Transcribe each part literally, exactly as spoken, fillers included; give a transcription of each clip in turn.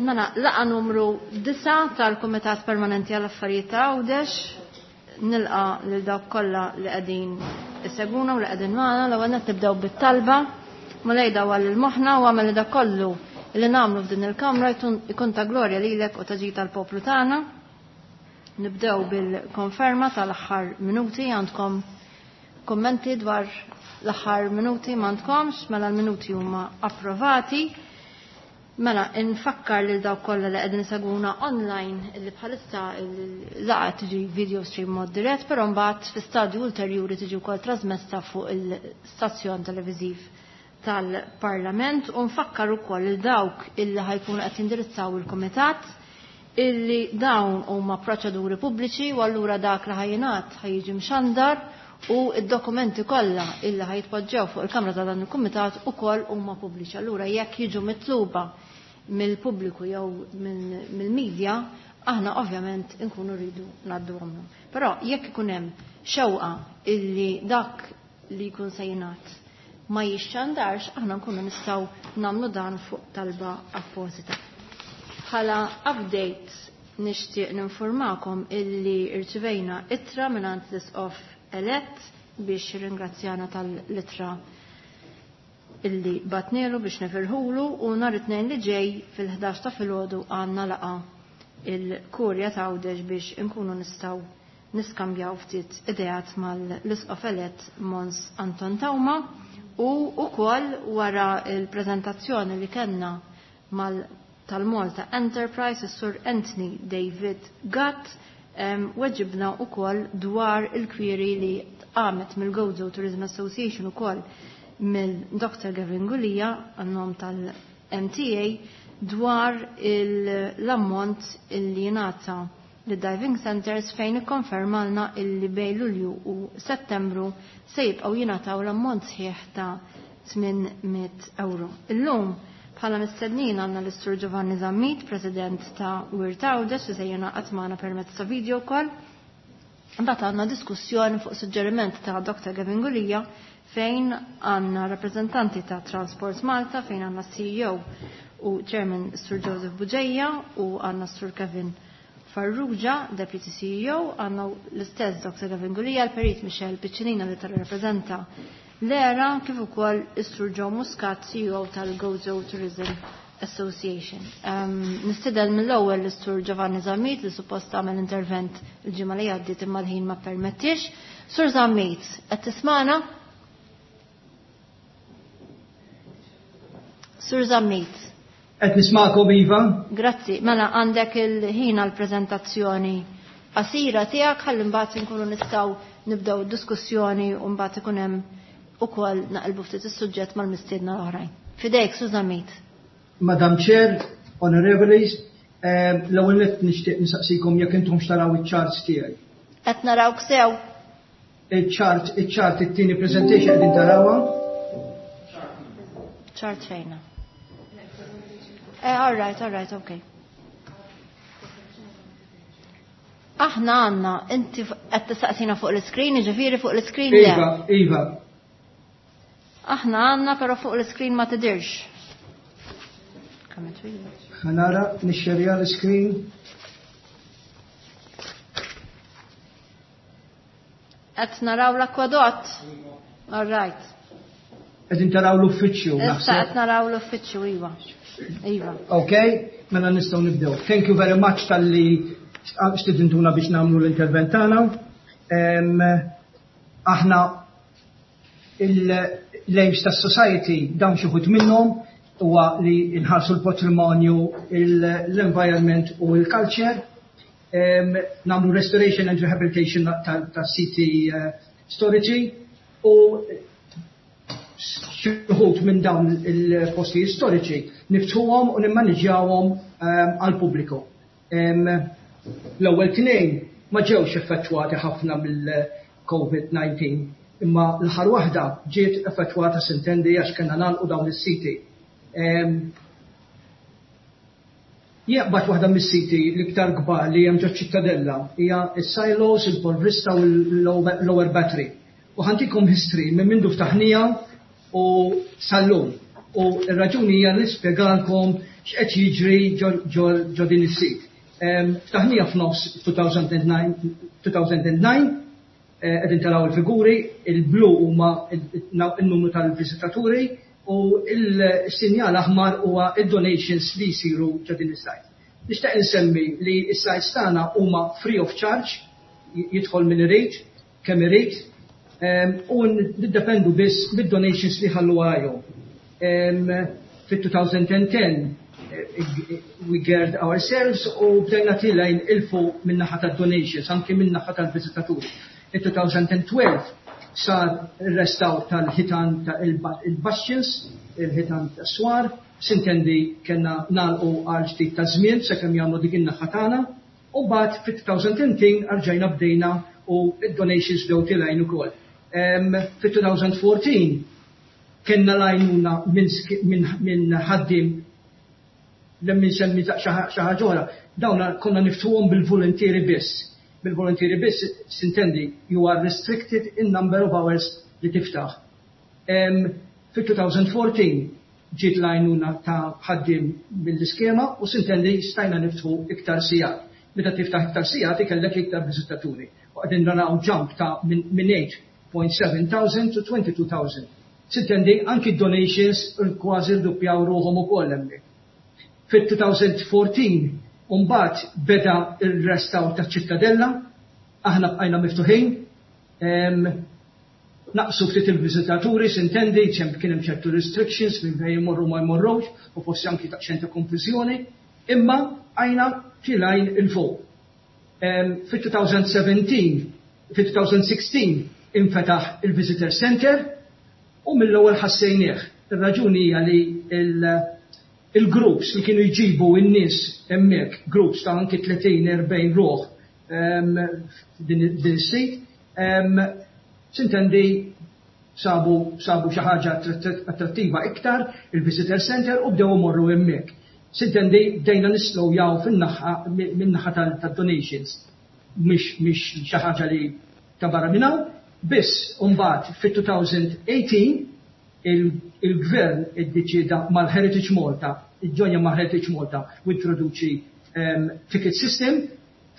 Mela, laqgħa numru disgħa tal-Kumitat Permanenti għall Affarijiet ta' Għawdex. Nilqa' lil dawk kollha li qegħdin isegwuna u li qegħdin magħna. L-ewwel nett nibdew bit-talba. Mulej, dawwal lil moħħna u agħmel li dak kollu li nagħmlu f'din il-kamra jkun ta' glorja lilek u ta' ġid tal-poplu tagħna. Nibdew bil-konferma tal-aħħar minuti. Għandkom kommenti dwar l-aħħar minuti? M'għandkomx, mela l-minuti huma approvati. Mela, infakkar lil dawk kollha li qegħdin isegwuna online illi bħalissa l-laqgħa tiġi video stream mod dirett, però mbagħad fi stadju ulterjuri tiġi wkoll trasmessa fuq il-stazzjon televiżiv tal-Parlament, u nfakkar ukoll lil dawk illi ħa jkunu qed jindirizzaw il-kumitat illi dawn huma proċeduri pubbliċi u allura dak li ħa jingħad ħa jiġi mxandar u id-dokumenti kollha illi ħa jitpoġġew fuq il-Kamra ta' dan il-Kumitat ukoll huma pubbliċi. Allura jekk jiġu mitluba mill-pubbliku jew mill-medja, aħna ovvjament nkunu rridu ngħadduhom. Però jekk ikun hemm xewqa illi dak li jkun se jingħad ma jixxandarx, aħna nkunu nistgħu nagħmlu dan fuq talba apposita. Bħala update nixtieq ninformakom illi irċivejna ittra mingħand l-Isqof elett biex ringrazzjana tal-ittra illi bgħatnielu biex nifirħulu, u nhar it-Tnejn li ġej fil-ħdax ta' filgħodu għandna laqgħa il-Kurja ta' Għawdex biex inkunu nistgħu niskambjaw ftit ideat mal-Isqof elett Mons Anton Teuma, u wkoll wara il-preżentazzjoni li kellna mal tal-Malta Enterprise, is-Sur Anthony David Gatt weġibna wkoll dwar il-query li għamet mill-Gozo Tourism Association, ukoll mill-Doktor Gavin Gulia għan-nom tal-M T A, dwar l-ammont illi jingħata li diving centers, fejn ikkonfermalna illi bejn Lulju u Settembru se jibqgħu jingħataw l-ammont sħiħ ta' tmien mitt euro. Illum bħala mistednin għandna l-Sur Giovanni Zammit, President ta' Wirt Għawdex, li se jingħaqad magħna permezz ta' video call. Mbagħad għandna diskussjoni fuq suġġeriment ta' Doktor Gavin Gulia, fejn għandna rappreżentanti ta' Transport Malta, fejn għandna C E O u Chairman Sur Joseph Bugeja u għandna Sur Kevin Farrugia, Deputy C E O, għandna l-istess Doktor Gavin Gulia, l-Perit Michel Piccinina li tal-rappresenta l-ERA, kif ukoll is-Sur Joe Muscat, C E O tal-Gozo Tourism Association. Um, Nistieden mill-ewwel l-Sur Giovanni Zammit, li suppost għamel intervent il-ġimgħa li għaddiet imma l-ħin ma permettix. Sur Zammit, qed tismana? Sur Zammit. Qed nismakom, iva. Grazzi. Mela għandek il-ħin għal-preżentazzjoni qasira tiegħek ħalli mbagħad inkunu nistgħu nibdew diskussjoni u mbagħad ikun hemm ukoll naqilbu ftit is-suġġett mal-mistiedna l-oħrajn. Fidejk, Sur Zammit. Madam Chair, Honorables, eh, l-ewwel nett nixtieq nistaqsikom jekk intom xtaraw iċ-charts tiegħi. Qed narawk sew. Iċ-chart, iċ-chart, it-tieni presentation, qegħdin tarawha? Chart fejna. Eh, all right, all right, okay. Aħna għandna, inti qed tistaqsina fuq l-screen, ġifieri fuq l-screen le. Iva, iva. Aħna għandna, però fuq l-screen ma tidirx. Kemm twila. Ħa nara, nixxerja l-screen. Qed naraw l-akwadott. All right. Qegħdin taraw l-uffiċċju, Issa naħseb. qed naraw l-uffiċċju, iva. Iva. Ok, mela nistgħu nibdew. Thank you very much talli stidintuna biex nagħmlu l-intervent tagħna. Em, Aħna l-aims tas-society, dawn xi wħud minnhom, huwa li nħarsu l-patrimonju, l-environment u l-culture, Em, nagħmlu restoration and rehabilitation ta' siti eh, storiċi u xi wħud minn dawn il-postijiet storiċi niftħuhom u nimmaniġjawhom għall-pubbliku. L-ewwel tnejn ma ġewx effettwati ħafna mill-COVID nineteen, imma l-aħħar waħda ġiet effettwata, s'intendi, għax kellna nagħlqu dawn is-siti. Jaqbad waħda mis-siti l-iktar kbar li hemm ġo Ċittadella hija s-silos, il-Polvrista u l-Lower Battery. U ħa ntikom history minn mindu ftaħnieha u sal-lum. U r-raġuni hija nispjegalkom x'qed jiġri ġo din is-sit. Ftaħnija f'nofs two thousand nine, qegħdin taraw il-figuri, il-blu huma il-numru tal-viżitaturi u il-sinjal aħmar huwa id-donations li jsiru ġo din is-site. Nixtieq insemmi li s-sites tagħna huma free of charge, jidħol min irid, kemm irid, u niddependu biss mid-donations li ħallu għajhom. Fit-twenty ten we geared ourselves u bdejna tilgħin 'il fuq min-naħa tad-donations, anki min-naħa tal-viżitaturi. In twenty twelve sar il-restawr tal-ħitan ta' il-bastions, il-ħitan ta' swar, s'intendi kellna nagħlqu għal ftit ta' żmien sakemm jagħmlu dik in-naħa tagħna, u mbagħad fit-twenty thirteen rġajna bdejna u id-donations bdew tilgħin ukoll. Fit-twenty fourteen kellna l-għajnuna minn ħaddim lemmin semmi xi ħaġa oħra. Dawna konna niftħuhom bil-volontieri biss. Bil-volontieri biss, s'intendi, you are restricted in number of hours li tiftaħ. Fit-twenty fourteen ġiet l-għajnuna ta' ħaddim mill-iskema u s'intendi stajna niftħu iktar sigħat. Meta tiftaħ iktar sigħat ikellek iktar viżitaturi. U qegħdin naraw jump ta' minn eight point seven thousand to twenty-two thousand. S'intendi anki donations kważi rduppjaw ruħhom ukoll hemmhekk. Fit-twenty fourteen mbagħad beda il-restawr ta' Ċittadella, aħna bqajna miftuħin, naqsu ftit il-viżitaturi, s'intendi, ċem kien hemm ċertu restrictions minn fejn jmorru ma jmorrux, u forsi anki ta' ċerta konfużjoni, imma għajna tilgħin 'il fuq. Fit-twenty seventeen, fit-twenty sixteen infetaħ il-Visitor Center u mill-ewwel ħassejnieh. Ir-raġuni hija li il-groups li kienu jġibu n-nies hemmhekk, groups ta' anki tletin erbgħin ruħ din is-sit, s'intendi sabu sabu xi ħaġa attrattiva iktar il-Visitor Center u bdew imorru hemmhekk. S'intendi bdejna nislowjaw fin-naħa min-naħa tad-donations. Mhix mhix xi ħaġa li ta' barra minn hawn, biss mbagħad fit-twenty eighteen il-gvern iddeċida mal-Heritage Malta, iġġonja ma' Heritage Malta u introduċi ticket system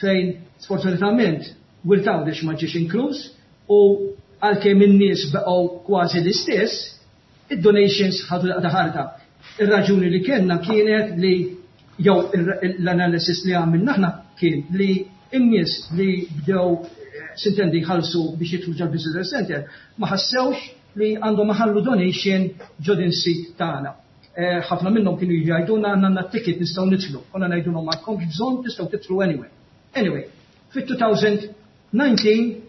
fejn sfortunatament Wirt Għawdex ma ġiex inkluż u għalkemm in-nies baqgħu kważi l-istess, id-donations ħadu daqqa ħarta. Ir-raġuni li kellna kienet li jew l-analysis li għamilna aħna kien li n-nies li bdew, s'intendi, jħallsu biex jidħlu ġol Visitor Center ma ħassewx li għandhom iħallu donation ġo din sit tagħna. Ħafna minnhom kienu jgħidulna, "Għandna ticket, nistgħu nidħlu." Konna ngħidulhom, "M'għandkomx bżonn, tistgħu tidħlu anyway." Anyway, fit-twenty nineteen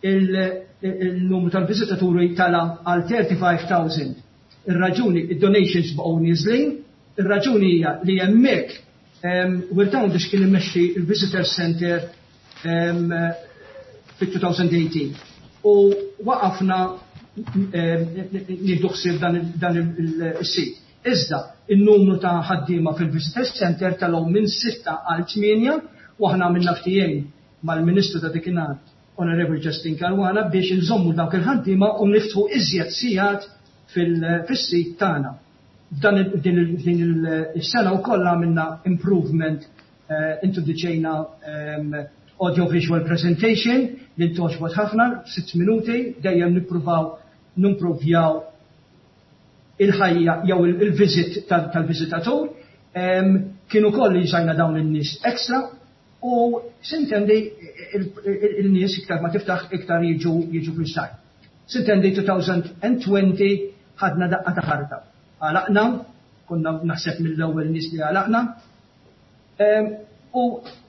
il-numru tal-viżitaturi tala għal thirty-five thousand. Ir-raġuni, id-donations baqgħu niżlin, ir-raġuni hija li hemmhekk Wirt Għawdex kien imexxi il-Visitor Center fit-twenty eighteen. U waqafna nieħdu ħsieb dan il-sit. Iżda, il-numru ta' ħaddiema fil-Visitor Center telgħu minn sitta għal tmienja u aħna għamilna ftehim mal-Ministru ta' dakinhar, Honorable Justyne Caruana, biex nżommu dawk il-ħaddiema u niftħu iżjed sigħat fil-sit tagħna. Dan din il-sena wkoll għamilna improvement, introduċejna audiovisual presentation li ntgħoġbot ħafna, sitt minuti, dejjem nippruvaw nimprovjaw il-ħajja jew il-visit tal-viżitatur. Kienu koll li ġajna dawn in-nies extra u s'intendi il-nies iktar ma tiftaħ iktar jiġu jiġu fil-site. S'intendi twenty twenty ħadna daqqa ta' ħarta. Għalaqna, konna naħseb mill-ewwel nies li għalaqna. U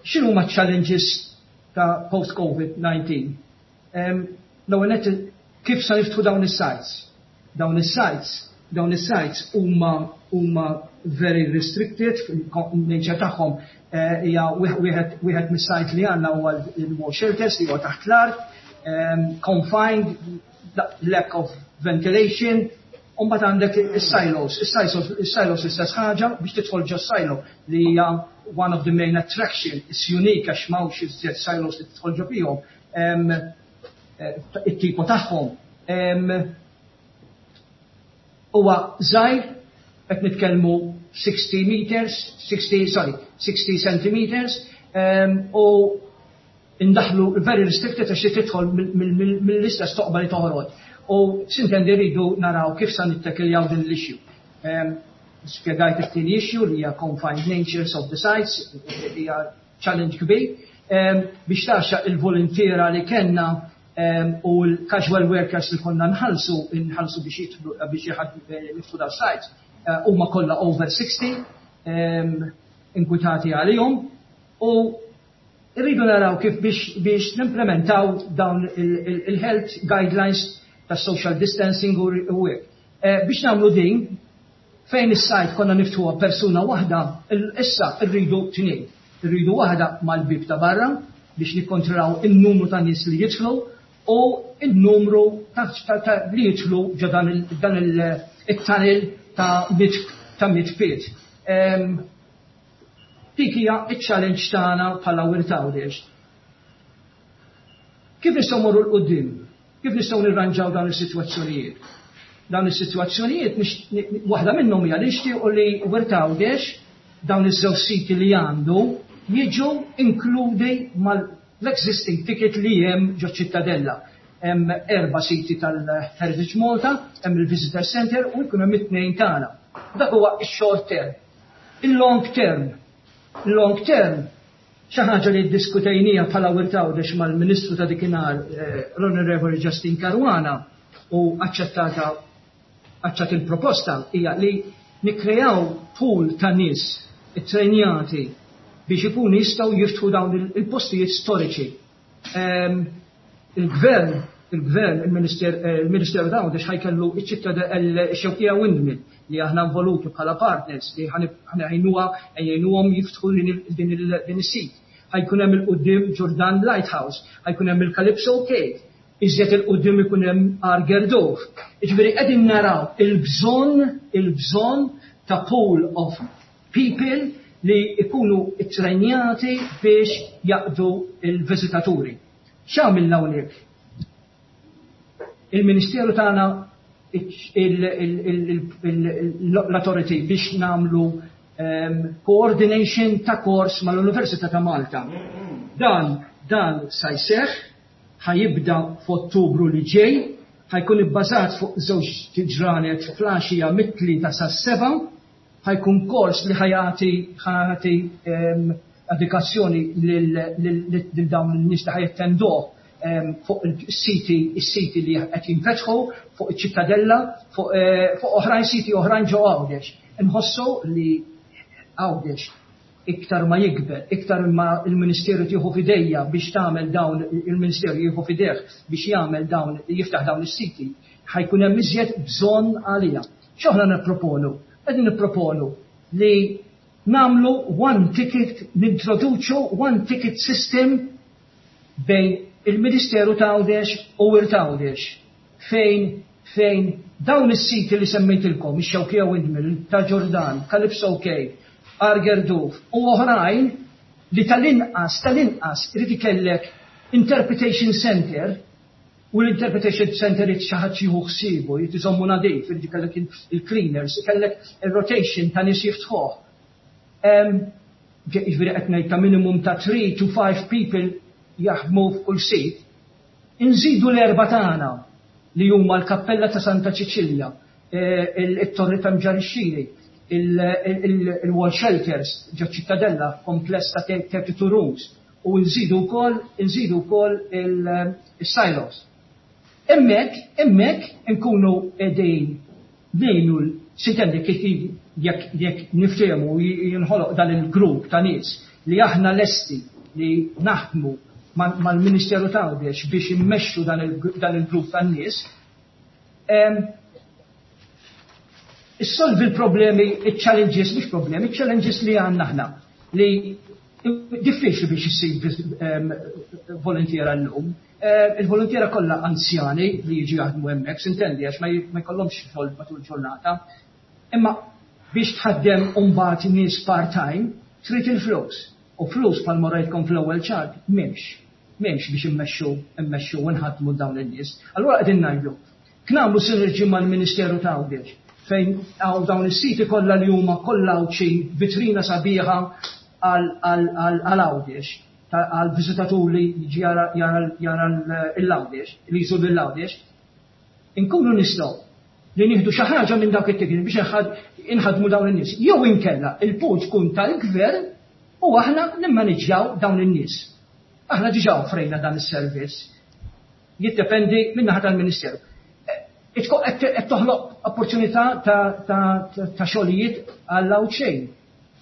x'inhu ma challenges ta' post-COVID nineteen? L-ewwel nett, kif sa niftħu dawn is-sites? Dawn is-sites, dawn is-sites huma huma very restricted, nature tagħhom hija wieħed wieħed mis-site li għandna huwa il-war shelters li huwa taħt l-art, confined, lack of ventilation, u mbagħad għandek is-silos, is-silos, is-silos istess ħaġa, biex tidħol ġo silo li hija one of the main attraction, is unique għax m'hawnx iżjed silos li tidħol ġo fihom, it-tipo tagħhom. Huwa żgħir. Qed nitkellmu sixty meters, sixty, sorry, sixty centimeters, um, u indaħlu very restricted għax tidħol mill-istess toqba li toħroġ. U s'intendi rridu naraw kif sa nittekiljaw din l-issue. Um, Spjegajt it-tieni issue li hija confined natures of the sites, hija challenge kbir. Um, biex taxa il-volontiera li kellna um, u l-casual workers li konna nħallsu, nħallsu biex jidħlu, biex jieħdu da sites, uh, huma kollha over sixty, um, inkwitati għalihom, u rridu naraw kif biex, biex nimplementaw dawn il-health guidelines ta' social distancing u hekk. Eh, biex nagħmlu din, fejn is-site konna niftħuha persuna waħda, issa rridu tnejn. Irridu waħda mal-bib ta' barra biex nikkontrollaw il-numru ta' nies li jidħlu u il-numru ta', ta, ta, li jidħlu ġo dan il-tunnel ta' mit, ta' mit feet. Um, dik hija iċ-challenge tagħna bħala Wirt Għawdex. Kif nistgħu mmorru 'l quddiem? Kif nistgħu nirranġaw dawn is-sitwazzjonijiet? Dawn is-sitwazzjonijiet waħda minnhom hija li nixtiequ li Wirt Għawdex dawn iż-żewġ siti li għandu jiġu inkludi mal-existing ticket li hemm ġo Ċittadella. Hemm erba' siti tal-Heritage Malta, hemm il-Visitor Center u jkun hemm it-tnejn tagħna. Dak huwa x-short term. Il-long term. Long term, xi ħaġa li ddiskutejnija bħala Wirt Għawdex mal-Ministru ta' dikinhar, eh, l-Onorevoli Justyne Caruana, u aċċettata aċċettat il-proposta hija li nikkrejaw pool ta' nies ittrejnjati biex ikunu jistgħu jiftħu dawn il-postijiet storiċi. Ehm, il-gvern, il-gvern, il-Ministeru ta' Għawdex ħa jkollu iċ-Xewkija Windmill li aħna involuti bħala partners li ħa ngħinuha jgħinuhom jiftħu din is-sit. Ħa jkun hemm 'il quddiem Ġordan Lighthouse, ħa jkun hemm il-Calypso Cave, iżjed 'il quddiem ikun hemm Għar Gerduf. Jiġifieri qegħdin naraw il-bżonn, il-bżonn ta' pool of people li ikunu ittrejnjati biex jaqdu il-viżitaturi. X'għamilna hawnhekk? Il-Ministeru tagħna l-authority biex nagħmlu um, coordination ta' kors mal-Università ta' Malta. Dan, dan sa jseħħ, ħa jibda f'Ottubru li ġej, ħa jkun ibbażat fuq żewġ ġranet filgħaxija mit-tlieta sas-sebgħa, ħa jkun kors li ħa jagħti ħa jagħti um, edukazzjoni lil dawn in-nies li ħa jattenduh fuq il-siti, il-siti li qed jinfetħu, fuq iċ-Ċittadella, fuq eh, oħrajn siti oħrajn ġo Għawdex. Inħossu li Għawdex iktar ma jikber, iktar ma il-Ministeru tieħu f'idejha biex tagħmel dawn, il-Ministeru jieħu f'idejh biex jagħmel dawn, jiftaħ dawn is-siti, ħa jkun hemm iżjed bżonn għalija. X'aħna nipproponu? Qegħdin nipproponu li nagħmlu one ticket, nintroduċu one ticket system bejn il-Ministeru ta' Għawdex u Wirt Għawdex, fejn fejn dawn is-siti li semmejtilkom, ix-Xewkija Windmill, ta' Ġordan, Calypso Cave, Għar Gerduf u oħrajn li tal-inqas, tal-inqas irid ikellek interpretation center, u l-interpretation center irid xi ħadd jieħu ħsiebu, jrid iżommu nadif, irid ikellek il-cleaners, ikellek il-rotation ta' nies jiftħuh. Jiġifieri qed ngħid ta' minimum ta' three to five people jaħdmu f'kull sit. Inżidu l-erba' tagħna li huma l-Kappella ta' Santa Ċiċilja, il-Torri ta' Mġarr ix-Xini, il-Wall Shelters ġo Ċittadella, kompless ta' thirty-two rooms, u nżidu wkoll, nżidu wkoll il-silos. Hemmhekk, hemmhekk nkunu qegħdin ngħinu s'intendi kif jekk jekk niftehmu jinħoloq dan il-grupp ta' nies li aħna lesti li naħdmu mal-Ministeru ta' Għawdex biex immexxu dan il-grupp ta' nies. Issolvi l-problemi, il-challenges, mhux problemi, il-challenges li għandna aħna li diffiċli biex issib volontiera llum. Il-volontiera kollha anzjani li jiġu jaħdmu hemmhekk, s'intendi, għax ma jkollhomx xogħol matul ġurnata. Imma biex tħaddem mbagħad nies part-time, trid il-flus. U flus bħalma rajtkom fl-ewwel ċart m'hemmx. M'hemmx biex immexxu, immexxu u nħaddmu dawn in-nies. Allura qegħdin ngħidu, nagħmlu sinerġi mal-Ministeru ta' Għawdex fejn hawn dawn is-siti kollha li huma kollha Għawdxin, vitrina sabiħa għal Għawdex, għal viżitatur li jiġi jara l-Għawdex, li jżur l-Għawdex, inkunu nistgħu li nieħdu xi ħaġa minn dawk it-tickets biex inħadmu dawn in-nies. Jew inkella il-pool tkun tal-gvern u aħna nimmaniġġjaw dawn in-nies. Aħna diġà offrejna dan is-servizz. Jiddependi min-naħa tal-Ministeru. Qed toħloq opportunità ta' xogħlijiet għall Għawdxejn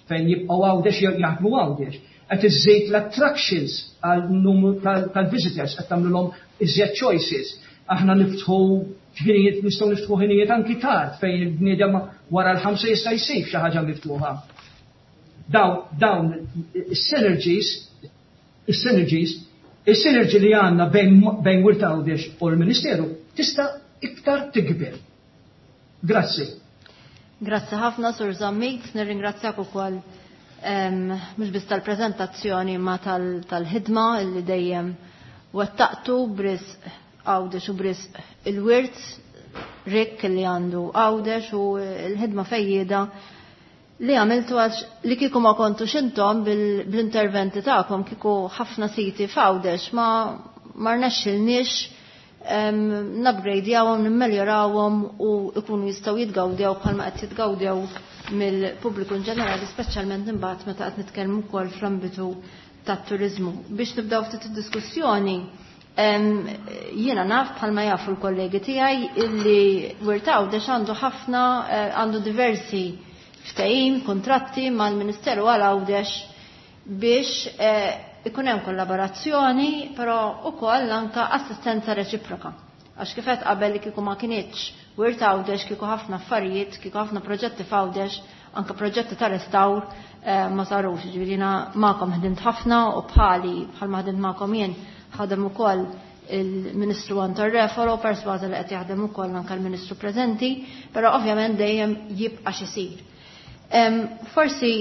fejn jibqgħu Għawdex, jaħdmu Għawdex. Qed iżżid l-attractions għal numru tal-visitors, qed tagħmluhom iżjed choices. Aħna niftħu ħinijiet, nistgħu niftħu ħinijiet anki tard fejn il-bniedem wara l-ħamsa jista' jsib xi ħaġa miftuħa. Dawn is-synergies, is-synergies, is-synergy li għandna bejn Wirt Għawdex u l-Ministeru tista' iktar tikber. Grazzi. Grazzi ħafna, Sur Zammit, nirringrazzjak ukoll mhux biss tal-preżentazzjoni ma tal-ħidma li dejjem wettaqtu b'risq Għawdex u b'risq il-wirt rikk li għandu Għawdex u l-ħidma fejjieda li għamiltu, għax li kieku ma kontux intom bl-interventi tagħkom, kieku ħafna siti f'Għawdex ma ma rnexxilniex nupgradejawhom, nimmeljorawhom u ikunu jistgħu jitgawdew bħalma qed jitgawdew mill-pubbliku in ġenerali, speċjalment imbagħad meta qed nitkellmu wkoll fl-ambitu tat-turiżmu. Biex nibdew ftit id-diskussjoni, jiena naf, bħalma jafu l-kollegi tiegħi, illi Wirt Għawdex għandu ħafna, għandu diversi ftehim, kontratti mal-Ministeru għal Għawdex biex ikun hemm kollaborazzjoni, però ukoll anka assistenza reċiproka. Għax kif qed qabel, li kieku ma kinitx Wirt Għawdex, kieku ħafna affarijiet, kieku ħafna proġetti f'Għawdex, anka proġetti ta' restawr, ma sarux. Ġifieri jiena magħkom ħdimt ħafna u bħali bħalma ħdimt magħkom jien ħadem ukoll il-Ministru Anton Refalo, persważa li qed jaħdem ukoll anke l-Ministru preżenti, però ovvjament dejjem jibqa' x'isir. Forsi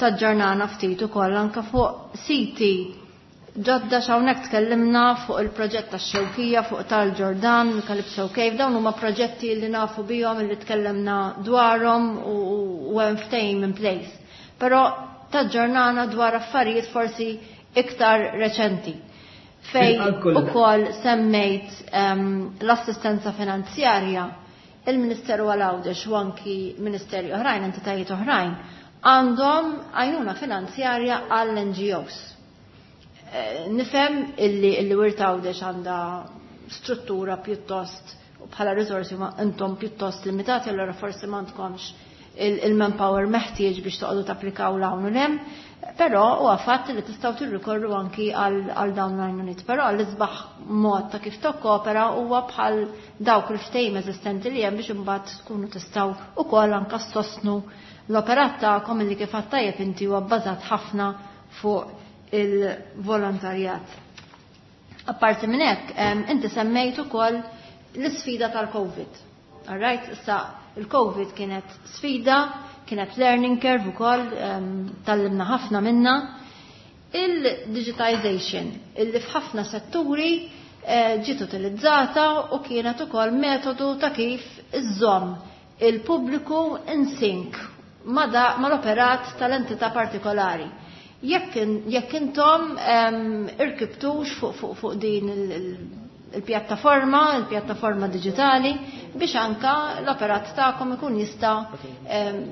taġġornana ftit ukoll anke fuq siti ġodda. Hawnhekk tkellimna fuq il-proġett tax-Xewkija, fuq tal-Ġordan, Calypso Cave, dawn huma proġetti li nafu bihom, li tkellimna dwarhom u hemm ftehim in place. Però taġġornana dwar affarijiet forsi iktar reċenti. Fej ukoll semmejt l-assistenza finanzjarja, il-Ministeru għal Għawdex u anki ministeri oħrajn, entitajiet oħrajn, għandhom għajnuna finanzjarja għall-N G Os. Nifhem illi illi Wirt Għawdex għandha struttura pjuttost u bħala risorsi ma intom pjuttost limitati, allora forsi m'għandkomx il-manpower meħtieġ biex toqgħodu tapplikaw 'l hawn u 'l hemm, però huwa fatt li tistgħu tirrikorru anki għal dawn l-għajnuniet. Però l-isbaħ mod ta' kif tokkopera huwa bħal dawk il-ftehim eżistenti li hemm biex imbagħad tkunu tistgħu ukoll anke ssostnu l-operat tagħkom, illi kif tajjeb inti huwa bbażat ħafna fuq il-volontarjat. Apparti minn hekk, inti semmejt ukoll l-isfida tal-Covid. All right, issa il-Covid kienet sfida, kienet learning curve ukoll, tgħallimna ħafna minna. Il-digitization, illi f'ħafna setturi eh, ġiet utilizzata u kienet ukoll metodu ta' kif iżżomm il-pubbliku in sync mal-operat tal-entità partikolari. Jekk intom irkibtux fuq fuq fuq din il-pjattaforma, il-pjattaforma digitali, biex anka l-operat tagħkom ikun jista'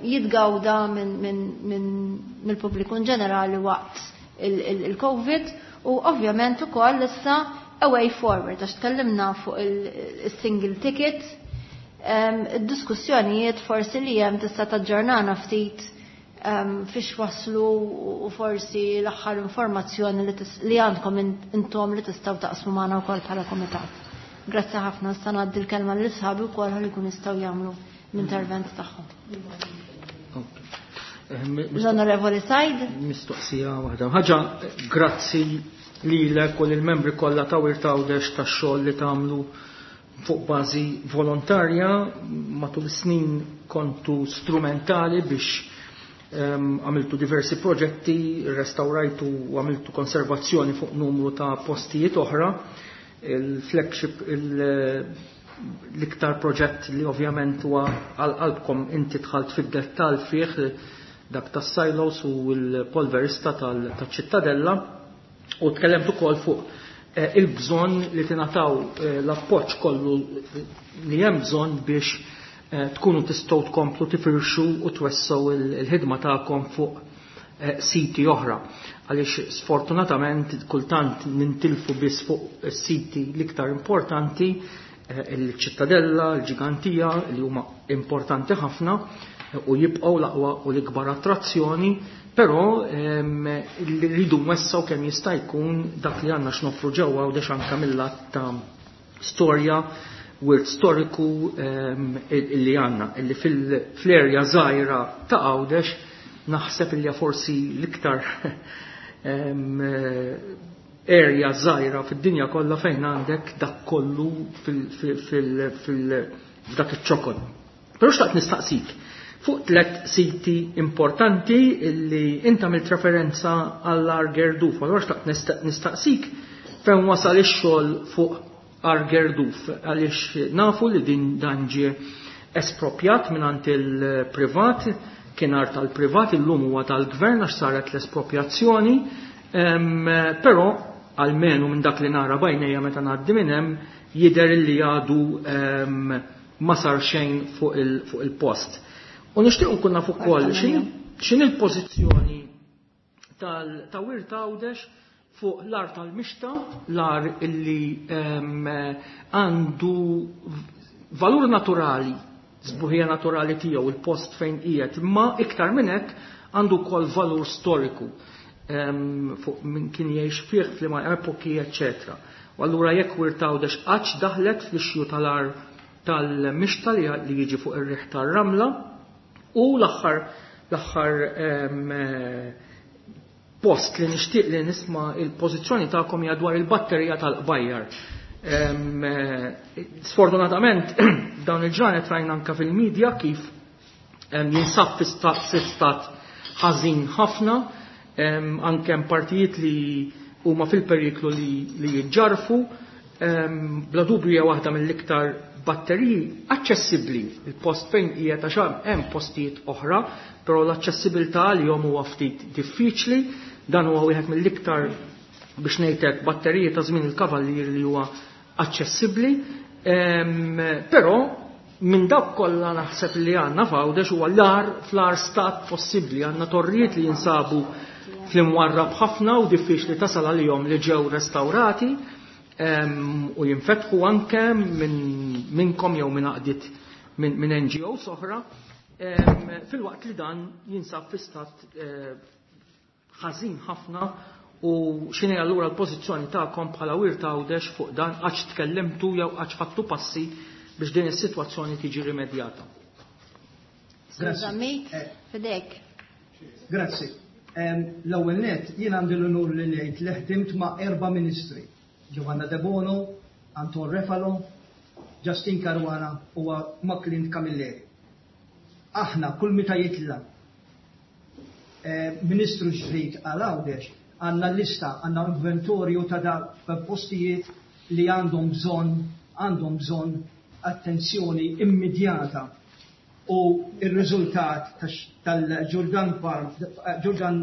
jitgawda mill-pubbliku in ġenerali waqt il-Covid u ovvjament ukoll issa a way forward, għax tkellimna fuq il-single ticket, id-diskussjonijiet forsi li hemm, tista' taġġornana ftit fiex waslu u forsi l-aħħar informazzjoni li għandkom intom li tistgħu taqsmu magħna wkoll bħala komitat. Grazzi ħafna, issa ngħaddi l-kelma lil sħabi wkoll ħalli jkun jistgħu jagħmlu l-intervent tagħhom. L-Onorevoli Said. Mistoqsija waħda. Ħaġa, grazzi lilek u lill-membri kollha ta' Wirt Għawdex tax-xogħol li tagħmlu fuq bażi volontarja. Matul snin kontu strumentali biex għamiltu diversi proġetti, restaurajtu u għamiltu konservazzjoni fuq numru ta' postijiet oħra. Il-flagship, L-iktar proġett li ovvjament huwa għal qalbkom inti dħalt fid-dettall fih, dak tas-silos u l-polverista tal-Ċittadella, u tkellemt ukoll fuq eh, il-bżonn li tingħataw eh, l-appoġġ kollu li hemm bżonn biex eh, tkunu tistgħu tkomplu tifirxu u twessew il-ħidma tagħkom fuq siti oħra. Għaliex sfortunatament kultant nintilfu biss fuq siti l-iktar importanti, il-Ċittadella, il-Ġigantija, li huma importanti ħafna u jibqgħu l-aqwa u l-ikbar attrazzjoni, però rridu nwessaw kemm jista' jkun dak li għandna x'noffru ġewwa u anke mill-lat ta' storja, wirt storiku illi għandna, illi fl-erja żgħira ta' Għawdex naħseb illi forsi l-iktar area żgħira fid-dinja kollha fejn għandek dak kollu f'dak iċ-ċokon. Però xtaqt nistaqsik fuq tliet siti importanti illi inta għamilt referenza għall-Għar Gerduf. Allura xtaqt nistaqsik fejn wasal ix-xogħol fuq Għar Gerduf, għaliex nafu li din dan ġie espropjat mingħand il-privat, kien art tal-privat, illum huwa tal-gvern għax saret l-espropjazzjoni, però almenu minn dak li nara bajnejja meta ngħaddi minn hemm jidher li għadu ma sar xejn fuq il-post. U nixtieq nkun naf ukoll x'inhi l-pożizzjoni ta' Wirt Għawdex fuq l-art tal-mixta, l-art illi għandu valur naturali, sbuħija naturali tiegħu, il-post fejn qiegħed, imma iktar minn hekk għandu wkoll valur storiku fuq min kien jgħix fih f'liema epoki, eċċetera. U allura jekk Wirt Għawdex qattx daħlet fl-ixju tal-ar tal-mixta li jiġi fuq ir-riħ tar-ramla, u l-aħħar l-aħħar post li nixtieq li nisma' il-pożizzjoni tagħkom hija dwar il-batterija tal-qbajjar. Sfortunatament dawn il-ġranet rajna anke fil-medja kif jinsab fi stat ħażin ħafna, anke hemm partijiet li huma fil-periklu li jiġġarfu, bla dubju hija waħda mill-iktar batteriji aċċessibbli. Il-post fejn hija ta' xarm hemm postijiet oħra, però l-aċċessibilità għalihom huwa ftit diffiċli. Dan huwa wieħed mill-iktar, biex ngħidlek, batteriji ta' żmien il-kavallier li huwa aċċessibbli, però minn dawk kollha naħseb li għandna f'Għawdex huwa l-ar fl-ar stat possibbli. Għandna torrijiet li jinsabu fl-imwarrab ħafna u diffiċli tasal għalihom li ġew restawrati u jinfetħu anke minn minnkom jew minn għaqdiet minn N G Os oħra, filwaqt li dan jinsab fi stat ħażin ħafna. U x'inhi allura l-pożizzjoni tagħkom bħala Wirt Għawdex fuq dan, għax tkellimtu jew għax ħadtu passi biex din is-sitwazzjoni tiġi rimedjata? Grazzi. Fidek. Grazzi. L-ewwel nett jien għandi l-unur li ngħid li ħdimt ma' erba' ministri: Giovanna Debono, Anton Refalo, Justin Caruana u Macklin Camilleri. Aħna kull meta jitla' ministru ġdid għal Għawdex għandna lista, għandna inventorju ta' da postijiet li għandhom bżonn, għandhom bżonn attenzjoni immedjata. U il-riżultat tal-Ġordan Farm, Ġordan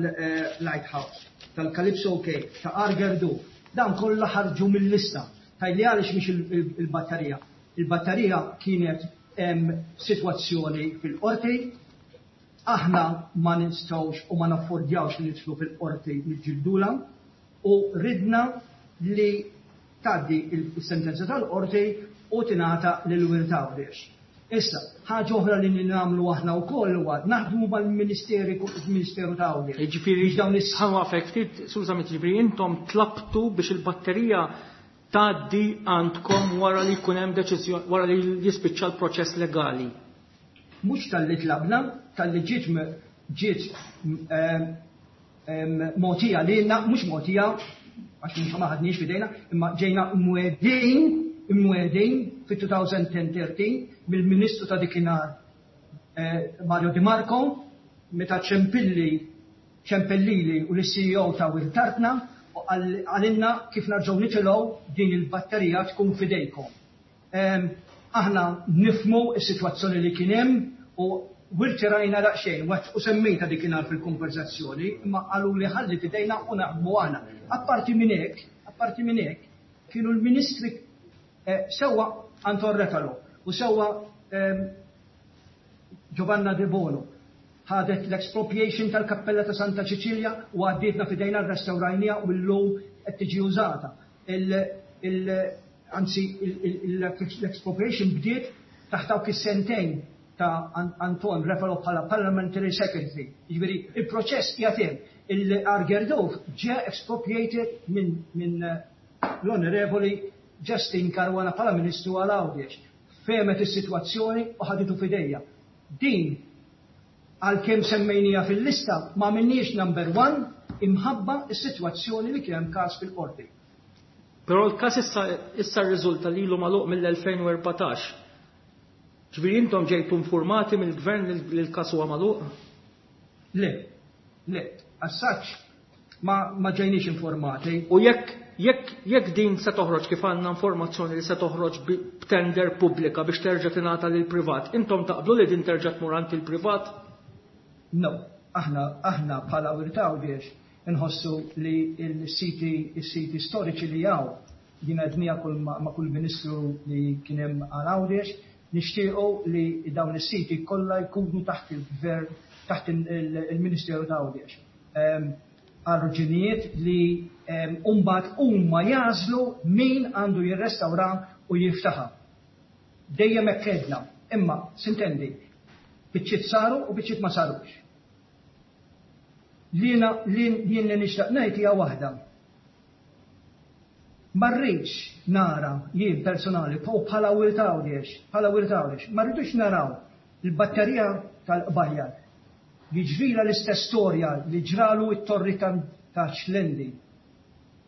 Lighthouse, tal-Calypso Cay, ta' Għar Gerduf, dan kollha ħarġu mill-lista. Tajli għaliex mhix il-batterija. Il-batterija kienet hemm sitwazzjoni fil-qorti, aħna ma nistgħux u ma naffordjawx li nidħlu fil-qorti niġġildula, u ridna li tgħaddi il-sentenza tal-qorti u tingħata lil Wirt Għawdex. Issa, ħaġa oħra li nagħmlu aħna wkoll huwa naħdmu mal-Ministeri, il-Ministeru ta' Għawdex. Jiġifieri, Biex dawn is- ħa waqfek ftit, skużami, jiġifieri intom tlabtu biex il-batterija tgħaddi għandkom wara li jkun hemm deċiżjoni, wara li jispiċċa l-proċess legali. Mhux talli tlabna, talli ġiet m-, ġiet, em, em, mogħtija lilna, mhux mogħtija għax mhux ma ħadniex f'idejna, imma ġejna mwedin, imwedin fi two thousand ten thirteen mill-Ministru ta' dikinhar, eh, Mario Di Marco, meta ċempilli, ċempellili u l-C E O ta' Wirt Artna u għal-, għalinna kif narġgħu nitilgħu din il-batterija tkun f'idejkom. Em, Aħna nifhmu s-sitwazzjoni li kien hemm u wirtirajna daqsxejn u semmejta dikinhar fil-konverzazzjoni, imma qalu li ħalli f'idejna u naħdmu aħna. Apparti minn hekk, apparti minn hekk, kienu l-ministri eh, sewwa Anton Refalo u sewwa ehm, Giovanna De Bono ħadet l-expropriation tal-Kappella ta' Santa Ċiċilja u għaddietna f'idejna, rrestawrajnieha u llum qed tiġi użata. Anzi, l-expropriation bdiet taħt dawk is-sentejn ta' Anton Refalo bħala Parliamentary Secretary. Jiġifieri, il-proċess qiegħed hemm. Il-Għar Gerdof ġie expropriated minn l-Onorevoli Justyne Caruana bħala Ministru għal Għawdex. Fehmet is-sitwazzjoni u ħaditu f'idejja. Din għalkemm semmejnija fil-lista ma minniex number one imħabba is-sitwazzjoni li kien hemm każ fil-qorti. Però l-każ issa issa rriżulta li ilu magħluq mill-elfejn u erbatax. Ġifieri intom ġejtu informati mill-gvern li l-każ huwa magħluq? Le, le, as such ma, ma ġejniex informati. U jekk jekk jekk din se toħroġ, kif għandna informazzjoni li se toħroġ b'tender pubblika biex terġa' tingħata lil privat, intom taqblu li din terġa' tmur għand il-privat? No, aħna aħna bħala Wirt Għawdex nħossu li l-siti s-siti storiċi li hawn, din għednieha kull ma' kull ministru li kien hemm għal Għawdex, nixtiequ li dawn is-siti kollha jkunu taħt il-gvern, taħt il-Ministeru ta' Għawdex. Għal raġunijiet li mbagħad huma jagħżlu min għandu jirrestawra u jiftaħha. Dejjem hekk għedna, imma s'intendi, biċċiet saru u biċċiet ma sarux. Jiena jien li nixtaq ngħid hija waħda. Ma rridx nara jien personali u bħala Wirt Għawdex, bħala Wirt Għawdex, ma rridux naraw il-batterija tal-Qbajjar jiġrila l-istess storja li ġralu it-torri ta' Xlendi.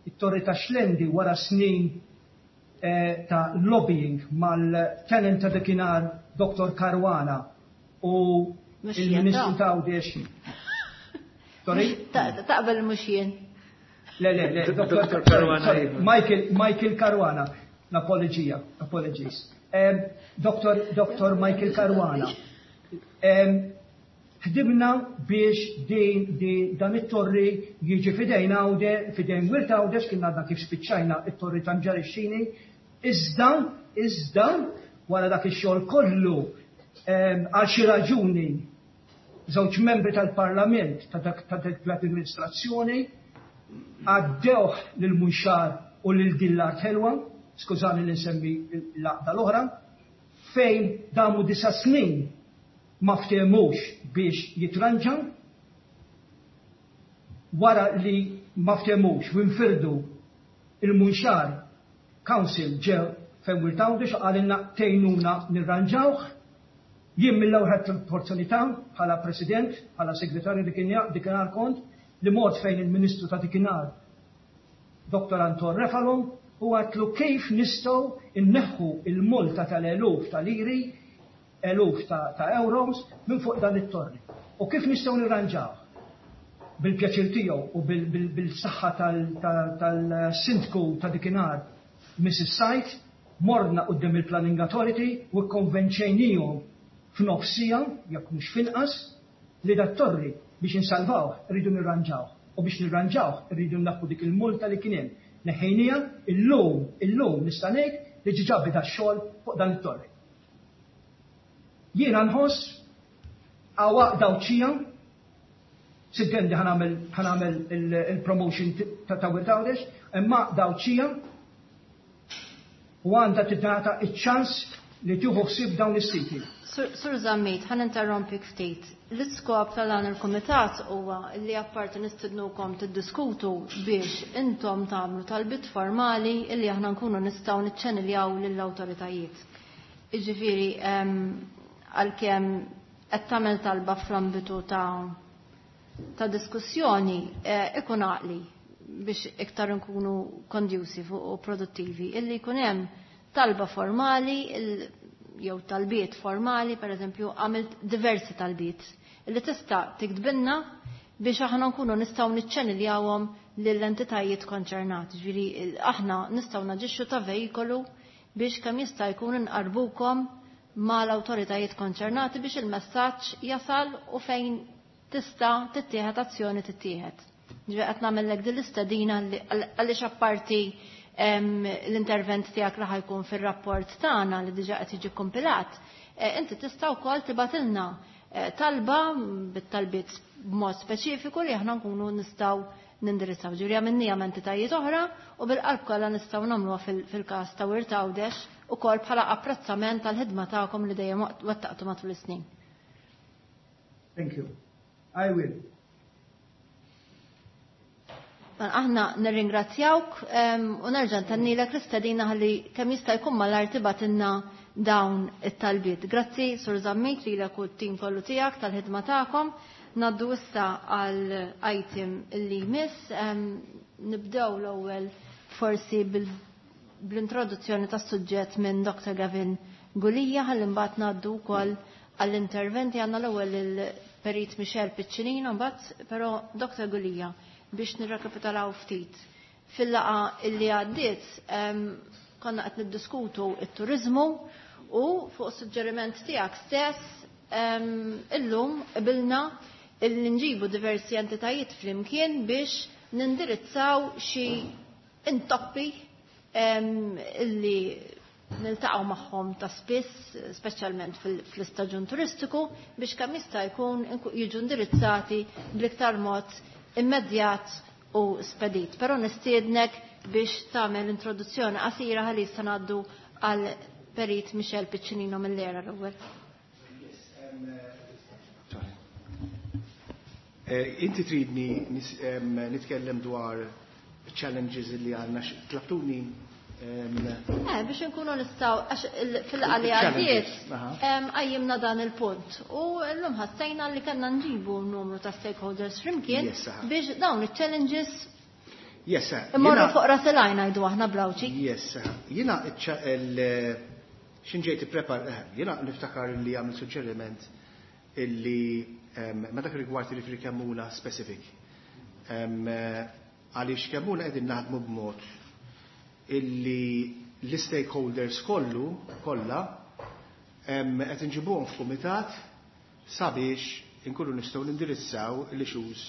It-torri ta' Xlendi wara snin eh, ta' lobbying mal-tenant ta' dakinhar Doktor Caruana u il-Ministru ta' Għawdex. Sorry? Taqbel mhux jien. Le, le, le, Doktor Caruana. Michael, Michael Caruana. Apologija, apologies. Um, Doktor Doktor Michael Caruana. Um, ħdimna biex din, din dan it-torri jiġi fidejn Għawde, fidejn Wirt Għawdex, kien għadna kif spiċċajna it-torri ta' Mġarixxini, iżda, iżda, wara dak ix-xogħol kollu, għal xi raġuni, żewġ membri tal-Parlament ta' dak ta' dik l-amministrazzjoni għaddewh lil Munxar u lil Dillard Ħelwa, skużani li nsemmi l-għaqda l-oħra, fejn damu disa' snin ma ftehmux biex jitranġa, wara li ma ftehmux u nfirdu il-Munxar Council ġew fejn Wirt Għawdex qalilna tgħinuna nirranġawh. Jien mill-ewwel ħadt l-opportunità bħala President, bħala Segretarju dikinhar kont, li mort fejn il-Ministru ta' dikinhar Doktor Anton Refalo u għatlu kif nistgħu inneħħu il-multa tal-eluf tal-liri, eluf ta', ta' euros minn fuq dan it-torri. U kif nistgħu nirranġaw? Bil-pjaċir tiegħu u bil-saħħa tal-sindku ta' dikinhar Missus Sajt, morna quddiem il-Planning Authority u kkonvenċejnihom f'nofsija, jekk mhux finqas, li dat torri biex insalvaw rridu nirranġaw. U biex nirranġaw rridu nnaqqu dik il-multa li kien hemm. Neħejnija, illum, illum nista' ngħid li ġiġa beda x-xogħol fuq dan it-torri. Jiena nħoss għawaq dawċija, siddendi ħanamel, ħanamel il-promotion ta' ta' Wirt Għawdex, imma dawċija u għandha tingħata iċ-ċans li tieħu ħsieb dawn is-siti. Sur Zammit, ħan interrompik ftit. L-iskop tal-dan il-kumitat huwa li apparti nistednukom tiddiskutu biex intom tagħmlu talbiet formali illi aħna nkunu nistgħu niċċeniljaw lill-awtoritajiet. Jiġifieri, għalkemm qed tagħmel talba fl-ambitu ta', ta' diskussjoni, eh, ikun għaqli biex iktar nkunu conducive u produttivi, illi jkun hemm talba formali, jew talbiet formali, per eżempju, għamilt diversi talbiet, illi tista' tiktbilna biex aħna nkunu nistgħu niċċeniljawhom lill-entitajiet konċernati. Ġifieri aħna nistgħu naġixxu ta' vejkolu biex kemm jista' jkun inqarbukom mal-awtoritajiet konċernati biex il-messaġġ jasal u fejn tista' tittieħed azzjoni tittieħed. Ġifieri qed nagħmellek din l-istedina għaliex apparti l-intervent tiegħek li ħajkun fir-rapport tagħna li diġà qed jiġi kompilat, inti tista' wkoll tibatilna talba bit-talbiet b'mod speċifiku li aħna nkunu nistgħu nindirizzaw. Ġifieri għamilniha ma' entitajiet oħra u bil-qalb kollha nistgħu nagħmluha fil-każ ta' Wirt Għawdex ukoll bħala apprezzament tal-ħidma tagħkom li dejjem wettaqtu matul is-snin. Thank you. I will. Aħna nirringrazzjawk u nerġa' ntennilek l-istedina ħalli kemm jista' jkun malajr tibgħatilna dawn it-talbiet. Grazzi Sur Zammit lilek u t-tim kollu tiegħek tal-ħidma tagħkom. Naddu issa għal item li jmiss. Nibdew l-ewwel forsi bl-introduzzjoni tas-suġġett minn Doctor Gavin Gulia ħalli mbagħad ngħaddu wkoll għall-interventi. Għandna l-ewwel il-Perit Michel Piccinino, mbagħad però Doctor Gulia biex nirrekapitolaw ftit. Fil-laqa illi għaddiet konna qed niddiskutu t-turizmu u fuq suġġeriment tiegħek stess illum qbilna illi nġibu diversi entitajiet flimkien biex nindirizzaw xi intoppi illi niltaqgħu magħhom ta' spiss, speċjalment fl-istaġun turistiku, biex kemm jista' jkun jiġu indirizzati bl-iktar mod immedjat u spedit. Però nistiednek biex tagħmel introduzzjoni qasira ħalli issa ngħaddu għal Perit Michel Piccinino mill-ERA l-ewwel. Inti tridni nitkellem dwar challenges li għandna tlabtuni. Eh, biex nkunu nistgħu għax fil-qali għaddiet qajjimna dan il-punt. U llum ħassejna li kellna nġibu numru ta' stakeholders flimkien biex dawn iċ-challenges Yes, immorru fuq ras il-għajn ngħidu aħna blawċi. Yes, jiena x'inġejt ipprepar, jiena niftakar li għamil suġġeriment illi ma dak rigward li Kemmuna specific. Għaliex Kemmuna qegħdin naħdmu b'mod illi l-stakeholders kollu, kollha, qed inġibuhom f'kumitat sabiex inkunu nistgħu nindirizzaw l-issues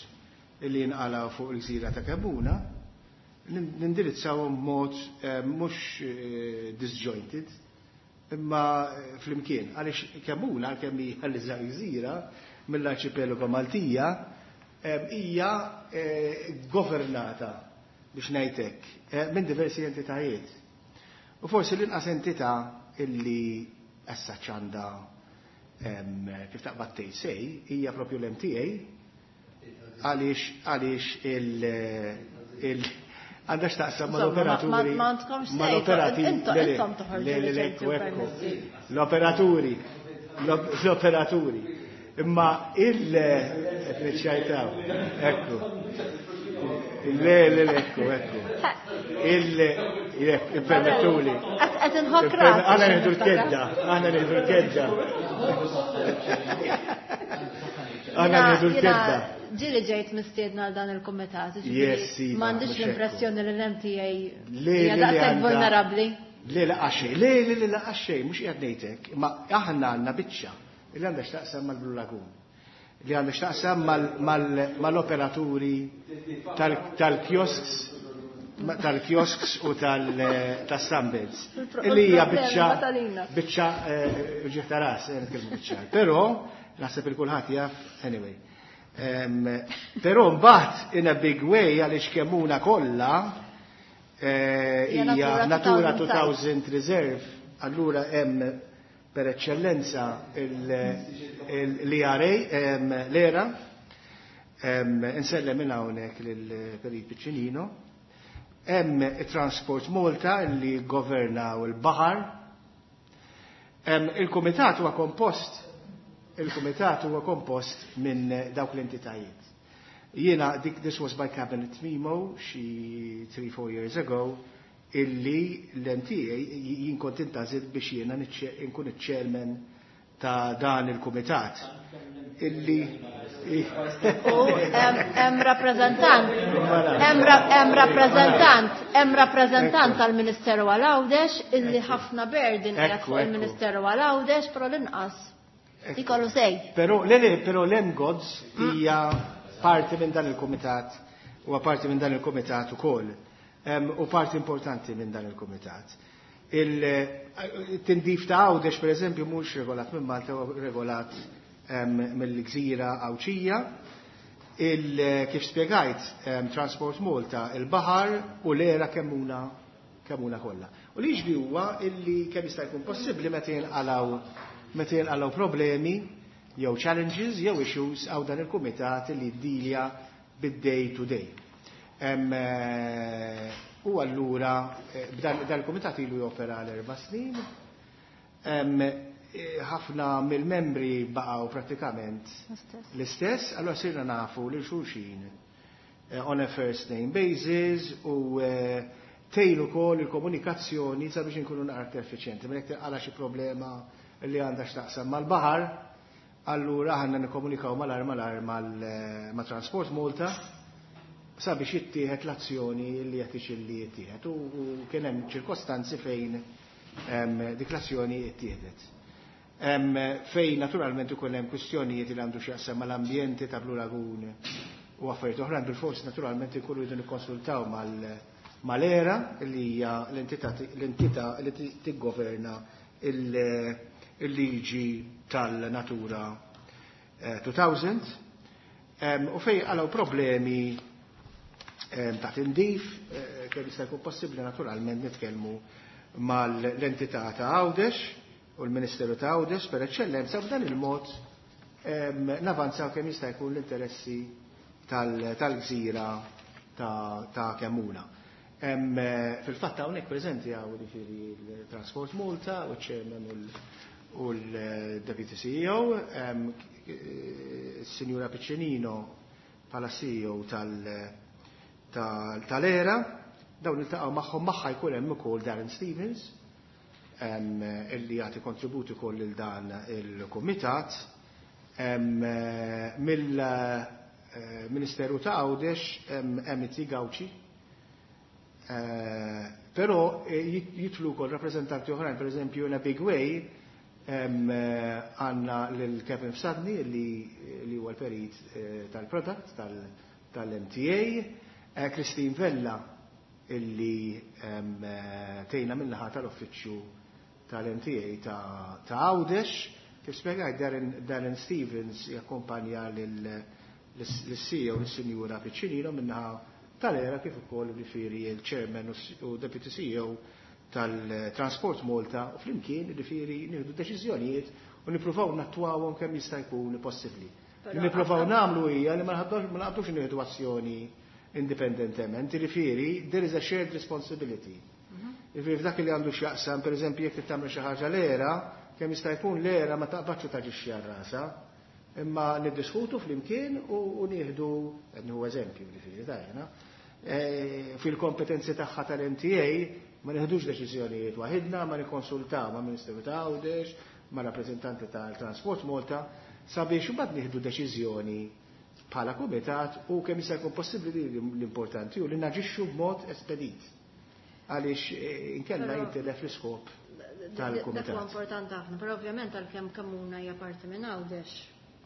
illi jinqalgħu fuq il-gżira ta' Kemmuna, nindirizzawhom b'mod mhux disjointed, imma flimkien. Għaliex Kemmuna, għalkemm hija l-iżgħar gżira mill-arċipelago Maltija, hija governata biex ngħidlek minn diversi entitajiet. U forsi l-inqas entità illi issa għandha kif taqbad tgħid sej hija propju l-M T A, għaliex għaliex il għandha x'taqsam mal-operaturi. Mal-operaturi. L-operaturi. L-operaturi. Imma il qed ekku. Le, le, le, ekku, ekku. Il, permettuli. Qed inħokk ras. Aħna nieħdu l-kedda, aħna nieħdu l-kedda. Aħna nieħdu l-kedda. Ġieli ġejt mistiedna għal dan il-kumitat. M'għandix l-impressjoni li l-M T A hija daqshekk vulnerabbli. Le, le, għaxej, le, le, le, għaxej, mhux qiegħed ngħidlek, imma aħna għandna biċċa li għandha x'taqsam mal-Blue Lagoon, li għandha x'taqsam mal-operaturi tal-kiosks, tal-kiosks u tal-sunbeds. Illi hija biċċa biċċa ġieħ ta' ras, nitkellmu biċċa. Però naħseb il kulħadd jaf anyway. Però mbagħad in a big way għaliex Kemmuna kollha hija Natura two thousand Reserve, allura hemm per eccellenza l-E R A, l-ERA, insellem minn hawnhekk lil Perit Piccinino, hemm Transport Malta li governaw il-baħar, il-kumitat huwa kompost il-kumitat huwa kompost minn dawk l-entitajiet. Jiena dik this was by cabinet memo xi three four years ago illi l-M T A jien kont intażilt biex jiena nkun iċ-chairman ta' dan il-kumitat. Illi U hemm rappreżentant, hemm rappreżentant, hemm rappreżentant tal-Ministeru għal Għawdex illi ħafna burden qiegħed fuq il-Ministeru għal Għawdex, però l-inqas ikollu sej. Però le le, però l-MGODS hija parti minn dan il-kumitat, huwa parti minn dan il-kumitat ukoll. U parti importanti minn dan il-kumitat. Il-tindif ta' Għawdex, per eżempju, mhux regolat minn Malta, regolat mill-gżira Għawdxija. Kif spjegajt, Transport Malta, il-baħar u l-era kemmuna kemmuna kollha. U li jiġri huwa illi kemm jista' jkun possibbli meta jinqalgħu meta jinqalgħu problemi jew challenges jew issues għaw dan il-kumitat li ddilja bid-day to day. U allura dan il-kumitat ilu jopera l-erba' snin. Ħafna mill-membri baqgħu pratikament l-istess, allura sirna nafu lil xulxin on a first name basis u tejlu kol il-komunikazzjoni sabiex inkunu naqra effiċjenti. Mela jekk tinqala xi problema li għandha x'taqsam mal-baħar, allura aħna nikkomunikaw malar malar ma' Transport Malta sabiex jittieħed l-azzjoni li qed li jittieħed. U kien hemm ċirkostanzi fejn dik l-azzjoni ittieħdet. Fejn naturalment ukoll hemm kwistjonijiet li għandu x'jaqsam mal-ambjenti ta' Blue Lagoon u affarijiet oħrajn, bil-forsi naturalment ikunu jridu nikkonsultaw mal-ERA li hija l-entità li tiggoverna il-liġi tal-Natura two thousand, u fejn għalaw problemi ta' tindif, kemm jista' jkun possibbli naturalment nitkellmu mal-entità ta' Għawdex u l-Ministeru ta' Għawdex per eċċellenza, b'dan il-mod navanzaw kemm jista' jkun l-interessi tal-gżira ta' Kemmuna. Fil-fatt hawnhekk preżenti hawn jiġifieri l-Transport Malta u ċ-Chairman u l-Deputy C E O, s-Sinjura Piccinino bħala C E O tal-ERA, dawn iltaqgħu magħhom, magħha jkun hemm ukoll Darren Stevens illi jagħti kontributi ukoll lil dan il-kumitat. Mill-Ministeru ta' Għawdex hemm Gawċi. Però jidħlu wkoll rappreżentanti oħrajn, per eżempju, in a big way għandna lil Kevin Fsadni li huwa l-perit tal-product tal-M T A, Christine Vella illi tgħinna min-naħa tal-uffiċċju tal-M T A ta' Għawdex, kif spjegajt Darren Stevens jakkumpanja l-C E O l-Sinjura Piccinino min-naħa tal-ERA, kif ukoll jiġifieri il-Chairman u Deputy C E O tal-Transport Malta, u flimkien jiġifieri nieħdu deċiżjonijiet u nippruvaw nattwawhom kemm jista' jkun possibbli. Li nippruvaw nagħmlu hija li ma naqbdux nieħdu azzjoni indipendentement, jiġifieri there is a shared responsibility. Jiġifieri f'dak li għandu x'jaqsam, pereżempju, jekk tagħmel xi ħaġa l-ERA, kemm jista' jkun l-ERA ma taqbadx u taġixxi għal rasha, imma niddiskutu flimkien u nieħdu, nieħu eżempju jiġifieri tajna, fil-kompetenzi tagħha tal-M T A ma nieħdux deċiżjonijiet waħidna, ma nikkonsultaw ma' Ministeru ta' Għawdex, ma' rappreżentanti tal-Transport Malta, sabiex imbagħad nieħdu deċiżjoni bħala kumitat u kemm jista' jkun possibbli li l-importanti u li naġixxu b'mod espedit. Għaliex inkella jintilef l-iskop tal-kumitat. Dak huwa importanti ħafna, però ovvjament għalkemm Kemmuna hija parti minn Għawdex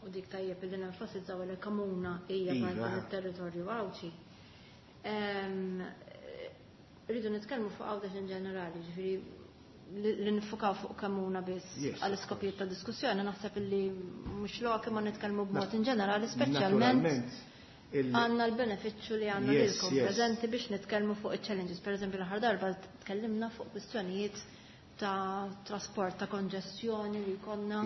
u dik tajjeb li nenfasizzaw li Kemmuna hija parti mit-territorju Għawdxi. Rridu nitkellmu fuq Għawdex in ġenerali, ġifieri li nifukaw fuq Kemmuna biss għal iskopijiet ta' diskussjoni naħseb li mhux lok, imma nitkellmu b'mod in ġenerali, speċjalment għandna l-benefiċċju li għandna lilkom preżenti biex nitkellmu fuq il-challenges. Per eżempju, l-aħħar darba tkellimna fuq kwistjonijiet ta' trasport, ta' konġestjoni li jkollna,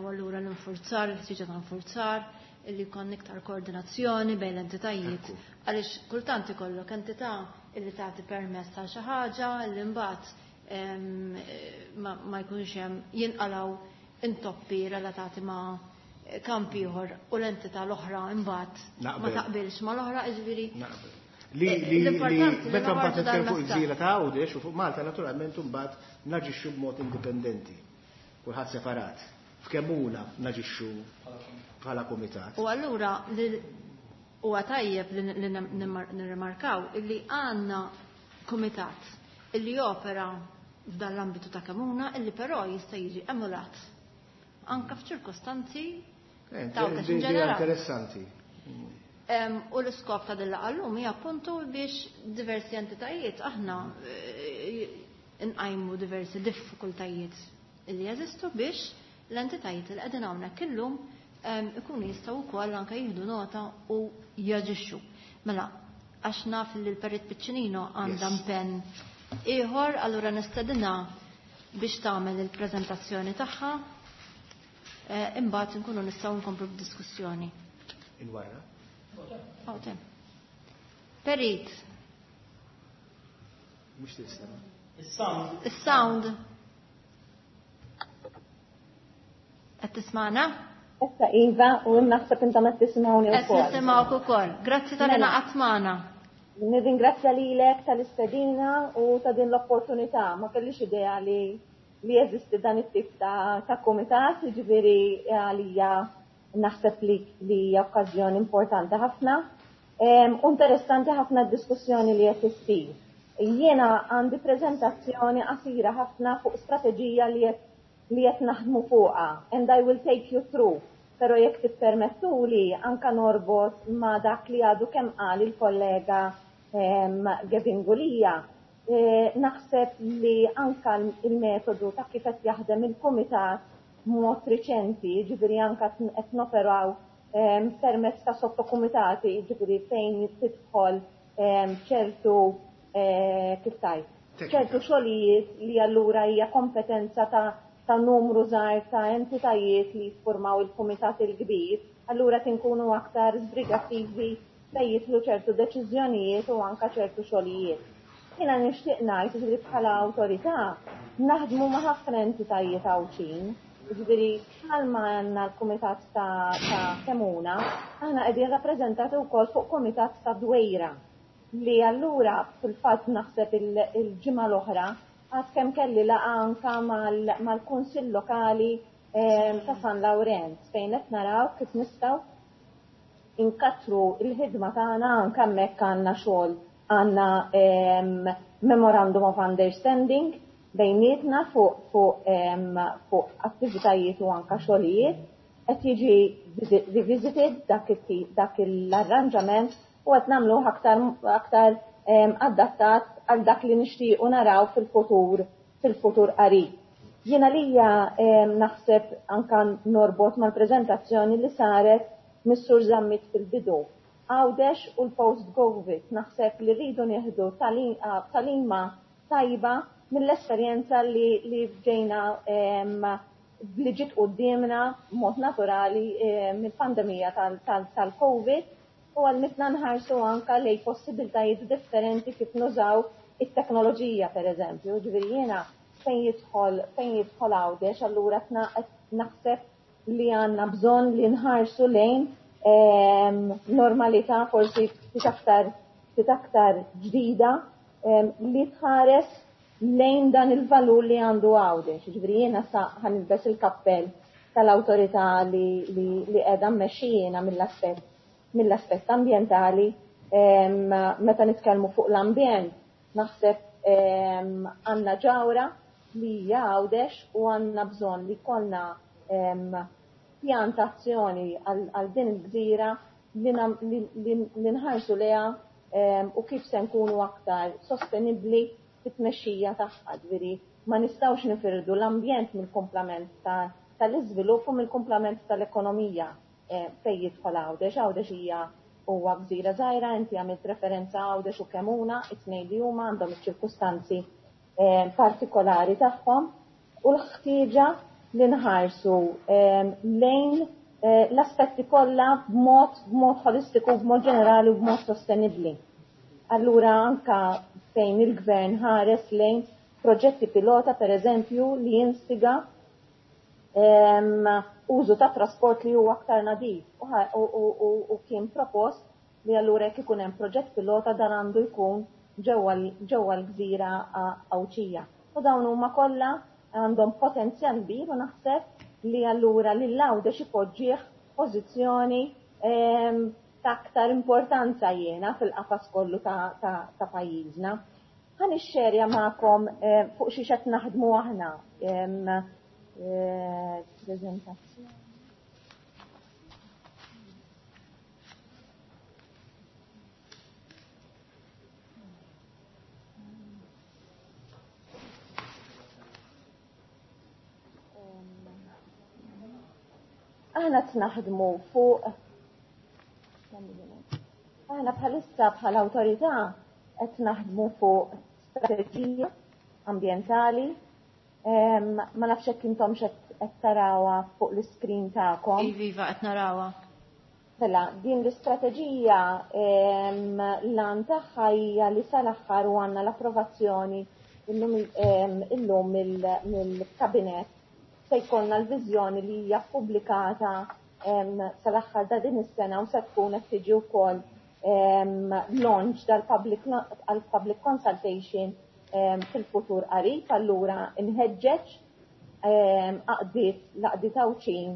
u allura l-infurzar, il-ħtiġa ta' infurzar, illi jkollna iktar koordinazzjoni bejn l-entitajiet. Għaliex kultant ikollok entità illi tagħti permess ta' xi ħaġa li mbagħad ma jkunx hemm, jinqalaw intoppi relatati ma' kamp ieħor u l-entità l-oħra imbagħad ma taqbilx ma l-oħra, jiġifieri. Li li meta mbagħad nitkellmu fuq il-gżira ta' Għawdex u fuq Malta, naturalment mbagħad naġixxu b'mod indipendenti. Kulħadd separat. f'Kemmuna naġixxu bħala kumitat. U allura huwa tajjeb li nirrimarkaw illi għandna kumitat illi jopera f'dan l-ambitu ta' Kemmuna illi però jista' jiġi emulat anka f'ċirkostanzi eh, ta' interessanti. U l-iskop ta' dilla għallum hija appuntu biex diversi entitajiet aħna eh, nqajmu diversi diffikultajiet li jeżistu biex l-entitajiet li qegħdin hawnhekk illum ikunu jistgħu wkoll anke jieħdu nota u jaġixxu. Mela, għax naf li l-Perit Piccinino għandha impenn ieħor, allura nistedinha biex tagħmel il-preżentazzjoni tagħha, eh, imbagħad nkunu nistgħu nkomplu b'diskussjoni. Il-wara. Perit. Mhux tisema'. Is-sound. Is-sound. Qed tismagħna? Issa iva, u naħseb intom qed tisimgħuni Qed wkoll. nisimgħuk ukoll. Grazzi tal-li Mela. naqgħat magħna. Nirringrazzja lilek tal-istedina u ta' din l-opportunità. Ma kellix idea li li jeżisti dan it-tip ta', ta' kumitat, jiġifieri għalija naħseb li li hija okkażjoni importanti ħafna. Em, U interessanti ħafna d-diskussjoni li qed issir. Jiena għandi preżentazzjoni qasira ħafna fuq strateġija li qed li qed naħdmu fuqha and I will take you through. Però jekk tippermettuli anka norbot ma' dak li għadu kemm qal il-kollega em, Gavin Gulia. Eh, naħseb li anka il-metodu ta' kif qed jaħdem il-kumitat mod riċenti, ġifieri anka qed noperaw em, permezz ta' sottokumitati, ġifieri fejn tidħol em, ċertu eh, kif tajt, ċertu xogħlijiet li allura hija kompetenza ta' ta' numru żgħar ta' entitajiet li jiffurmaw il-kumitat il-kbir, allura tinkunu aktar sbrigattivi fejn jidħlu ċertu deċiżjonijiet u anka ċertu xogħlijiet. Jiena nixtieq ngħid ġifieri bħala awtorità naħdmu ma' ħafna entitajiet Għawdxin, ġifieri bħalma għandna l-kumitat ta' ta' Kemmuna, aħna qegħdin rappreżentati wkoll fuq kumitat ta' Dwejra li allura fil-fatt naħseb il-ġimgħa l-oħra għad kemm kelli laqgħa anka mal-Kunsill Lokali ta' San Lawrenz fejn qed naraw kif nistgħu inkattru il-ħidma tagħna anke hemmhekk għandna xogħol għandna memorandum of understanding bejnietna fuq fuq fuq attivitajiet u anka xogħlijiet qed jiġi revisited dak dak l-arranġament u qed nagħmluh aktar aktar adattat għal dak li nixtiequ naraw fil-futur fil-futur qarib. Jiena lija naħseb anka norbot mal-preżentazzjoni li saret mis-Sur Zammit fil-bidu. Għawdex u l-post-Covid naħseb li rridu nieħdu talima tajba mill-esperjenza li, li ġejna li ġiet quddiemna mod naturali mill-pandemija tal-Covid u għalmitna nħarsu anka lej possibiltajiet differenti kif nużaw it-teknoloġija per eżempju. Ġifieri jiena fejn jidħol fejn jidħol Għawdex allura naħseb li għandna bżonn li nħarsu lejn normalità forsi ftit aktar ftit aktar ġdida li tħares lejn dan il-valur li għandu Għawdex. Ġifieri jiena sa ħanilbes il-kappell tal-awtorità li li li qiegħda mmexxijina mill-aspett mill-aspett ambjentali. Meta nitkellmu fuq l-ambjent naħseb għandna ġawra li hija Għawdex u għandna bżonn li jkollna pjantazzjoni għal din il-gżira li nħarsu lejha u kif se nkunu aktar sostenibbli fit-tmexxija tagħha. Ġifieri ma nistgħux nifirdu l-ambjent mill-kumplament tal-iżvilupp u mill-kumplament tal-ekonomija fejn jidħol Għawdex. Għawdex hija huwa gżira żgħira, inti għamilt referenza Għawdex u Kemmuna, it-tnejn li huma għandhom iċ-ċirkustanzi partikolari tagħhom u l-ħtieġa li nħarsu lejn l-aspetti kollha b'mod b'mod holistiku, b'mod ġenerali u b'mod sostenibbli. Allura anka fejn il-gvern ħares lejn proġetti pilota per eżempju li jinstiga użu ta' trasport li huwa aktar nadif u kien propost li allura jekk ikun hemm proġett pilota dan għandu jkun ġewwa l-gżira Għawdxija. U dawn huma kollha għandhom potenzjal kbir u naħseb li allura lil Għawdex ipoġġih pożizzjoni ta' aktar importanza jiena fil-qafas kollu ta', ta, ta' pajjiżna. Ħa nixxerja magħkom fuq xi qed naħdmu aħna. Preżentazzjoni. Aħna naħdmu fuq aħna bħalissa bħala awtorità qed naħdmu fuq strateġija ambjentali. Ma nafx hekk intom qed tarawha fuq l-iskrin tagħkom. Iva, qed narawha. Mela, din l-istrateġija l-għan tagħha hija li sal-aħħar u għandna l-approvazzjoni illum mill-kabinett se jkollna l-viżjoni li hija ppubblikata sal-aħħar ta' din is-sena u se tkun qed tiġi wkoll launch dal-public għal-public consultation fil-futur qarib. Allura nħeġġeġ għaqdiet l-għaqdiet Għawdxin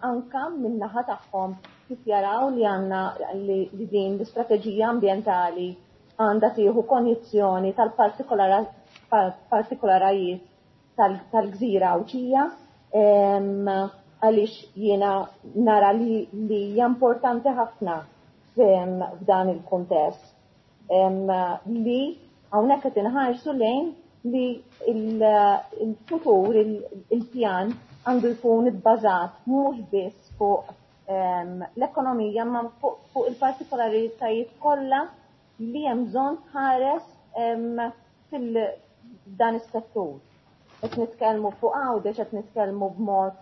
anka min-naħa tagħhom kif jaraw li għandna li din l-istrateġija ambjentali għandha tieħu konjizzjoni tal-partikolarajiet tal-gżira Għawdxija, għaliex jiena nara li hija importanti ħafna f'dan il-kuntest li hawnhekk qed inħarsu lejn li il-futur, il-pjan għandu jkun ibbażat mhux biss fuq l-ekonomija ma fuq il-partikolaritajiet kollha li hemm bżonn tħares fil-dan is-settur. Qed nitkellmu fuq Għawdex, qed nitkellmu b'mod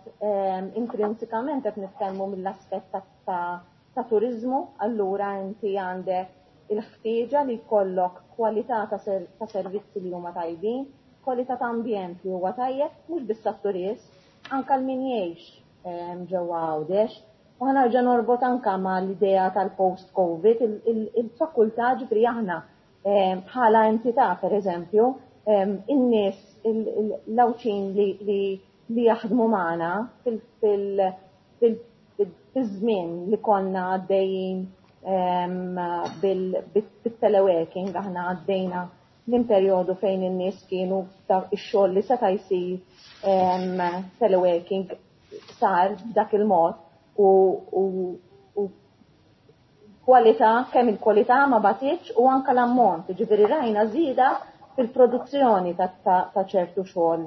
intrinsikament qed nitkellmu mill-aspett ta' turiżmu, allura inti għandek il-ħtieġa li jkollok kwalità ta' servizzi li huma tajbin, kwalità ta' ambjent li huwa tajjeb, mhux biss għat-turist, anke l min jgħix ġewwa Għawdex. U ħa nerġa' norbot anke mal-idea tal-post-Covid, il-fakultà ġifri aħna bħala entità pereżempju, in-nies l-Għawdxin li jaħdmu magħna fil-żmien li konna għaddejjin bil-teleworking, aħna għaddejna minn perjodu fejn in-nies kienu ix-xogħol li seta' jsir teleworking sar b'dak il-mod u kwalità, kemm il-kwalità ma batitx u anke l-ammont, ġifieri rajna żieda fil-produzzjoni ta' ċertu xogħol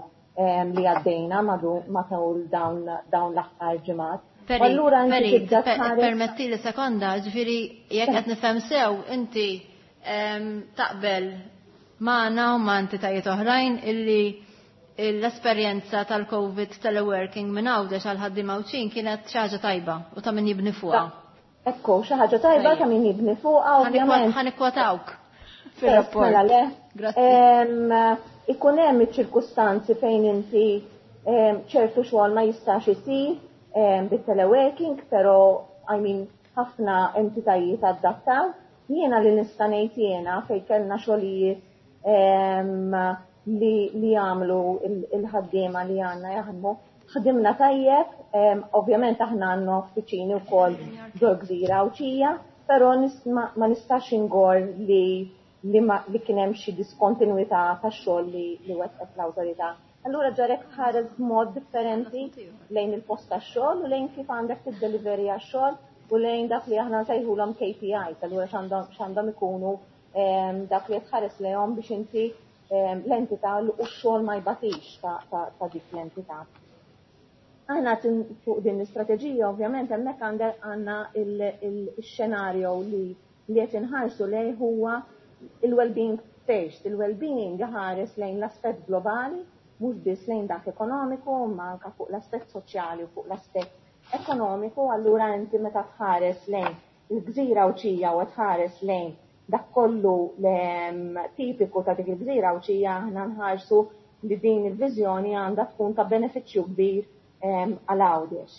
li għaddejna matul dawn l-aħħar ġimgħat. Allura inti tibda tħares. Permetti li sekonda, ġifieri jekk qed nifhem sew inti taqbel magħna u ma' entitajiet oħrajn illi l-esperjenza tal-Covid teleworking minn Għawdex għal ħaddiema Għawdxin kienet xi ħaġa tajba u ta' min jibni fuqha. Ekku, xi ħaġa tajba ta' min jibni fuqha, ovvjament. Ħa nikkwotawk fir-rapport. Mela le. Ikun hemm iċ-ċirkustanzi fejn inti ċertu xogħol ma jistax isir bit-teleworking, però I mean ħafna entitajiet adattaw. Jiena li nista' ngħid jiena fejn kellna xogħlijiet li li jagħmlu il-ħaddiema li għandna jaħdmu. Ħdimna tajjeb, ovvjament aħna għandna uffiċini wkoll ġol gżira Għawdxija, però ma nistax ingor li li kien hemm xi diskontinwità tax-xogħol li li wettqet l-awtorità. Allura ġarek tħares b'mod differenti lejn il-post tax-xogħol u lejn kif għandek tiddeliveri għax-xogħol u lejn dak li aħna nsejħulhom K P Is, allura x'għandhom ikunu dak li tħares lejhom biex inti l-entità u x-xogħol ma jbatix ta' dik l-entità. Aħna fuq din l-istrateġija ovvjament hemmhekk għandna il-xenarju li li qed inħarsu lejn huwa il-well-being first. Il-well-being ħares lejn l-aspett globali, mhux biss lejn dak ekonomiku, ma anke fuq l-aspett soċjali u fuq l-aspett ekonomiku. Allura inti meta tħares lejn il-gżira Għawdxija u tħares lejn dak kollu tipiku ta' dik il-gżira Għawdxija, aħna nħarsu li din il-viżjoni għandha tkun ta' benefiċċju kbir għal Għawdex.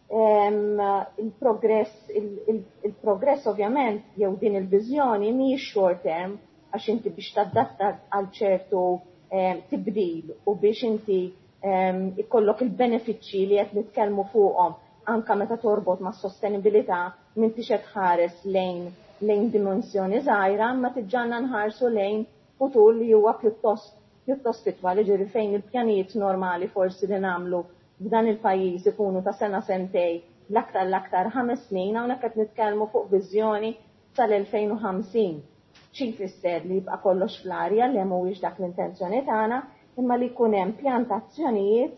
Il-progress, il-progress ovvjament jew din il-viżjoni mhijiex short term, għax inti biex tadatta għal ċertu tibdil u biex inti ikollok il-benefiċċji li qed nitkellmu fuqhom anka meta torbot ma' sostenibilità, m'intix qed tħares lejn lejn dimensjoni żgħira, ma tiġġanna nħarsu lejn futur li huwa pjuttost pjuttost itwal, ġifieri fejn il-pjanijiet normali forsi li nagħmlu f'dan il-pajjiż ikunu ta' sena, sentej, l-aktar l-aktar ħames snin, hawnhekk qed nitkellmu fuq viżjoni sal-elfejn u ħamsin. Xi jfisser li jibqa' kollox fl-arja, li mhuwiex dak l-intenzjoni tagħna, imma li jkun hemm pjantazzjonijiet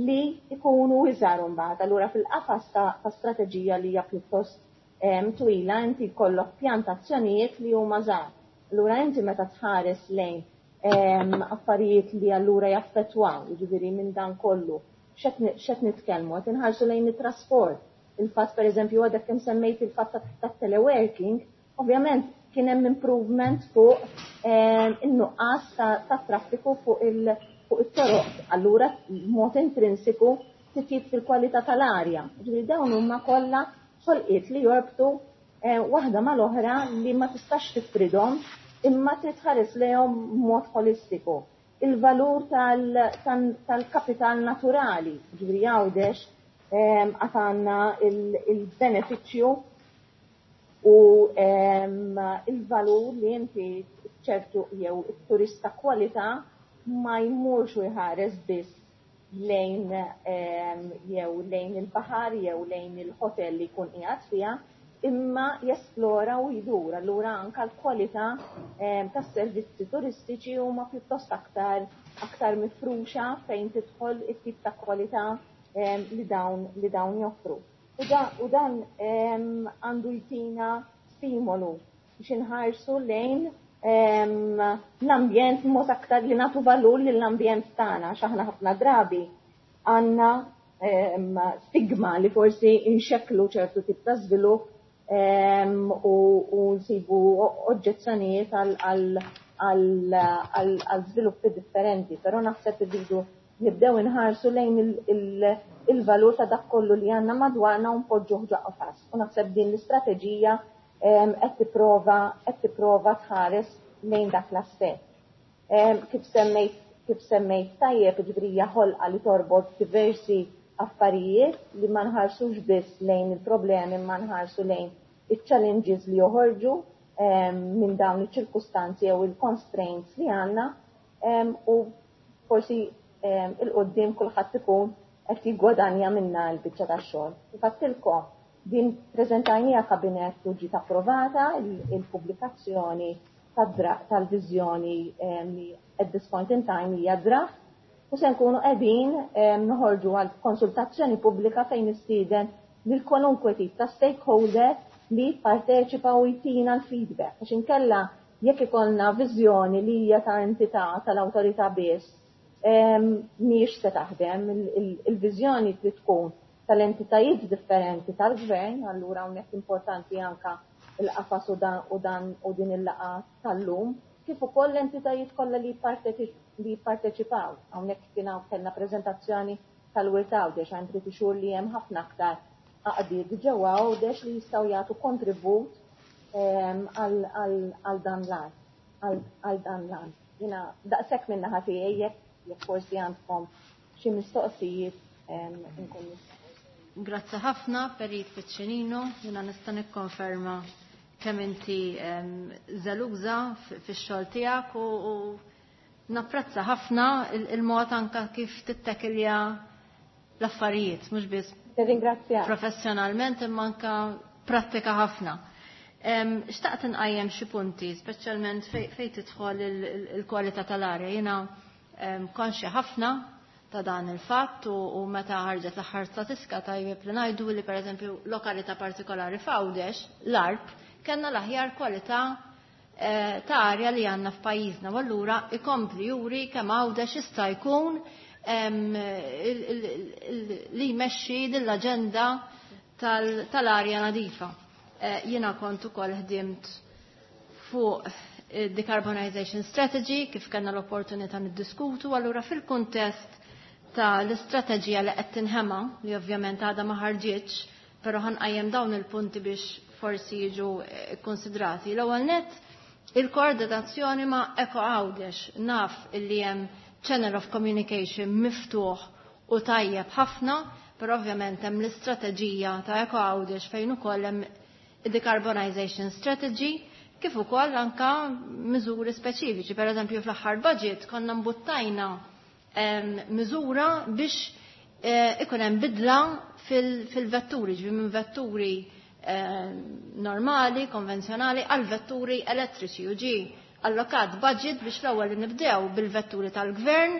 li jkunu iżgħar imbagħad. Allura fil-qafas ta', ta' strateġija li hija pjuttost, em, twila, inti jkollok pjantazzjonijiet li huma żgħar. Allura inti meta tħares lejn, em, affarijiet li allura jaffettwaw, jiġifieri minn dan kollu, x'qed nitkellmu, qed inħarsu lejn it-trasport. Il-fatt pereżempju għadek kemm semmejt il-fatt ta', ta' teleworking, ovvjament kien hemm improvement fuq, em, in-nuqqas ta', ta' traffiku fuq il-, fuq it-toroq. Allura mod intrinsiku titjib fil-kwalità tal-arja. Ġifieri dawn huma kollha ħolqiet li jorbtu, eh, waħda mal-oħra li ma tistax tifridhom imma trid tħares lejhom mod holistiku. Il-valur tal-, tal-, tal-kapital naturali, ġifieri Għawdex, em, għad għandna il-, il-benefiċċju u, em, il-valur li inti ċertu jew it-turista kwalità ma jmurx u jħares biss lejn, em, jew lejn il-baħar jew lejn il-hotel li jkun qiegħed fiha, imma jesplora u jdur. Allura anka l-kwalità, em, tas-servizzi turistiċi huma pjuttost aktar, aktar mifruxa fejn tidħol it-tip ta' kwalità, em, li dawn, li dawn joffru. U da-, u dan, em, għandu jtina stimolu biex inħarsu lejn, em, l-ambjent mod aktar li nagħtu valur lill-ambjent tagħna, għax aħna ħafna drabi għandna, em, stigma li forsi inxekklu ċertu tip ta' żvilupp, em, u, u nsibu oġġezzjonijiet għal, għal, għal, għal, għal żviluppi differenti, però naħseb irridu nibdew inħarsu lejn il-, il-, il-valur ta' dak kollu li għandna madwarna u npoġġuh ġo qafas. U naħseb din l-istrateġija, em, qed tipprova, qed tipprova tħares lejn dak l-aspett. Em, kif semmejt, kif semmejt tajjeb, ġifieri hija ħolqa li torbot diversi affarijiet li ma nħarsux biss lejn il-problemi, ma nħarsu lejn il-challenges li joħorġu, em, minn dawn iċ-ċirkustanzi jew il-constraints li għandna, em, u forsi, em, il-qoddim kulħadd ikun qed jiggwadanja minna l-biċċa tax-xogħol. Infatti din preżentajnija kabinett u ġiet approvata il-, il-pubblikazzjoni tad-dra-, tal-viżjoni, em, li at this point in time hija draft, u se nkunu qegħdin, em, noħorġu għal konsultazzjoni pubblika fejn nistieden lil kwalunkwe tip ta' stakeholder li jipparteċipa u jtina l-feedback. Għax inkella jekk ikollna viżjoni li hija ta' entità tal-awtorità biss, em, mhijiex se taħdem. Il-, il-, il-viżjoni trid tkun tal-entitajiet differenti tal-gvern, allura hawnhekk importanti anka il-qafas u dan, u dan u din il-laqgħa tal-lum, kif ukoll l-entitajiet kollha li jipparteċi-, li jipparteċipaw. Hawnhekk kien hawn kellna preżentazzjoni tal-Wirt Għawdex, għand trid ixur li hemm ħafna aktar għaqdiet ġewwa Għawdex li jistgħu jagħtu kontribut, em, għal, għal, għal dan l-għan, għal, għal dan l-għan. Jiena daqshekk minn naħa tiegħi, jekk, jekk forsi għandkom xi mistoqsijiet, em, inkun nista'. Grazzi ħafna, Perit Piccinino. Jiena nista' nikkonferma kemm inti, em, żeluża f-, fix-xogħol tiegħek u, u napprezza ħafna il-, il-mod anka kif tittekilja l-affarijiet, mhux biss Tirringrazzja. professjonalment imma anka prattika ħafna. Em, xtaqt inqajjem xi punti, speċjalment fej, fej tidħol il-, il-, il-kwalità tal-arja. Jiena, em, konxja ħafna ta' dan il-fatt u, u meta ħarġet l-aħħar statistika tajjeb li ngħidu li pereżempju lokalità partikolari f'Għawdex, l-Għarb, kellna l-aħjar kwalità, eh, ta' arja li għandna f'pajjiżna, u allura ikompli juri kemm Għawdex jista' jkun, em, il-, il-, il-, li jmexxi lill-aġenda tal-, tal-arja nadifa. Eh, jiena kont ukoll ħdimt fuq decarbonization strategy kif kellna l-opportunità niddiskutu, allura fil-kuntest ta' l-istrateġija li qed tinħema, li ovvjament għadha ma ħarġitx, però ħanqajjem dawn il-punti biex forsi jiġu konsidrati. L-ewwel nett, il-koordinazzjoni ma' Eko Għawdex. Naf illi hemm channel of communication miftuħ u tajjeb ħafna, però ovvjament hemm l-istrateġija ta' Eco Għawdex fejn ukoll hemm decarbonization strategy, kif ukoll anka miżuri speċifiċi. Per eżempju, fl-aħħar budget konna mbuttajna miżura biex eh, ikun hemm bidla fil-vetturi, ġifieri minn vetturi normali, konvenzjonali, għal vetturi elettriċi u ġi allokat budget biex l-ewwel li nibdew bil-vetturi tal-gvern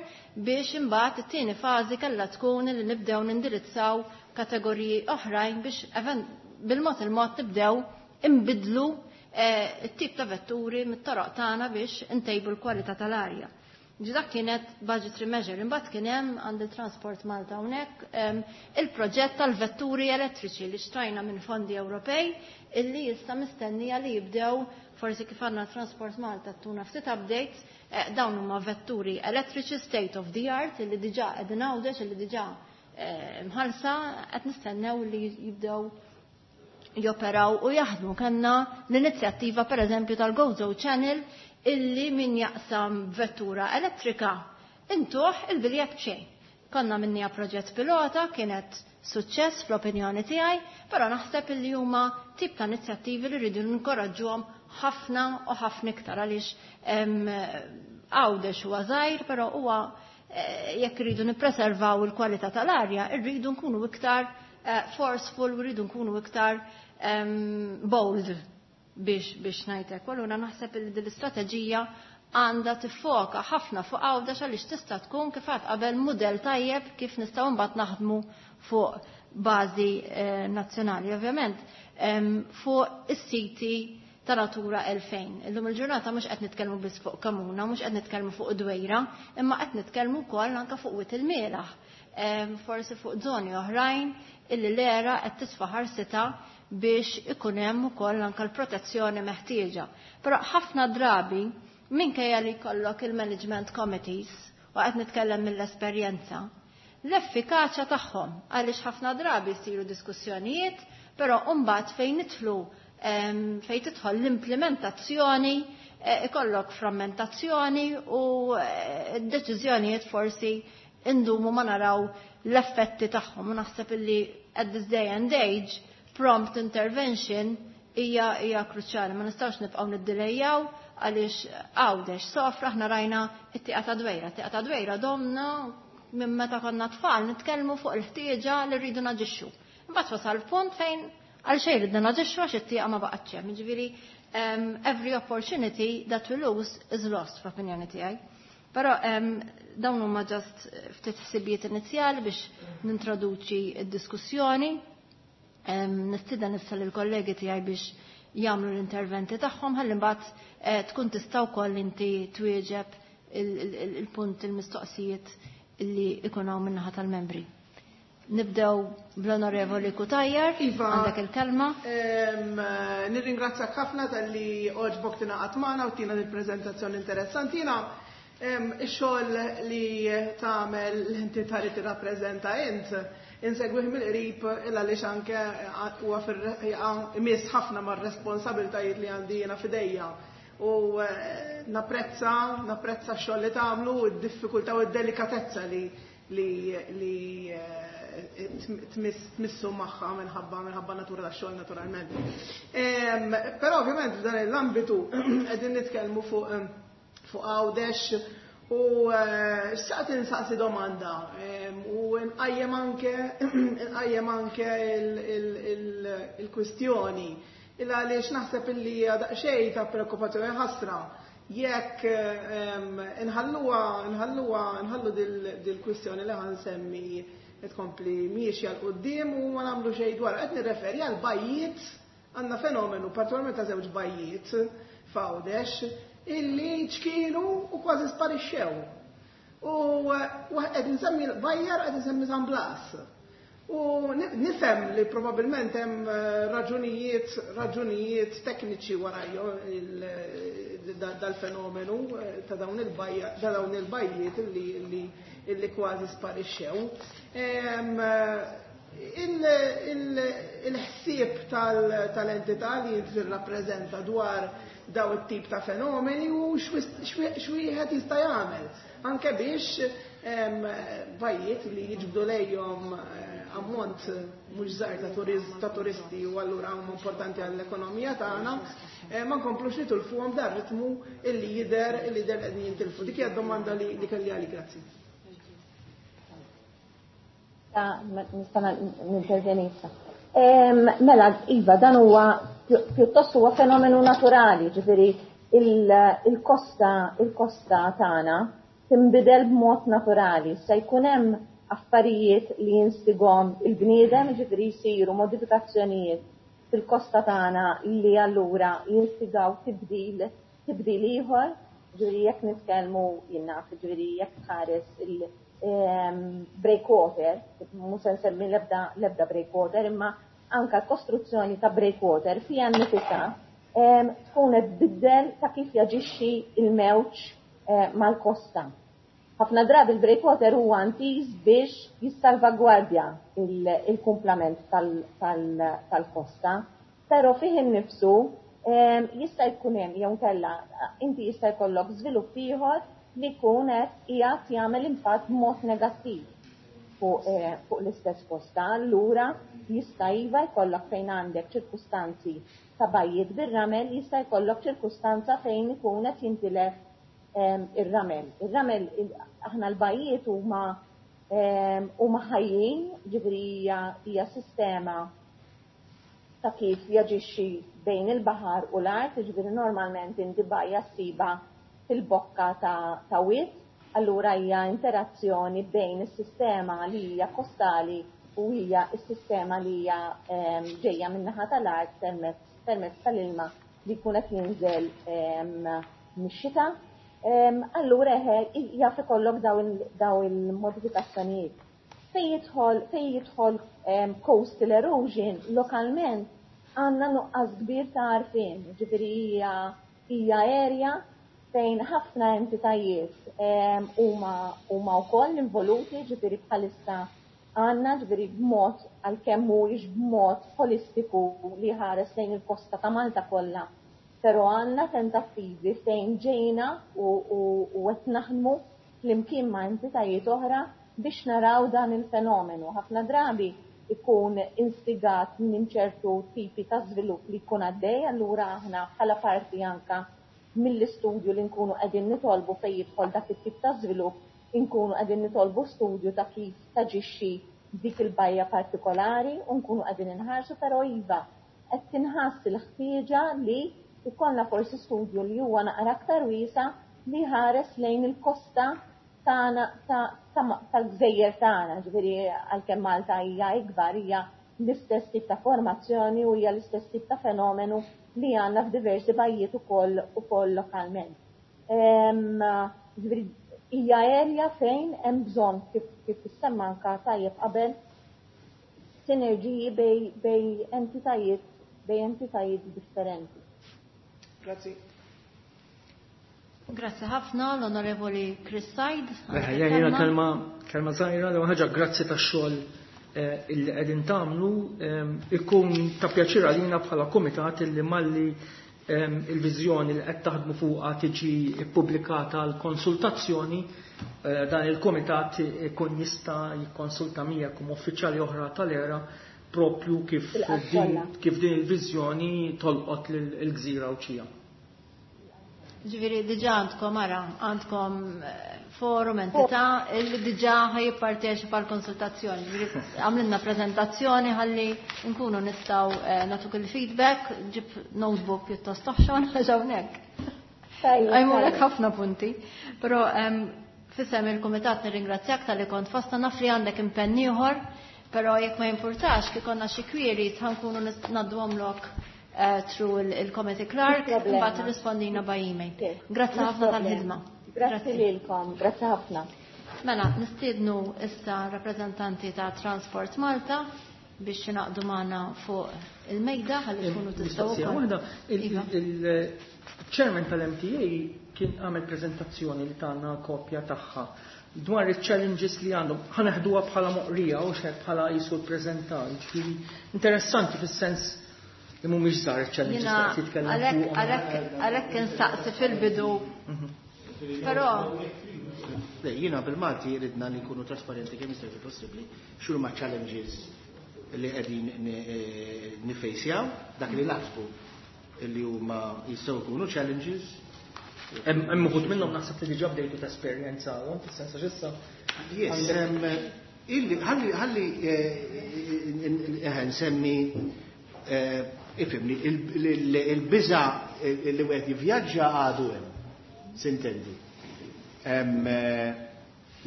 biex imbagħad it-tieni fażi kellha tkun li nibdew nindirizzaw kategoriji oħrajn biex bil-mod il-mod nibdew imbidlu it-tip ta' vetturi mit-toroq tagħna biex intejbu l-kwalità tal-arja. Ġi dak kienet budgetary measure, imbagħad kien hemm għand il-Transport Malta hawnhekk il-proġett tal-vetturi elettriċi li xtrajna minn fondi Ewropej illi issa mistennija li jibdew, forsi kif għandna Transport Malta tuna ftit updates, dawn huma vetturi elettriċi state of the art illi diġà qegħdin Għawdex, illi diġà mħallsa, qed nistennew li jibdew joperaw u jaħdmu. Kellna l-inizjattiva, per eżempju, tal-Gozo Channel illi min jaqsam vettura elettrika intuh il-biljett b'xejn. Konna minnija proġett pilota, kienet suċċess fl-opinjoni tiegħi, però naħseb illi huma tip ta' inizjattivi li rridu ninkoraġġuhom ħafna u ħafna iktar għaliex Għawdex huwa żgħir, però huwa jekk irridu nippreservaw il-kwalità tal-arja, irridu nkunu iktar forceful u rridu nkunu iktar bold biex biex ngħidlek. U allura naħseb li din l-istrateġija għandha tiffoka ħafna fuq Għawdex għaliex tista' tkun, kif għad qabel, mudell tajjeb kif nistgħu mbagħad naħdmu fuq bażi nazzjonali. Ovvjament, fuq is-siti ta' Natura elfejn. Illum il-ġurnata mhux qed nitkellmu biss fuq Kamuna, mhux qed nitkellmu fuq Dwejra, imma qed nitkellmu wkoll anke fuq Wied il-Mielaħ. Forsi fuq żoni oħrajn illi l-era qed tisfa' ħarsita biex ikun hemm ukoll anke l-protezzjoni meħtieġa. Però ħafna drabi, minkejja li jkollok il-management committees, u qed nitkellem mill-esperjenza, l-effikaċja tagħhom, għaliex ħafna drabi jsiru diskussjonijiet, però mbagħad fejn nidħlu, fejn tidħol l-implementazzjoni, ikollok frammentazzjoni u d-deċiżjonijiet forsi indumu ma naraw l-effetti tagħhom. U naħseb illi at this day and age prompt intervention hija hija kruċjali. Ma nistgħux nibqgħu niddilejjaw għaliex Għawdex sofra. Aħna rajna it-tieqa ta' Dwejra. Tieqa ta' Dwejra domna minn meta konna tfal nitkellmu fuq il-ħtieġa li rridu naġixxu. Imbagħad wasal punt fejn għal xejn ridna naġixxu għax it-tieqa ma baqgħetx hemm. Jiġifieri, every opportunity that we lose is lost, fl-opinjoni tiegħi. Però dawn huma just ftit ħsibijiet inizjali biex nintroduċi d-diskussjoni. Nistieden issa lill-kollegi tiegħi biex jagħmlu l-interventi tagħhom ħalli mbagħad tkun tista' wkoll inti twieġeb il-punt, il-mistoqsijiet illi ikun hawn min-naħa tal-membri. Nibdew bl-Onorevoli Cutajar, Iva, għandek il-kelma. Nirringrazzjak ħafna talli għoġbok tingħaqad magħna u tina il-preżentazzjoni interessanti. Jiena ix-xogħol li tagħmel l-entità li tirrappreżenta int insegwih mill-qrib illa għaliex anke huwa imiss ħafna mar-responsabiltajiet li għandi jiena f'idejja. U napprezza, napprezza x-xogħol li tagħmlu, id-diffikultà u d-delikatezza li li li tmissu magħha minħabba minħabba natura tax-xogħol, naturalment. Però ovvjament f'dan l-ambitu qegħdin nitkellmu fuq fuq Għawdex u xtaqt insaqsi domanda u nqajjem anke nqajjem anke il-kwistjoni illa għaliex naħseb illi daqsxejn ta' preokkupazzjoni, ħasra jekk nħalluha nħalluha nħallu dil-kwistjoni li ħa nsemmi tkompli miexja 'l quddiem u ma nagħmlu xejn dwar. Qed nirreferi għal bajjiet. Għandna fenomenu partikolarment ta' żewġ bajjiet f'Għawdex illi ċkienu u kważi sparixxew. U qed nsemmi Bajjar, qed nsemmi San Blas. U nifhem li probabilment hemm raġunijiet raġunijiet tekniċi warajjo dal-fenomenu ta' dawn il-bajja ta' dawn il-bajjiet illi illi kważi sparixxew. Il-ħsieb tal-entità li tirrappreżenta dwar daw it-tip ta' fenomeni u x'wieħed jista' jagħmel anke biex bajjiet li jiġbdu lejhom ammont mhux żgħir ta' turisti u allura huma importanti għall-ekonomija tagħna, ma nkomplux nitilfuhom dar ritmu illi jidher illi jidher qegħdin jintilfu. Dik hija d-domanda li kelli għalik, grazzi. Nista' nintervjeni issa. Mela, iva, dan huwa pjuttost huwa fenomenu naturali, ġifieri il-kosta il-kosta tagħna tinbidel b'mod naturali. Se jkun hemm affarijiet li jinstigom il-bniedem, ġifieri jsiru modifikazzjonijiet fil-kosta tagħna li allura jinstigaw tibdil tibdil ieħor, ġifieri jekk nitkellmu jien naf, ġifieri jekk tħares il- breakwater, mhux se nsemmi l-ebda l-ebda breakwater, imma anka l-kostruzzjoni ta' breakwater fiha nnifisha tkun qed tbiddel ta' kif jaġixxi il-mewġ mal-kosta. Ħafna drabi il-breakwater huwa intiż biex jissalvagwardja il-kumplament tal-kosta, però fih innifsu jista' jkun hemm jew inkella inti jista' jkollok żvilupp ieħor li jkun qed qiegħed jagħmel impatt b'mod negattiv fuq fuq l-istess kosta. Allura jista' iva jkollok fejn għandek ċirkustanzi ta' bajjiet bir-ramel, jista' jkollok ċirkustanza fejn ikun qed jintilef ir-ramel. Ir-ramel, aħna l-bajjiet huma huma ħajjin, ġifieri hija sistema ta' kif jaġixxi bejn il-baħar u l-art, ġifieri normalment inti bajja ssiba fil-bokka ta', ta' wied, allura hija interazzjoni bejn is-sistema li hija kostali u hija s-sistema li hija ġejja min-naħa tal-art permezz permezz tal-ilma li jkun qed jinżel mix-xita. Allura eħe jaf ikollok daw il-modifikazzjonijiet. Fejn jidħol fejn jidħol coastal erosion lokalment għandna nuqqas kbir ta' għarfien, ġifieri hija hija area fejn ħafna entitajiet huma huma wkoll involuti, ġifieri bħalissa għandna ġifieri b'mod għalkemm mhuwiex b'mod holistiku li ħares lejn il-kosta ta' Malta kollha, però għandna tentattivi fejn ġejna u qed naħdmu flimkien ma' entitajiet oħra biex naraw dan il-fenomenu. Ħafna drabi ikun instigat minn ċertu tipi ta' żvilupp li jkun għaddej, allura aħna bħala parti anka mill-istudju li nkunu qegħdin nitolbu fejn jidħol dak it-tip ta' żvilupp, inkunu qegħdin nitolbu studju ta' kif taġixxi dik il-bajja partikolari u nkunu qegħdin inħarsu, però iva qed tinħass il-ħtieġa li ikollna forsi studju li huwa naqra aktar wiesa li ħares lejn il-kosta tagħna tal-gżejjer tagħna, ġifieri għalkemm Malta hija ikbar hija l-istess tip ta' formazzjoni u hija l-istess tip ta' fenomenu li għandna f'diversi bajjiet ukoll ukoll lokalment. Ġifieri hija area fejn hemm bżonn kif kif issemma anka tajjeb qabel sinerġiji bej bej entitajiet bej entitajiet differenti. Grazzi. Grazzi ħafna l-Onorevoli Chris Said. Jiena kelma kelma żgħira, l ħaġa grazzi tax-xogħol illi qegħdin tagħmlu, ikun ta' pjaċir għalina bħala kumitat illi malli il-viżjoni li qed taħdmu fuqha tiġi ppubblikata għal konsultazzjoni, dan il-kumitat ikun jista' jikkonsulta miegħek u uffiċjali oħra tal-era propju kif din kif din il-viżjoni tolqot lill-gżira Għawdxija. Ġifieri diġà għandkom ara, għandkom forum, entità illi diġà ħajjipparteċipa l-konsultazzjoni. Ġifieri għamlilna preżentazzjoni ħalli nkunu nistgħu nagħtuk il-feedback, ġib notebook pjuttost toħxon għax hawnhekk. Għajmulek ħafna punti. Però f'isem il-kumitat nirringrazzjak talli kont fostna, naf li għandek impenn ieħor, però jekk ma jimpurtax kif konna xi queries ħankunu ngħadduhomlok through il-committee clerk, imbagħad irrispondina by email. Grazzi ħafna tal-ħidma. Grazzi lilkom, grazzi ħafna. Mela, nistiednu issa rappreżentanti ta' Transport Malta biex jingħaqdu magħna fuq il-mejda ħalli tkunu tistgħu wkoll. Il-chairman tal-M T A kien għamel preżentazzjoni li tagħna kopja tagħha dwar il-challenges li għandhom. Ħa neħduha bħala moqrija u xed bħala jisu l-prezentar. Ġifieri interessanti fis-sens li mhumiex żgħar il-challenges li qed jitkellem fuqhom. Għalhekk insaqsi fil-bidu. Però Le, jiena bil-Malti ridna li nkunu trasparenti kemm jista' jkun possibbli x'huma challenges li qegħdin nifejsjaw, dak li naħsbu li huma jistgħu jkunu challenges. Hemm uħud minnhom naħseb li diġà bdejtu tesperjenzawhom, fis-sens għax issa. Yes, illi ħalli ħalli nsemmi, ifhimni, il-biża li wieħed jivvjaġġa għadu hemm, s'intendi.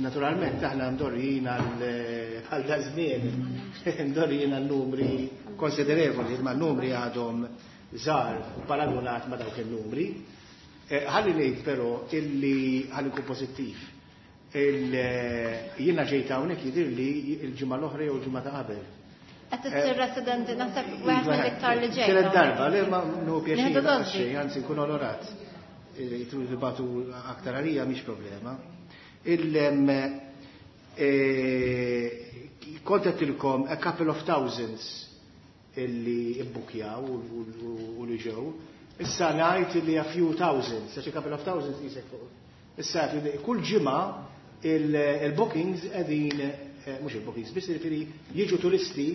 Naturalment aħna ndorrijin għal da żmien, ndorrijin għal numri konsiderevoli, ma numri għadhom żgħar paragonat ma dawk il-numri. Ħalli ngħid però illi ħalli nkun pożittiv. Jiena ġejt hawnhekk jidhirli l-ġimgħa l-oħra jew l-ġimgħa ta' qabel. Qed issir residenti naħseb wieħed mill-iktar li ġejt. Tielet darba, le ma nħu pjaċir, anzi nkun onorat. Jitru dibatu aktar għalija mhix problema. Kont għedtilkom a couple of thousands illi ibbukjaw u li ġew. Issa ngħid li a few thousands, għax a couple of thousands jisek fuq. Issa kull ġimgħa il-bookings qegħdin, mhux il-bookings, biss jiġifieri jiġu turisti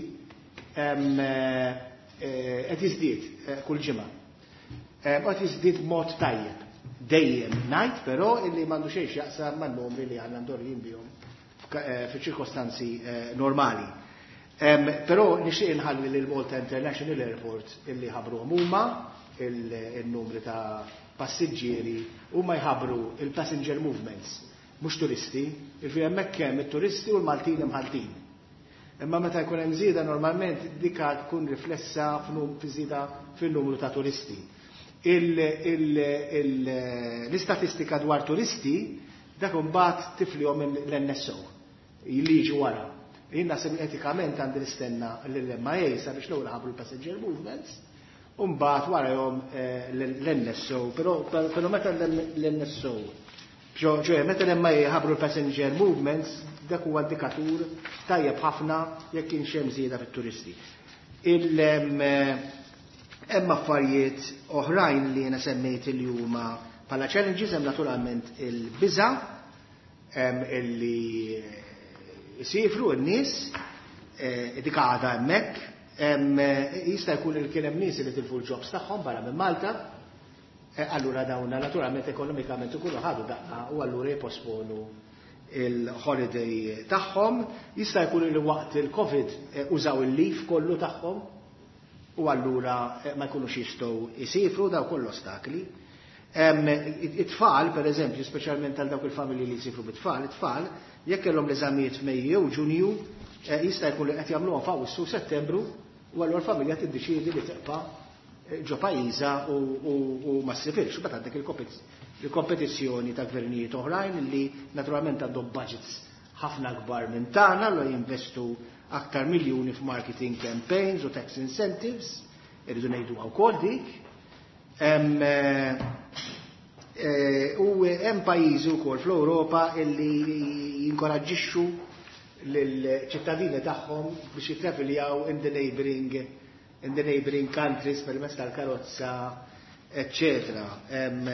qed jiżdied kull ġimgħa. Qed jiżdied mod tajjeb. Dejjem ngħid però illi m'għandu xejn x'jaqsam man-numri li għandna ndorrin bihom f'ċirkostanzi normali. Però nixtieq inħalli lil Malta International Airport illi ħabruhom huma il-numri ta' passiġġieri, huma jħabbru il-passenger movements, mhux turisti, jiġifieri hemmhekk hemm it-turisti u l-Maltin imħaltin. Imma meta jkun hemm żieda normalment dika tkun riflessa f'żieda fin-numru ta' turisti. L-istatistika dwar turisti dak imbagħad tiflihom l-N S O li jiġi wara. Jien naħseb etikament għandi nistenna lill-M I A sabiex l-ewwel ħabru l-passenger movements u mbagħad warahom l-N S O, però però meta l-N S O, ġo meta l-M I A ħabru l-passenger movements, dak huwa indikatur tajjeb ħafna jekk kienx hemm żieda fit-turisti. Hemm affarijiet oħrajn li jiena semmejt li huma bħala challenges, hemm naturalment il-biża' illi jsifru n-nies, dik għadha hemmhekk, jista' jkun li kien hemm nies li tilfu l-jobs tagħhom barra minn Malta, allura dawn naturalment ekonomikament ikunu ħadu daqqa u allura jipposponu il-holiday tagħhom. Jista' jkun li waqt il-Covid użaw il-leave kollu tagħhom u allura ma jkunux jistgħu jsifru, daw kollu ostakli. It-tfal, per eżempju, speċjalment għal dawk il-familji li jsifru bit-tfal, it-tfal jekk kellhom l-eżamijiet f'Mejju jew Ġunju, jista' jkun li qed jagħmluhom f'Awwissu Settembru, u allura l-familja tiddeċiedi li tibqa' ġo pajjiżha u ma ssifirx. Imbagħad għandek il-kompetizzjoni ta' gvernijiet oħrajn li naturalment għandhom budgets ħafna kbar minn tagħna, allura jinvestu aktar miljuni f'marketing campaigns u tax incentives, irridu ngħidu wkoll dik. U hemm pajjiżi wkoll fl-Ewropa illi jinkoraġġixxu lill-ċittadini tagħhom biex jittraviljaw in the neighboring, in the neighboring countries permezz tal-karozza, eccetera.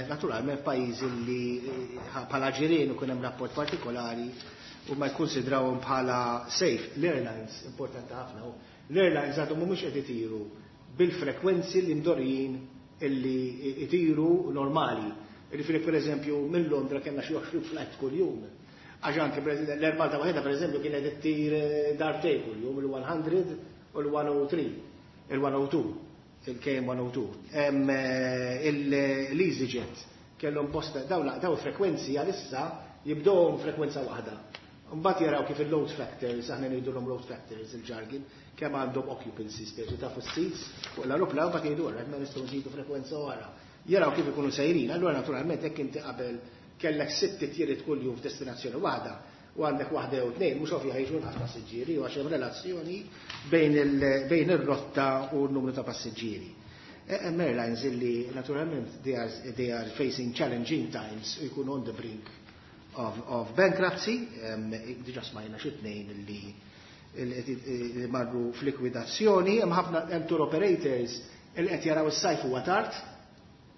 Naturalment pajjiżi li bħala ġirien ikun hemm rapport partikolari u ma jkunsidrawhom bħala safe. L-airlines, importanti ħafna, l-airlines għadhom mhumiex qed itiru bil-frekwenzi li mdorrijin illi itiru normali. Jiġifieri per eżempju minn Londra kellna xi għoxrin flight kuljum. Għax anke l-Air Malta waħedha per eżempju kienet ittir darbtejn kuljum, il-one hundred u l-one oh three, il-one oh two, il-K M one oh two. L-EasyJet kellhom bosta dawn daw frekwenzi għalissa jibdewhom frekwenza waħda. Mbagħad jaraw kif il-load factors, aħna ngħidulhom load factors il-jargon, kemm għandhom occupancy speċi ta' fuq seats fuq l-aeroplan, mbagħad jgħidu għarra, ma nistgħu nżidu frekwenza oħra. Jaraw kif ikunu sejrin, allura naturalment hekk inti qabel kellek sitt titjiriet kuljum f'destinazzjoni waħda u għandek waħda jew tnejn, mhux ovvja ħejġu nqas passiġġieri, u għax hemm relazzjoni bejn il-, bejn ir-rotta u n-numru ta' passiġġieri. Hemm airlines illi naturalment they are, they are facing challenging times u jkunu on the brink of, of bankruptcy, diġa smajna xi tnejn li li marru f'likwidazzjoni, hemm ħafna hemm tour operators li qed jaraw is-sajf huwa tard,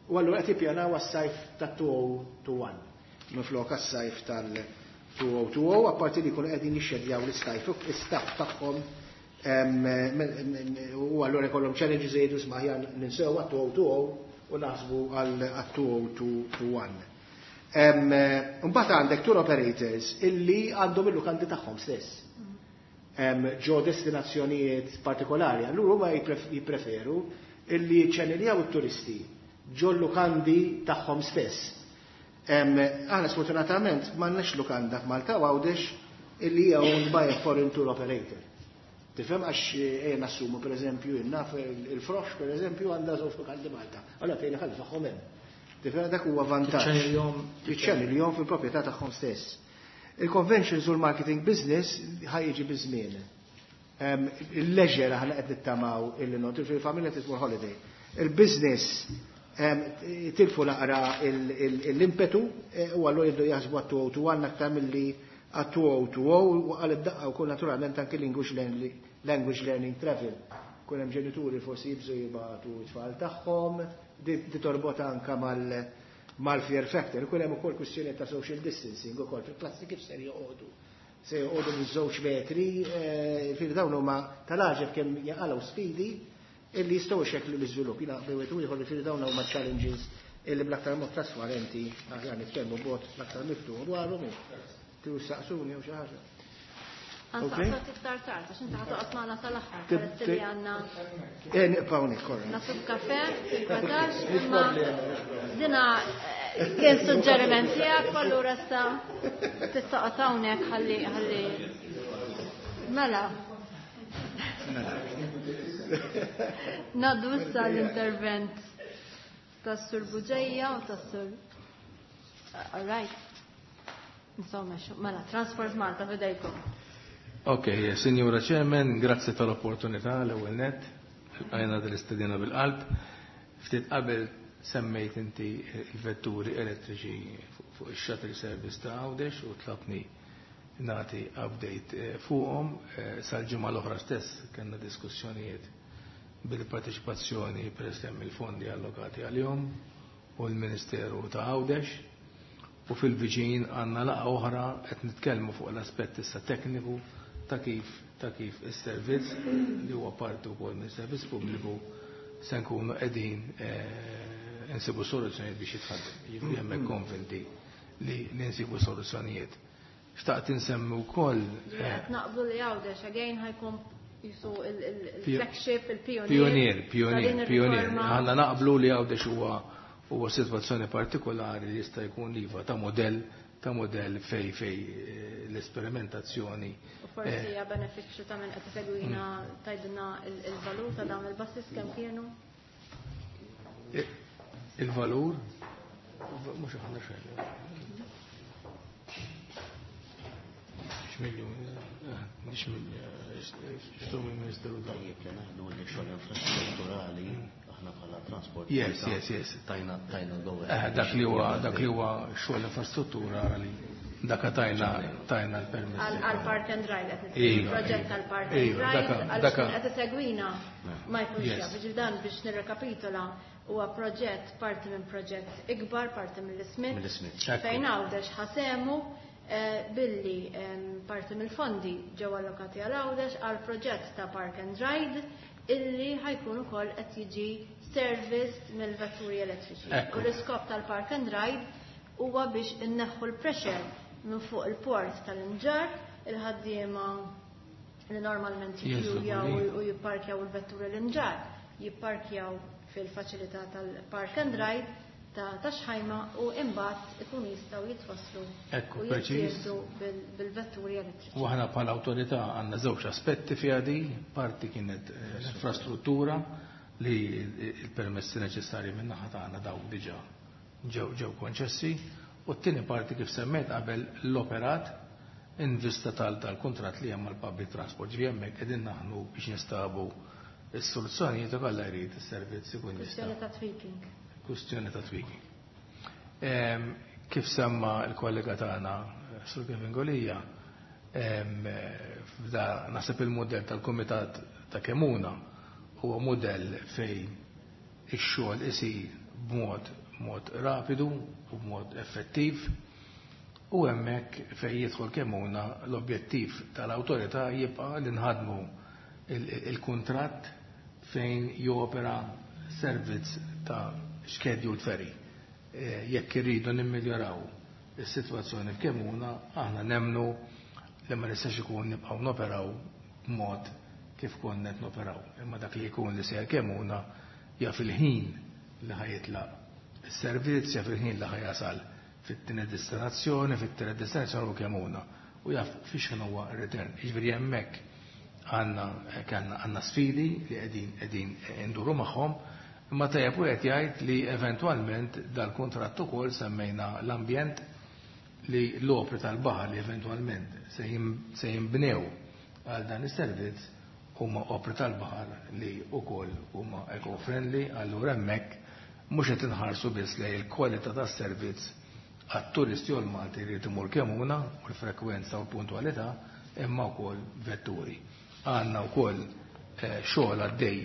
u allura qed jippjanaw għas-sajf tat-two oh two one minflok għas-sajf tal-two oh two oh, apparti li jkunu qegħdin jixxedjaw l-istajf l-istaff tagħhom, u allura jkollhom challenges, jgħidu, "Isma', aħjar ninsew għat-two oh two oh u naħsbu għal two oh two one." Mbagħad għandek tour operators illi għandhom il-lukandi tagħhom stess ġo destinazzjonijiet partikolari. Allura huma jippreferu illi jiċċaniljaw it-turisti ġo lukandi tagħhom stess. Aħna sfortunatament m'għandniex lukanda f'Malta u Għawdex illi hija owned by a foreign tour operator. Tifhem, għax ejja nassumu, per eżempju, naf il-Frosh, per eżempju, għandha żewġ lukandi Malta. Allora fejn ħalli tagħhom hemm. Tifhem, dak huwa vantaġġ. Jiċċaniljaw fil-proprjetà tagħhom stess. Il-conventions u l-marketing business ħa jiġi biż-żmien. Il-leisure aħna qed nittamaw illi not fil-familja titmur holiday. Il-business tilfu naqra l-impetu eh, u allura jibdu jaħsbu għat-two oh two one aktar milli għat-two oh two oh, u għal id-daqqa u naturalment anke language learning travel. Kun hemm ġenituri forsi jibżu jibagħtu t-tfal tagħhom, di torbot anka mal mal-fear factor. Kun hemm ukoll kwistjoni ta' social distancing ukoll fil-klassi, kif ser joqogħdu. Se joqogħdu minn żewġ metri, eh, fil dawn huma tal-għaġeb kemm jaqalgħu sfidi illi jistgħu jxekklu l-iżvilupp. Jiena bejwet u ieħor li dawn huma challenges illi bl-aktar mod trasparenti aħjar nitkellmu b'mod l-aktar miftuħ dwarhom. Tridu saqsuni jew xi ħaġa. Għansaqsok iktar tard, għax inti ħa toqgħod magħna sal-aħħar, peress li għandna Eh, nibqgħu hawnhekk, korra. Nasib kafe, fil-kwatax, imma dina eh, kien suġġeriment tiegħek, allura issa tista' hawnhekk ħalli ħalli. Mela. Ngħaddu issa l-intervent tas-Sur Buġeja u tas-Sur. All right. Insomma, mela, Transport Malta, f'idejkom. Ok, Signora Chairman, grazzi tal-opportunità l-ewwel net, għajna dal-istedina bil-qalb. Ftit qabel semmejt inti il-vetturi elettriċi fuq il-shuttle service ta' Għawdex u tlabni nagħti update eh, fuqhom. eh, Sal-ġimgħa l-oħra stess kellna diskussjonijiet bil-parteċipazzjoni, peress li hemm il-fondi allokati għalihom, u l-Ministeru ta' Għawdex, u fil-viċin għandna laqgħa oħra qed nitkellmu fuq l-aspett issa tekniku ta' kif ta' kif is-servizz li huwa parti wkoll minn servizz pubbliku se nkunu qegħdin eh, nsibu soluzzjonijiet biex jitħaddem. Jiġifieri hemmhekk konvinti li li nsibu soluzzjonijiet. Xtaqt insemmi wkoll eh, Qed naqblu li Għawdex again ħa jkun jisu il-flagship, il-pionier. Pionier, pionier, pionier. Aħna naqblu li Għawdex huwa huwa sitwazzjoni partikolari li jista' jkun iva ta' modell ta' modell fej fej eh, l-esperimentazzjoni. U forsi hija benefiċċju ta' min qed isegwina tgħidilna il-valur ta' dawn il-buses kemm kienu? Eh, Il-valur mhux aħna xejn. X'miljun, mhux x'tu mill-Ministeru. Tajjeb li naħdu li xogħol infrastrutturali aħna bħala transport. Yes, yes, yes. Tajna tajna go. Eh, dak li huwa dak li huwa xogħol infrastruttura li dak tajna tajna l-permess. Għal park and ride qed Iva, proġett tal-park and iva, ride daka- għal daka- qed isegwina ma jkunx Yes. jaf. Ġifieri dan biex nirrekapitola, huwa proġett parti minn proġett ikbar, parti mill-Smith. Mill-Smith. Ekku. Fejn Għawdex ħa sehmu eh, billi em, parti mill-fondi ġew allokati għal Għawdex għal proġett ta' park and ride illi ħa jkun ukoll qed jiġi serviced mill-vetturi elettriċi. Ekku. U l-iskop tal-park and ride huwa biex inneħħu l-pressure minn fuq il-port tal-Imġarr, il-ħaddiema li normalment Jinżlu jikkjujaw li. u jipparkjaw il-vetturi l-Imġarr, jipparkjaw fil-faċilità tal-park and ride ta' ta' Xħajma u imbagħad ikunu jistgħu jitwasslu Ekku, u preċiż. jittieħdu bil- bil-vetturi elettriċi. U aħna bħala awtorità għandna żewġ aspetti fiha di, parti kienet eh, l-infrastruttura li il-permessi neċessarji minn naħa tagħna dawk diġà ġew ġew konċessi, u t-tieni parti, kif semmejt qabel, l-operat in vista tal tal-kuntratt li hemm mal-public transport. Ġifieri hemmhekk qegħdin naħnu biex nistabu is-soluzzjonijiet ukoll jrid is-servizz ikun jista' Kwestjoni ta' tweaking. Kwestjoni ta' tweaking. Ehm, Kif semma l-kollega tagħna Sur Kevin Golija, f'da naħseb il-mudell tal-Kumitat ta' Kemuna huwa mudell fejn ix-xogħol isir b'mod mod rapidu u b'mod effettiv, u hemmhekk fejn jidħol Kemuna l-objettiv tal-awtorità jibqa' li nħadmu il-kuntratt fejn jopera servizz ta' scheduled ferry. Jekk irridu nimmiljoraw is-sitwazzjoni f'Kemuna, aħna nemnu li ma nistax ikun nibqgħu noperaw b'mod kif konna qed noperaw. Imma dak li jkun li sejjer Kemuna jaf il-ħin li ħajitlaq is-servizz, jaf il-ħin li ħajasal fit-tieni destinazzjoni, fit-tieni destinazzjoni u Kemuna, u jaf fiex huwa r-return. Jiġifieri hemmhekk għandna għandna sfidi li qegħdin qegħdin nduru magħhom, imma tajjeb wieħed jgħid li eventwalment dal-kuntratt ukoll semmejna l-ambjent li l-opri tal-baħar li eventwalment se jinbnew għal dan is-servizz huma opri tal-baħar li wkoll huma eco-friendly, allura hemmhekk mhux qed inħarsu biss lejn il-kwalità tas-servizz għat-turisti u l-Malti li imur Kemuna u l-frekwenza u l-puntwalità, imma wkoll vetturi. Għandna wkoll xogħol għaddej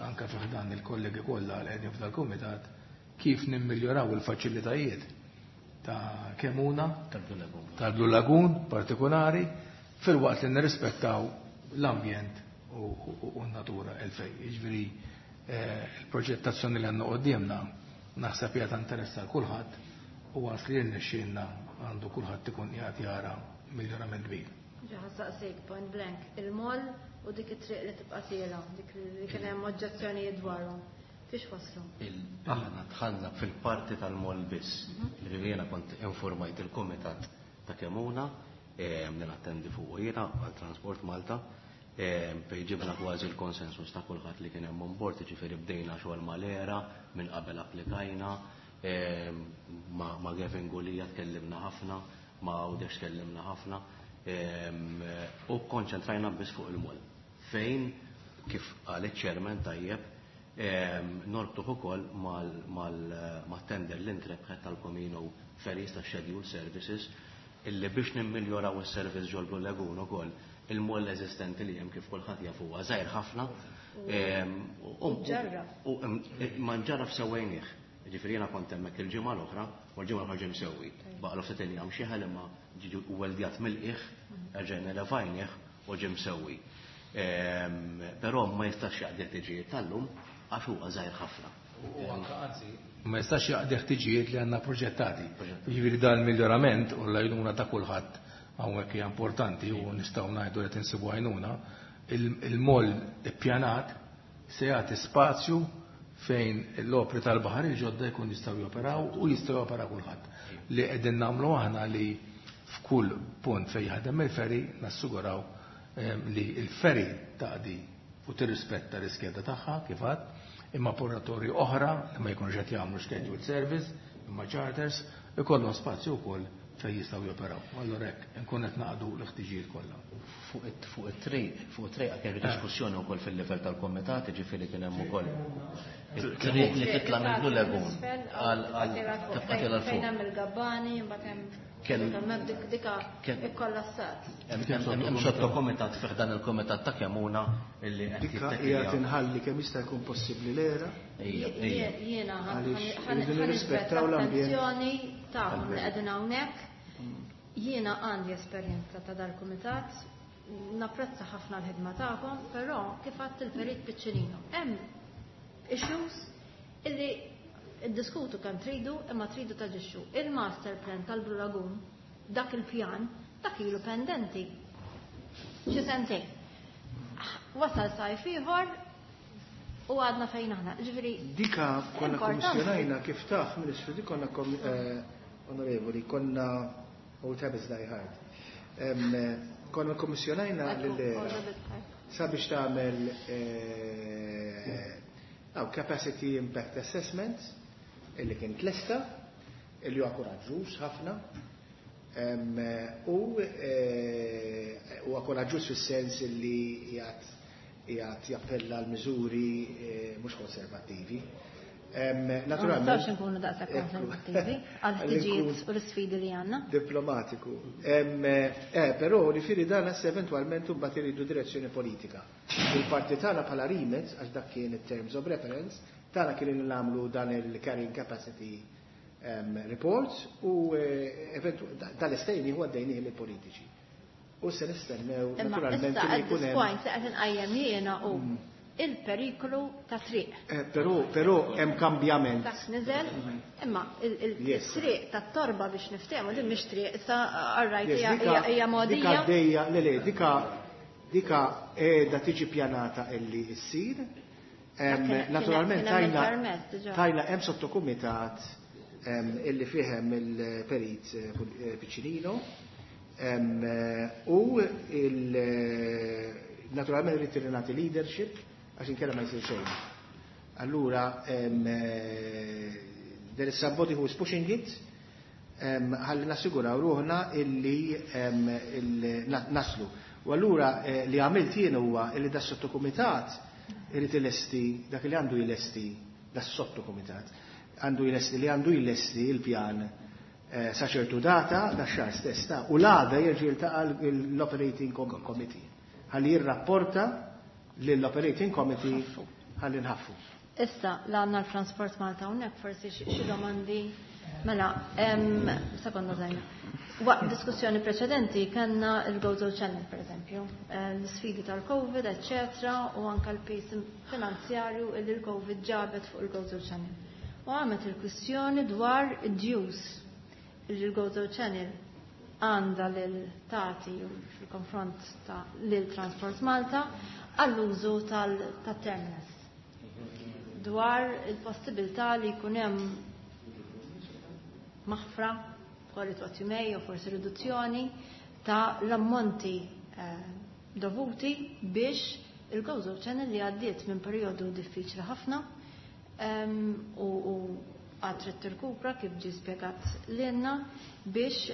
anke fi ħdan il-kollegi kollha li qegħdin f'dal-kumitat kif nimmiljoraw il-faċilitajiet ta' Kemuna, tal-Blue Lagoon partikolari, fil-waqt li nirrispettaw l-ambjent u n-natura elfej. Jiġifieri il-proġettazzjoni li għandna qudiemna naħseb hija ta' interess għal kulħadd u għas li rnexxielna għandu kulħadd ikun qiegħed jara miljorament kbir. Ġa saqsejk point blank, il-moll u dik it-triq li tibqa' tiela, dik li kien hemm oġġezzjonijiet dwarhom. Fiex waslu? Aħna dħalna fil-parti tal-moll biss. Ġifieri jiena kont informajt il-kumitat ta' Kemuna, li nattendi fuq jiena għal Transport Malta, fejn ġibna kważi l-konsensus ta' kulħadd li kien hemm on board, ġifieri bdejna xogħol mal-era, minn qabel applikajna, ma' Gavin Gulija tkellimna ħafna, ma' Għawdex tkellimna ħafna, u konċentrajna biss fuq il-moll. Fejn, kif qal iċ-chairman tajjeb, norbtuh ukoll mat-tender li ntrebħet tal-Comino Ferries ta' Schedule Services, illi biex nimmiljoraw is-servizz ġol Blue Lagoon ukoll, il-moll eżistenti li hemm kif kulħadd jaf huwa żgħir ħafna. U Ma nġarraf sewwejnieh. Ġifieri jiena kont hemmhekk il-ġimgħa l-oħra, u l-ġimgħa l-oħra ġie msewwi. Baqgħu ftit injam xi ħel imma ġie weldjat mill-qiegħ, erġajna levajnieh u ġie msewwi. Però ma jistax jaqdi ħtiġijiet tal-lum għax huwa żgħir ħafna. U anke anzi ma jistax jaqdi ħtiġijiet li għandna proġettati. Jiġifieri dan il-miljorament u l-għajnuna ta' kulħadd hawnhekk hija importanti u nistgħu ngħidu li tinsibu għajnuna, il-moll ippjanat se jagħti spazju fejn l-opri tal-baħar il-ġodda jkun jistgħu joperaw u jistgħu jopera kulħadd. Li qegħdin nagħmlu aħna li f'kull punt fejn jaħdem il-ferry nassiguraw li l-ferry taqdi u tirrispetta l-iskeda tagħha kif għad, imma operatori oħra li ma jkunux qed jagħmlu scheduled service, imma charters, ikollhom spazju wkoll fejn jistgħu joperaw. Allura hekk inkun qed naqdu l-ħtiġijiet kollha. Fuq it-triq, fuq it-triq kien diskussjoni wkoll fil-livell tal-komitat, ġifieri kien hemm ukoll it-triq li titla' minn Blue Lagoon għal tibqa' tilha fuq. Fejn hemm il-gabbani, imbagħad hemm dika ikkollassat. Hemm sottokomitat fih dan il-komitat ta' Kemuna illi qed Dika hija tinħalli kemm jista' jkun possibbli l-era. Jiena ħa l-attenzjoni tagħhom li qegħdin hawnhekk. Jiena għandi esperjenza ta' dal-kumitat, napprezza ħafna l-ħidma tagħkom, però kif għadt il-perit Piccinino. Hemm issues illi iddiskutu kemm tridu imma tridu taġixxu. Il-master plan tal-Blue Lagoon, dak il-pjan, dak ilu pendenti. Xi sentejn. Wasal sajf ieħor u għadna fejn aħna. Ġifieri Dika konna kommissjonajna kif taf, Ministru, dik konna onorevoli, konna old habits die hard. Konna kommissjonajna lill-era sabiex tagħmel capacity impact assessment illi kien tlesta, illi huwa koraġġuż ħafna, u huwa koraġġuż fis-sens illi qiegħed jappella għal miżuri mhux konservattivi. Naturalment. Ma nistgħux inkunu daqshekk konservattivi għall-ħtiġijiet u l-isfidi li għandna. Diplomatiku. Eh, però jiġifieri dan issa eventwalment imbagħad iridu direzzjoni politika. Il-parti tagħna bħala remit, għax dak kien it-terms of reference, tagħna kien li nagħmlu dan il-carrying capacity report u dal-istejni huwa għaddejnieh lill-politiċi. U se nistennew naturalment li jkun hemm. Point li qed inqajjem jiena u il-periklu ta' triq. Però però hemm kambjament. Dak niżel, imma il-triq ta' torba biex niftehmu din mhix triq, issa arrajt hija mogħdija. Dika għaddejja, le le, dika dika qiegħda tiġi pjanata illi ssir. Naturalment tajna tajna hemm sottokumitat illi fih hemm il-perit Piccinino u naturalment irid nagħti leadership għax inkella ma jsir xejn. Allura there is somebody who is pushing it ħalli nassiguraw ruħna illi naslu. U allura li għamilt jien huwa illi da sottokumitat irid ilesti dak li għandu jlesti da sottokumitat għandu jlesti li għandu jlesti il-pjan sa ċertu data da xahar stess ta' u l-għada jerġa' jiltaqa' l-Operating Committee ħalli jirrapporta lill-Operating Committee ħalli nħaffu. Issa, l-għandna l-Transport Malta hawnhekk forsi xi domandi. Mela, sekonda żgħira. Waqt diskussjoni preċedenti kellna il-Gozo Channel, per eżempju, l-sfidi tal-Covid, eccetera, u anka l-pis finanzjarju li l-Covid ġabet fuq il-Gozo Channel. U għamet il-kwistjoni dwar id-dues li l-Gozo Channel għandha lil tati fil-konfront ta' lil Transport Malta għall-użu tal-terminus. Dwar il-possibilità li jkun hemm maħfra, call it what you may, u forsi riduzzjoni ta' l-ammonti dovuti biex il-Gozo Channel li għaddiet minn perjodu diffiċli ħafna u għad trid tirkupra kif ġie spjegat lilna biex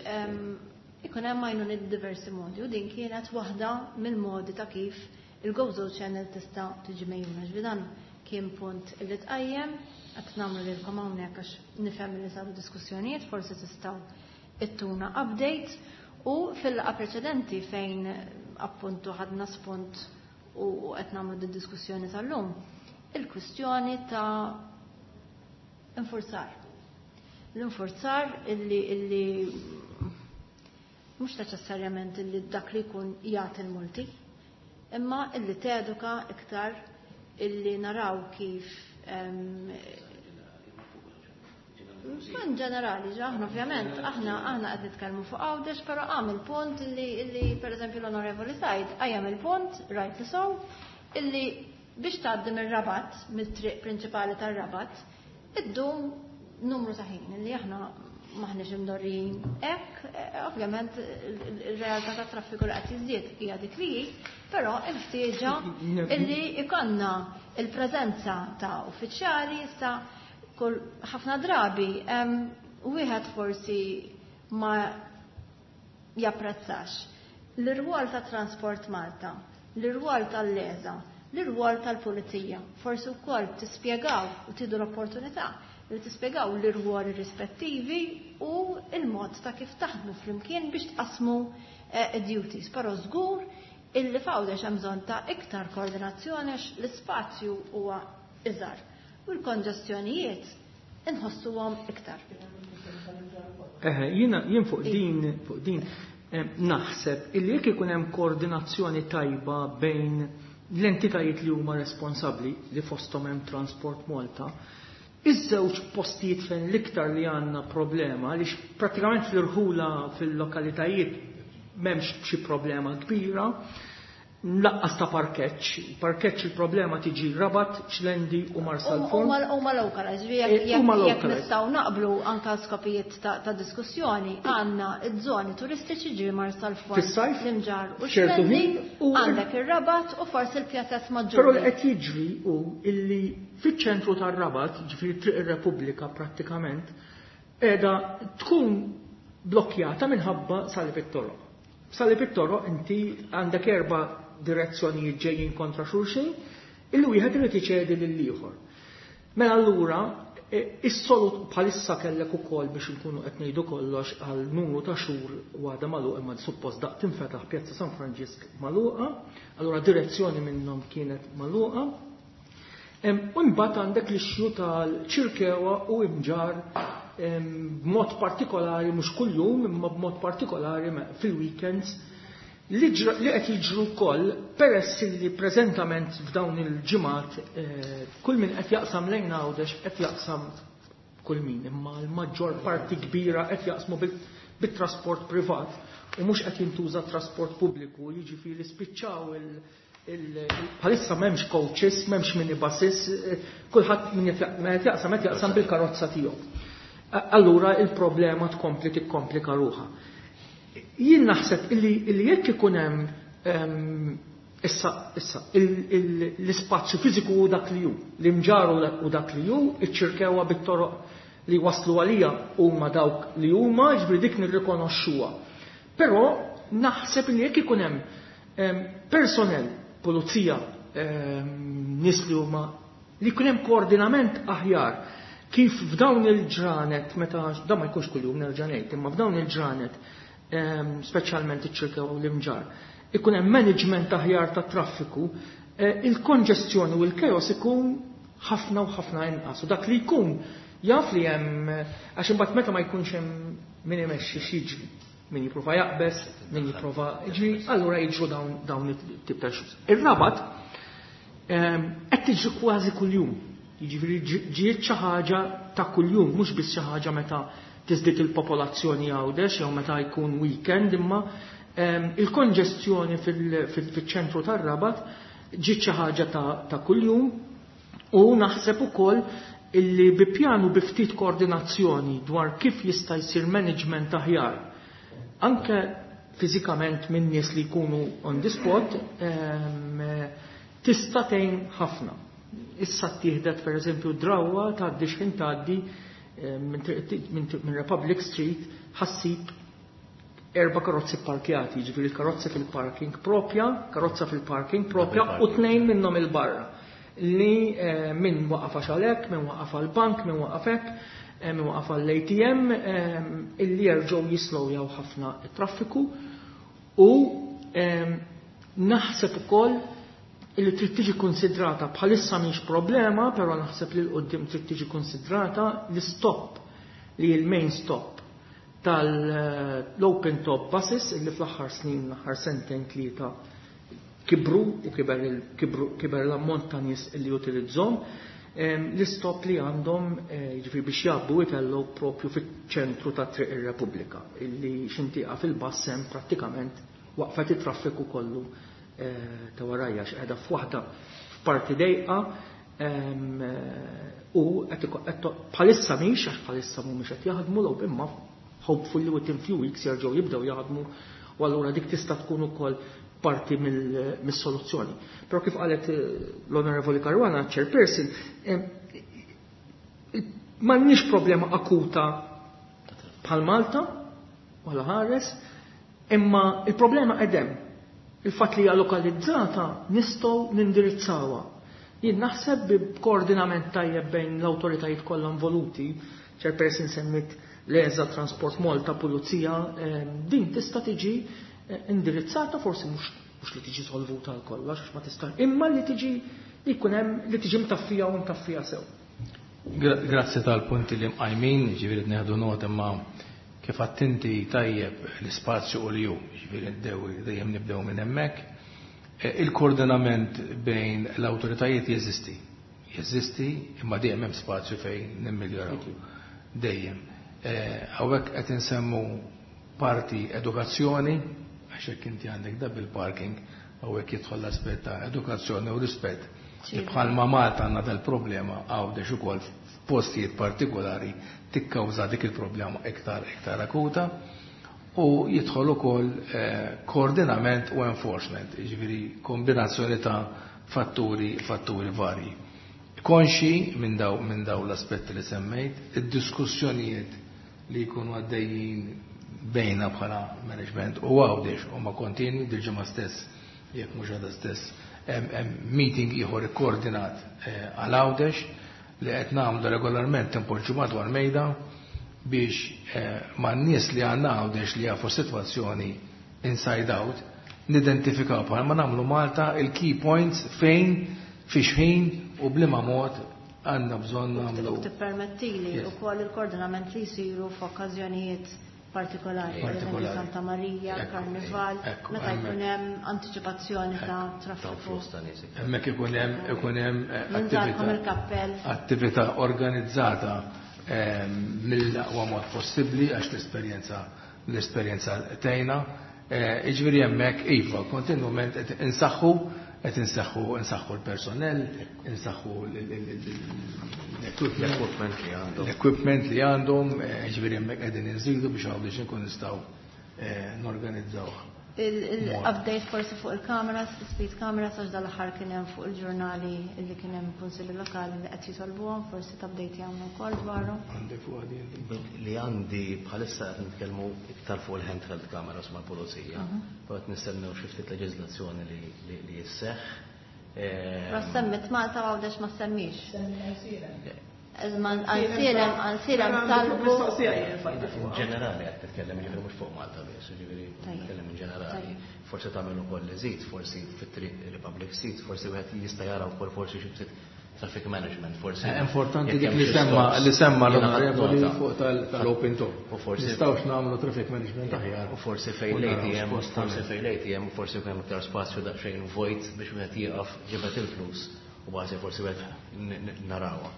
ikun hemm għajnuniet diversi modi u din kienet waħda mill-modi ta' kif il-Gozo Channel tista' tiġi mejjuna. Ġifieri dan kien punt li tqajjem, qed nagħmlu lilkom hawnhekk għax nifhem li saru diskussjonijiet, forsi tistgħu ittuna update. U fil-laqgħa preċedenti fejn appuntu ħadna spunt u qed nagħmlu di diskussjoni tal-lum, il-kwistjoni ta' infurzar. L-infurzar illi illi mhux neċessarjament illi dak li jkun jagħti l-multi, imma illi teduka iktar illi naraw kif in ġenerali, aħna ovvjament, aħna aħna qed nitkellmu fuq Għawdex, però għam il-punt illi illi pereżempju l-Onorevoli Said qajjem il-punt, rightly so, illi biex tgħaddi mir-Rabat, mit-triq prinċipali tar-Rabat, iddum numru ta' ħin illi aħna maħniex imdorrijin hekk, ovvjament il-realtà tat traffiku li qed jiżdied hija dik li hi, però il-ħtieġa illi ikonna il-preżenza ta' uffiċjali issa kull ħafna drabi wieħed forsi ma japprezzax l-irwol ta' Transport Malta, l-irwol tal-LESA, l-irwol tal-Pulizija. Forsi wkoll tispjegaw u tidu l-opportunità li tispjegaw l-irwol rispettivi u il-mod ta' kif taħdmu flimkien biex tqasmu duties. Però żgur illi f'Għawdex hemm bżonn ta' iktar koordinazzjoni għax l-ispazju huwa iżgħar u l-konġestjonijiet inħossuhom iktar. Eħe, jiena jien fuq din fuq din naħseb illi jekk ikun hemm koordinazzjoni tajba bejn l-entitajiet li huma responsabbli li fosthom hemm Transport Malta, iż-żewġ postijiet fejn l-iktar li għandna problema għaliex prattikament fl-irħula fil-lokalitajiet m'hemmx xi problema kbira, laqqas ta' parkeġġ. Parkeġġ il-problema tiġi Rabat, Xlendi u Marsalforn. Huma localized, jekk nistgħu naqblu anke skopijiet ta' diskussjoni, għandna iż-żoni turistiċi ġi Marsalforn, l-Imġarr u Xlendi, għandek ir-Rabat u forsi l-pjazez maġġuri. Però li qed jiġri hu illi fiċ-ċentru tar-Rabat, ġifieri Triq ir-Repubblika prattikament, qiegħda tkun blokkjata minħabba Salib it-Toroq. Salib it-Toroq inti għandek erba' direzzjonijiet ġejjin kontra xulxin, illi wieħed irid iċedi lil ieħor. Mela allura Is-solut bħalissa kellek ukoll biex inkunu qed ngħidu kollox għal numru ta' xhur għadha magħluq imma suppost daqt tinfetaħ Pjazza San Franġisk magħluqa, allura direzzjoni minnhom kienet magħluqa. U mbagħad għandek l-issue tal-Ċirkewa u Imġarr b'mod partikolari mhux kuljum imma b'mod partikolari fil-weekends li qed jiġru wkoll peress li preżentament f'dawn il-ġimgħat kull min qed jaqsam lejn Għawdex qed jaqsam kull min imma l-maġġor parti kbira qed jaqsmu bit-trasport privat u mhux qed jintuża trasport pubbliku, jiġifieri spiċċaw il- bħalissa m'hemmx coaches, m'hemmx minibuses, kulħadd min qed jaqsam qed jaqsam bil-karozza tiegħu. Allura il-problema tkompli tikkomplika ruħha. Jien naħseb illi jekk ikun hemm issa issa l-ispazju fiżiku hu dak li hu, l-Imġarr hu dak li hu, iċ-Ċirkewa bit-toroq li waslu għalija huma dawk li huma, ġifieri dik nirrikonoxxuha. Però naħseb li jekk ikun hemm personnel, pulizija, nies li huma li jkun hemm koordinament aħjar kif f'dawn il-ġranet meta dan ma jkunx kuljum nerġa' ngħid, imma f'dawn il-ġranet speċjalment iċ-Ċirkewa u l-Imġarr, ikun hemm management aħjar ta' traffiku, il-konġestjoni u l-chaos ikun ħafna u ħafna inqas. U dak li jkun jaf li hemm għax imbagħad meta ma jkunx hemm min imexxi x'jiġri, min jipprova jaqbeż, min jipprova jiġri, allura jiġru dawn dawn it-tip ta' issues. Ir-Rabat qed tiġri kważi kuljum. Jiġifieri ġiet xi ħaġa ta' kuljum, mhux biss xi ħaġa meta tiżdied il-popolazzjoni Għawdex jew meta jkun weekend, imma il-konġestjoni fil-ċentru tar-Rabat ġiet xi ħaġa ta' kuljum u naħseb ukoll illi bi pjanu bi ftit koordinazzjoni dwar kif jista' jsir management aħjar anke fiżikament minn nies li jkunu on the spot tista' tgħin ħafna. Issa ttieħdet pereżempju drawwa tgħaddi x'ħin tgħaddi minn Republic Street ħassib erba' karozzi parkjati, jiġifieri l-karozzi fil-parking propja, karozza fil-parking propja u tnejn minnhom il-barra. Li min waqaf għax għalhekk, min waqaf għall-bank, min waqaf hekk, min waqaf għall-A T M, illi jerġgħu jislowjaw ħafna t-traffiku u naħseb ukoll illi trid tiġi konsidrata bħalissa mhix problema, però naħseb li l-qudiem trid tiġi konsidrata l-stop li l-main stop tal-open top buses illi fl-aħħar snin, l-aħħar sentejn tlieta kibru u kiber kiber l-ammont ta' nies illi jutilizzhom, l-istop li għandhom jiġifieri biex jgħabbu jtellgħu propju fiċ-ċentru ta' Triq ir-Repubblika illi x'intiqa fil-bass hemm prattikament waqfet it-traffiku kollu ta' warajja x'qiegħda f'waħda f'parti dejqa u bħalissa mhix għax bħalissa mhumiex qed jaħdmu l imma hopefully within few weeks jerġgħu jibdew jaħdmu u allura dik tista' tkun ukoll parti mis-soluzzjoni. Però kif qalet l-Onorevoli Caruana, chairperson, m'għandniex problema akuta bħal Malta, wala ħares, imma il-problema qedem. Il-fatt li hija lokalizzata nistgħu nindirizzawha. Jien naħseb b'koordinament tajjeb bejn l-awtoritajiet kollha involuti, chairperson semmit l-E S A, Transport Malta, Pulizija, din tista' tiġi indirizzata, forsi mhux mhux li tiġi solvuta għal kollox għax ma tista', imma li tiġi li jkun hemm li tiġi mtaffija u mtaffija sew. Grazzi tal-punti li mqajmin, ġifieri nieħdu nota, imma kif attenti tajjeb l-ispazju u li ju, ġifieri dejjem nibdew minn hemmhekk. Il-koordinament bejn l-awtoritajiet jeżisti. Jeżisti, imma dejjem hemm spazju fejn nimmiljoraw. Dejjem. Hawnhekk qed insemmu parti edukazzjoni, għax hekk inti għandek double parking, hawnhekk jidħol l-aspett ta' edukazzjoni u rispett. Bħalma Malta għandna dal-problema, Għawdex ukoll f'postijiet partikolari tikkawża dik il-problema iktar iktar akuta u jidħol ukoll koordinament u enforcement, jiġifieri kombinazzjoni ta' fatturi fatturi varji. Konxi minn daw minn daw l-aspetti li semmejt, id-diskussjonijiet li jkunu għaddejjin bejna bħala management u Għawdex huma kontinwi. Dil-ġimgħa stess, jekk mhux għada stess, hemm meeting ieħor ikkoordinat għal Għawdex. li qed nagħmlu regolarment impoġġu madwar mejda biex eh, man-nies li għandna Għawdex li jafu sitwazzjoni inside out nidentifikaw bħal ma nagħmlu Malta il-key points fejn fiex ħin u bliema mod għandna bżonn nagħmlu. Tippermettili Yes. ukoll il-koordinament li jsiru f'okkażjonijiet partikolari, per eżempju Partikolari. Santa Maria, Ekku, Karnival, ekku, meta hemmhekk. jkun hemm antiċipazzjoni ta' Ta' traffiku. flus ta' nies. Hemmhekk ikun hemm ikun hemm eh, Ninżalkom attività il-kappell. attività organizzata ehm, mill-aqwa mod possibbli għax l-esperjenza l-esperjenza tgħinna. Eh, Jiġifieri hemmhekk iva, kontinwament qed insaħħu qed insaħħu insaħħu l-personnel, insaħħu l-equipment L-equipment li għandhom. l-equipment li għandhom, eh, jiġifieri hemmhekk qegħdin inżidu biex Għawdex inkun nistgħu eh, norganizzawh. Il-update forsi fuq il-kameras, speed cameras, għax dal-aħħar kien hemm fuq il-ġurnali li kien hemm kunsilli lokali li qed jitolbuhom, forsi t-update jagħmlu wkoll dwarhom. Għandek fuq għadin. Li għandi bħalissa qed nitkellmu iktar fuq il-handheld cameras mal-pulizija. Però qed nistennew xi ftit leġiżlazzjoni li li- li jisseħħ. Eh, Ma semmit Malta u Għawdex ma semmix. Iżma Għajnsielem, Għajnsielem talbu. Mistoqsija jien fajti In fuqha. ġenerali qed titkellem jiġifieri mhux fuq Malta biss, jiġifieri Tajjeb. nitkellem in ġenerali. Tajjeb. Forsi tagħmel ukoll li żid, forsi fit-triq Republic Street, forsi wieħed jista' jara wkoll forsi xi ftit traffic management, forsi. Eh, Importanti jekk dik hemm li xi semma stops. li semma Jiena ħadt l-onorevoli nota. fuq tal- tal-open top. U forsi- Nistgħux nagħmlu traffic management aħjar. U forsi fejn U naraw l-A T M, x'post forsi tagħmel. fejn l-A T M, forsi jkun hemm iktar spazju daqsxejn vojt biex wieħed jieqaf ġibed il-flus u bażi forsi wieħed n- n- narawha.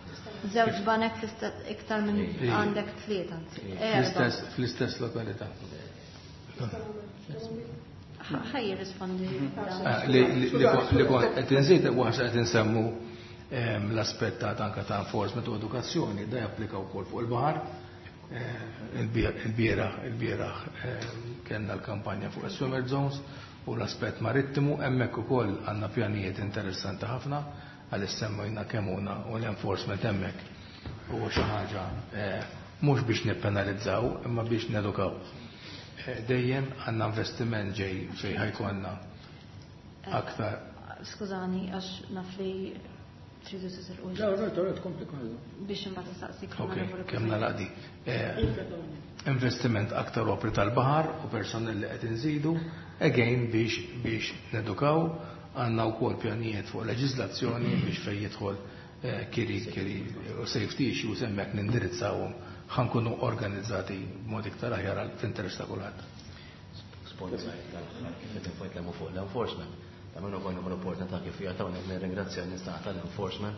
Żewġ banek fl-istess iktar minn Ej. għandek tlieta, anzi, erba'. Fl-istess fl-istess lokalità. Ħaj jirrispondi. Eh, Li li- li kon- li kon qed inżid waħda qed insemmu ehm, l-aspett ta' anka ta' enforcement u edukazzjoni, da japplika wkoll fuq il-baħar. Eh, Il-bieraħ il-bieraħ ehm, kellna l-kampanja fuq is-swimmer zones u l-aspett marittimu, hemmhekk ukoll għandna pjanijiet interessanti ħafna għal semmejna Kemmuna u l-enforcement hemmhekk huwa xi ħaġa eh, mhux biex nippenalizzaw imma biex nedukaw. Eh, Dejjem għandna investiment ġej fejn ħa jkollna aktar. Skużani, għax naf li tridu titilqu. Le, right, right, kompli kollu. Biex imbagħad nistaqsik. Ok, kemm nalaqdi. Eh, Investiment aktar opri tal-baħar u personel li qed inżidu, again biex biex nedukaw, għandna wkoll pjanijiet fuq leġiżlazzjoni biex fejn jidħol eh, kiri kiri u safety issues hemmhekk nindirizzawhom ħa nkunu organizzati b'mod iktar aħjar għal fl-interess ta' kulħadd. Sponsor tal-aħħar kif qed nitkellmu fuq l-enforcement. Ta' minnu konna l-opportunità kif jagħtawna nirringrazzja n-nies tal-enforcement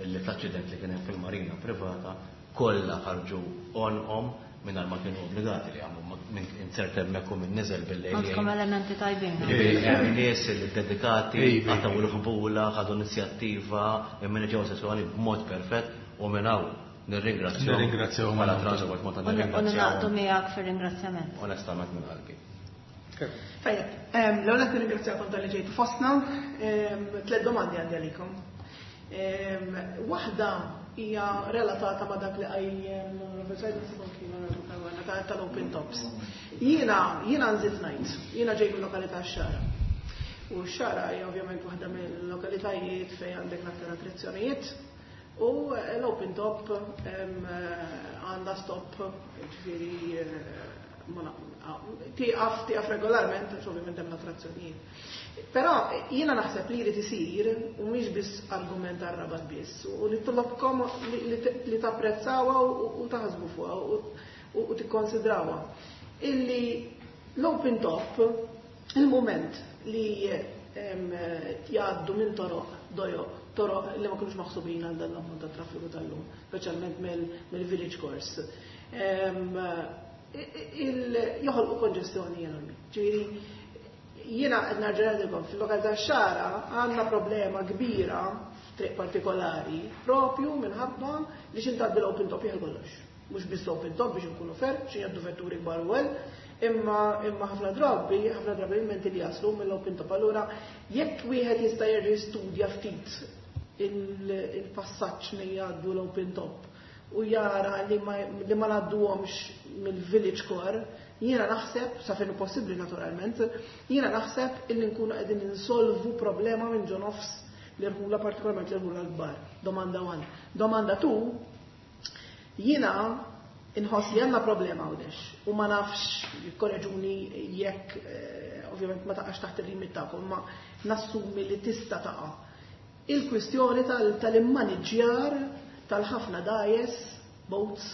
illi fl-aċċident li kien hemm fil-marina privata kollha ħarġu on-om mingħajr ma kienu obbligati li għamlu minn insert hemmhekk u minn niżel bil-lejl. Għandkom elementi tajbin. Ġifieri hemm nies li dedikati, Iva. għataw il-ħbula, ħadu inizjattiva, immaneġġjaw sitwazzjoni b'mod perfett u minn hawn nirringrazzjahom. Nirringrazzjahom. Bħala Transport Malta U naqdu nirringrazzjahom. miegħek fir-ringrazzjament. Onestament minn qalbi. Tajjeb, em, l-ewwel qed nirringrazzjakom talli ġejtu fostna. Em, Tliet domandi għandi għalikom. Em, Waħda hija relatata ma' dak li qajjem l-Onorevole Said, naħseb anki l-Onorevole Caruana, ta' tal-Open Tops. Jiena jiena nżid ngħid, jiena ġej mill-lokalità x-Xagħra. U x-Xagħra hija ovvjament waħda mill-lokalitajiet fejn għandek l-aktar attrazzjonijiet. U l-open top em, għandha stop, ġifieri eh, ma na- tieqaf tieqaf regolarment, għax ovvjament hemm l-attrazzjonijiet. Però jiena naħseb li jrid isir u mhix biss argument għar-Rabat biss, u nitolobkom li, li, li tapprezzawha u, u taħsbu fuqha u, u, u tikkonsidrawha. Illi l-open top, il-moment li em, jgħaddu minn toroq dojoq, toroq li ma kinux maħsubin għal dan l-ammont ta' traffiku tal-lum, speċjalment mill-village course. Em, il- joħolqu konġestjoni enormi. Ġifieri, jiena qed nerġa' ngħidilkom fil-lokalità Xagħra għandna problema kbira f'triq partikolari propju minħabba li x'ħin tgħaddi l-open top jieħu kollox. Mhux biss open top biex nkunu fair, xi jgħaddu vetturi kbar u imma imma ħafna drabi, ħafna drabi il-menti li jaslu mill-open top. Allura jekk wieħed jista' jerġa' jistudja ftit il-passaġġ li jgħaddu l-open top u jara li ma, li ma ngħadduhomx mill-village core, jiena naħseb, sa fejn possibbli naturalment, jiena naħseb illi nkunu qegħdin insolvu problema minn ġo nofs L-irħula, partikolarment l-irħula l-kbar. Domanda one. Domanda two, jiena inħoss li għandna problema Għawdex u ma nafx, korreġuni jekk eh, ovvjament ma taqax taħt il-limit tagħkom, ma nassumi li tista' taqa'. Il-kwistjoni tal-immaniġġjar tal-ħafna dgħajjes, boats,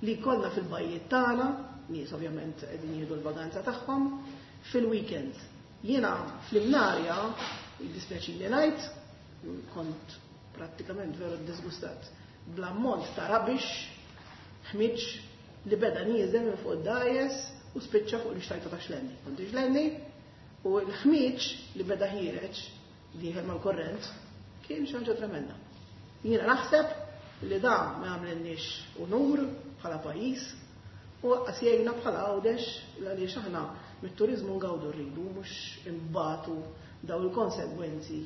li kollna fil-bajjiet tagħna, nies ovvjament qegħdin jieħdu l-vaganza tagħhom, fil-weekends. Jiena fl-Imnarja, jiddispjaċini ngħid, kont prattikament veru disgustat bl-ammont ta' rubbish, ħmiġ li beda nieżel minn fuq id-dgħajjes u spiċċa fuq l-ixtajta ta' Xlendi. Kont Xlendi u l-ħmiġ li beda ħiereġ dieħel mal-korrent kien xi ħaġa tremenda. Jiena naħseb li da ma jagħmlilniex unur bħala pajjiż u lanqas jgħinna bħala Għawdex, għaliex aħna mit-turizmu ngawdu rridu, mhux imbatu daw il-konsegwenzi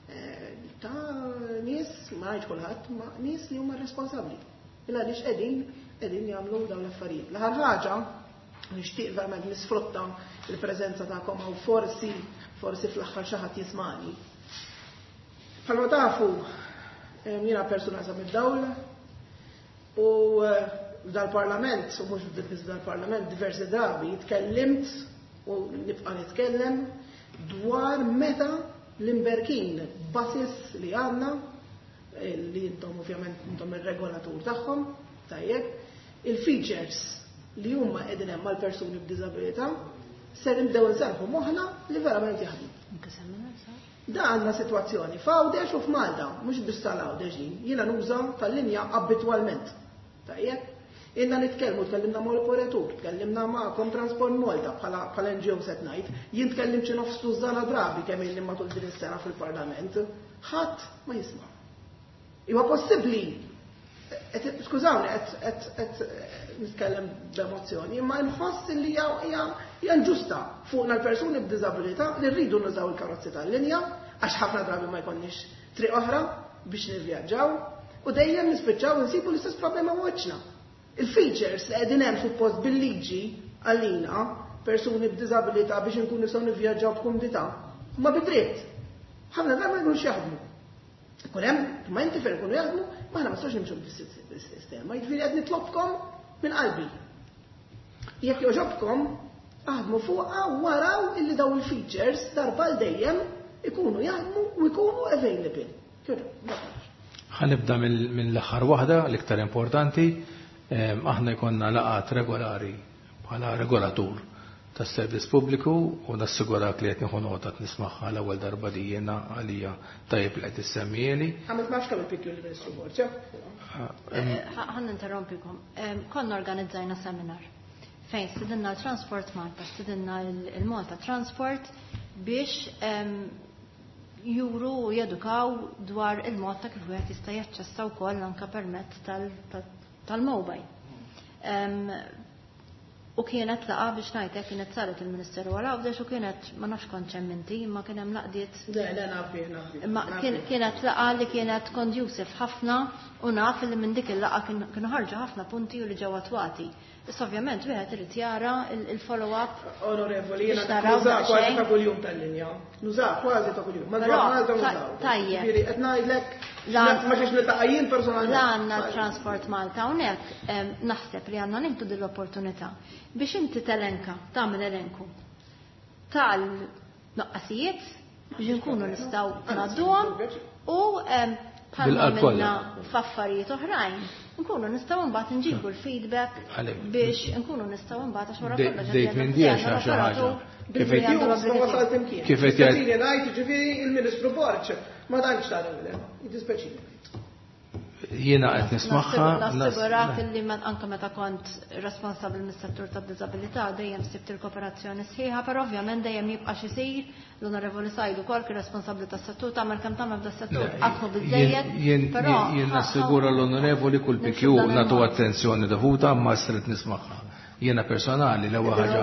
eh, ta' nies, ma ngħidx kulħadd, ma nies li huma responsabbli. Illa għaliex qegħdin qegħdin jagħmlu dawn l-affarijiet. L-aħħar ħaġa, nixtieq verament nisfrutta il-preżenza tagħkom hawn, forsi forsi fl-aħħar xi ħadd jismani. Bħalma tafu, jiena persuna sa mid-dawl u eh, dal-parlament, u mhux biss dal-parlament, diversi drabi tkellimt u nibqa' nitkellem dwar meta l-imberkin buses li għandna, eh, li intom ovvjament intom ir-regolatur tagħhom, tajjeb, il-features li huma qegħdin hemm mal-persuni b'diżabilità ser nibdew nserħu moħħna li verament jaħdmu. Da għandna sitwazzjoni f'Għawdex u f'Malta, mhux biss tal-Għawdex din, jiena nuża tal-linja abitwalment. Tajjeb? Ilna nitkellmu, tkellimna mal operatur, tkellimna magħkom Transport Malta bħala bħala N G O set ngħid, jien tkellimt xi nofs tużana drabi kemm ilni matul din is-sena fil-Parlament, ħadd ma jisma'. Huwa possibbli, skużawni, qed qed nitkellem b'emozzjoni, imma nħoss li hija hija inġusta fuqna l-persuni b'diżabilità li rridu nużaw il-karozzi tal-linja għax ħafna drabi ma jkollniex triq oħra biex nivvjaġġaw u dejjem nispiċċaw insibu l-istess problema wiċċna. Il-features li qegħdin hemm suppost bil-liġi għalina persuni b'diżabilità biex inkunu nistgħu nivvjaġġaw b'kumdità, ma bidritt. Ħafna drabi ma jkunux jaħdmu. Ikun hemm momenti fejn ikunu jaħdmu, ma aħna ma nistgħux nimxu bis-sistema. Jiġifieri qed nitlobkom minn qalbi. Jekk jogħġobkom, aħdmu fuqha waraw illi daw il-features darba l dejjem ikunu jaħdmu u jkunu available. Ħa nibda mill-aħħar waħda, l-iktar importanti. Aħna jkollna laqgħat regolari bħala regolatur tas-servizz pubbliku u nassigurak li qed nieħu nota nismagħha l-ewwel darba li jiena għalija tajjeb li qed issemmieli. Għamilt ma nafx kemm il-P Q l-Ministru Borg. Ħa ninterrompikom. Konna organizzajna seminar fejn stidinna l-Transport Malta, stidinna il-Malta Transport biex juru u jedukaw dwar il-mod ta' kif wieħed jista' jaċċessa wkoll anke permezz tal-mobile. U kienet laqa biex ngħidlek kienet saret il-Ministeru għal Għawdex u kienet ma nafx kont hemm inti, imma kien hemm laqdiet. Le, le, naf bih, naf bih. Imma kienet laqa li kienet conducive ħafna u naf li minn dik il-laqa kienu ħarġu ħafna punti u li ġew attwati. Issa ovvjament wieħed irid jara il-follow-up. Onorevoli, jiena Biex naraw nuża kważi daqsxejn. ta' kuljum tal-linja. Nuża kważi ta' kuljum. Madwar Però, Malta nużaw. tajjeb. Ġifieri qed ngħidlek La- ma ġiex niltaqa' jien personalment. La għandna Transport Malta hawnhekk, naħseb li għandna nieħdu din l-opportunità biex inti telenka, tagħmel elenku tal-noqqasijiet biex inkunu nistgħu ngħadduhom u bħalma Bil-qalb kollha. għamilna f'affarijiet oħrajn, nkunu nistgħu mbagħad nġibu l-feedback Għalek. biex nkunu nistgħu mbagħad għax wara De- kollox dejt qed minn jgħidu diex għandna għax xi ħaġa. l-operatur Kif billi qed għandu Ma l-obbligu wasalt imkien. Kif qed jgħid- Dispeċini ngħid, jiġifieri il-Ministru Borg ma tantx tara le. Jiddispjaċini. Jiena qed nismagħha, Nassigurak nas- illi anke meta kont responsabbli mis-settur tad-diżabilità dejjem sibt il-kooperazzjoni sħiħa, però ovvjament dejjem jibqa' xi jsir. L-Onorevoli Sajdu wkoll kien responsabbli tas-settur, tagħmel kemm tagħmel f'das-settur qatt mhu biżejjed, Jien però jien ħa- nassigura l-Onorevoli kull nimxu P Q b'dan nagħtu il-mod. attenzjoni dovuta, ma stret nismagħha. Jiena personali l-ewwel ħaġa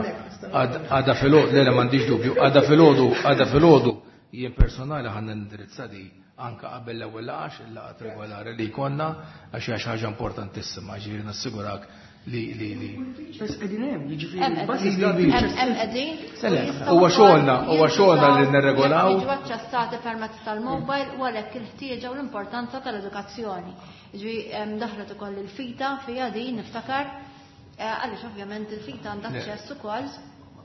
għada filgħodu, le, le, m'għandix dubju, għada filgħodu, għada filgħodu, jien personali ħa nindirizza di anka qabel l-ewwel laqgħa, il-laqgħa regolari li jkollna, għax hija xi ħaġa importantissima, ġifieri nassigurak li li li. Bes qegħdin hemm, jiġifieri hemm qegħdin. Huwa xogħolna, huwa xogħolna li nirregolaw. Jiġu aċċessati permezz tal-mobile u għalhekk il-ħtieġa u l-importanza tal-edukazzjoni. Jiġifieri daħlet ukoll il-FITA fiha din niftakar, għaliex ovvjament il-FITA għandha aċċess ukoll.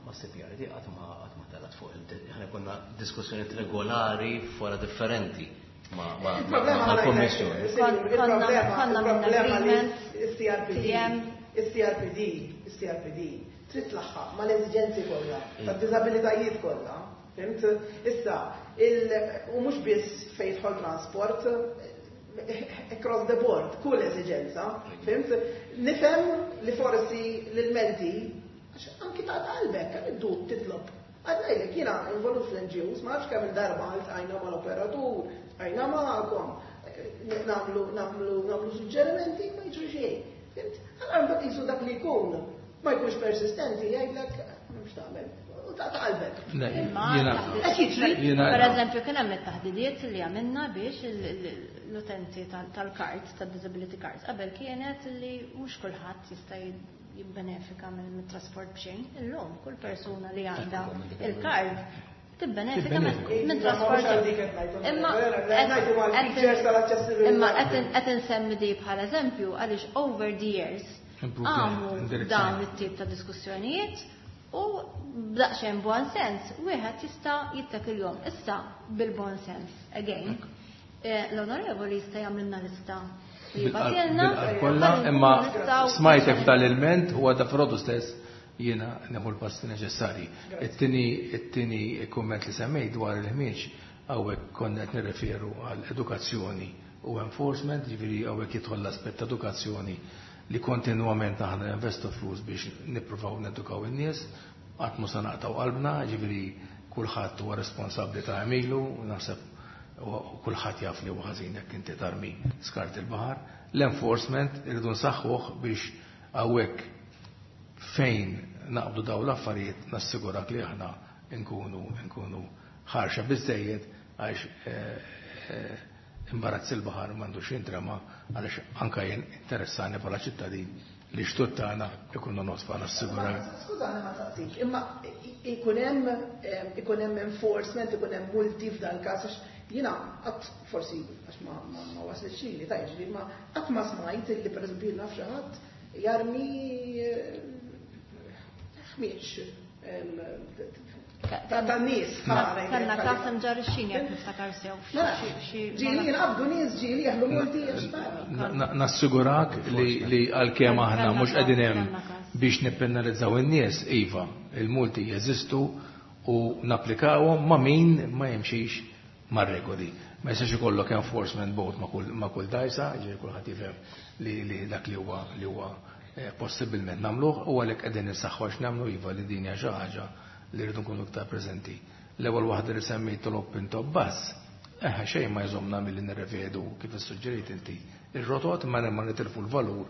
Ma C P R D qatt ma qatt ma telat fuq, aħna konna diskussjonijiet regolari fora differenti ma' kommissjoni. Il-problema li il-C R P D, il-C R P D, il-C R P D, trid tlaħħaq mal-eżiġenzi kollha, tad-diżabilitajiet kollha. Fhimt? Issa, u mhux biss fejn jidħol transport, across the board, kull eżiġenza, fhimt? Nifhem li forsi l-menti, għax anki ta' qalbek, kemm iddu titlob. Għadnajlek, jiena involut fl-N G Os, ma nafx kemm il-darba ltqajna mal-operatur, ltqajna magħkom, nagħmlu nagħmlu nagħmlu suġġerimenti, ma jiġri xejn. Fhimt? Allora mbagħad qisu dak li jkun ma jkunx persistenti, jgħidlek m'hemmx tagħmel. U ta' qalbek. Per eżempju, kien hemm it-taħdidiet li għamilna biex l-utenti tal-card, tad-disability cards, qabel kienet li mhux kulħadd jista' jibbenefika mill-trasport b'xejn. Illum kull persuna li għandha il-card tibbenefika minn trasport. Imma imma qed insemmi di bħala eżempju għaliex over the years għamu dawn it-tip ta' diskussjonijiet u b'daqsxejn buon sens wieħed jista' jittakilhom. Issa bil-bon sens again. L-onorevoli jista' jagħmlilna lista. Kollha, imma smajtek f'dal il-ment u għadda frodu stess jiena nieħu l-passi neċessarji. It-tieni it-tieni kumment li semmejt dwar il-ħmieġ, hawnhekk konna qed nirreferu għal edukazzjoni u enforcement, jiġifieri hawnhekk jidħol l-aspett ta' edukazzjoni li kontinwament aħna investu flus biex nippruvaw nedukaw in-nies, qatt mhu se naqtaw qalbna, jiġifieri kulħadd huwa responsabbli ta' għemilu, naħseb u kulħadd jaf li huwa ħażin jekk inti tarmi skart il-baħar. L-enforcement irridu nsaħħuh biex hawnhekk fejn naqbdu daw l-affarijiet nassigurak li aħna nkunu nkunu ħarxa biżejjed, għax imbarazz il-baħar m'għandux jintrema, għaliex anka jien interessani bħala ċittadin li xtut tagħna ikunu nodfa, nassigurak. Skużani ma taqtik, imma ikun hemm ikun hemm enforcement, ikun hemm multi f'dal każ, għax jiena qatt forsi għax ma ma waslitx li ta' jiġri, ma qatt ma smajt li pereżempju naf xi ħadd jarmi ħmieġ ta' nies. Kellna każ ġar ix-xini jekk niftakar sew. Ġieli jinqabdu nies, ġieli jaħlu multi. Nassigurak li għalkemm aħna mhux qegħdin hemm biex nippenalizzaw in-nies, iva, il-multi jeżistu u napplikawhom ma' min ma jimxix mar-regoli. Ma jistax ikollok enforcement boat ma' kull dajsa, ġieli kulħadd jifhem li dak li huwa li huwa possibilment nagħmluh u għalhekk qegħdin insaħħu għax nagħmlu iva li din hija xi ħaġa li rridu nkunu iktar preżenti. L-ewwel waħda li semmejt l-open top bus, eħe, xejn ma jżomna milli nirrevedu kif issuġġerejt inti ir-rotot ma ma nitilfu l-valur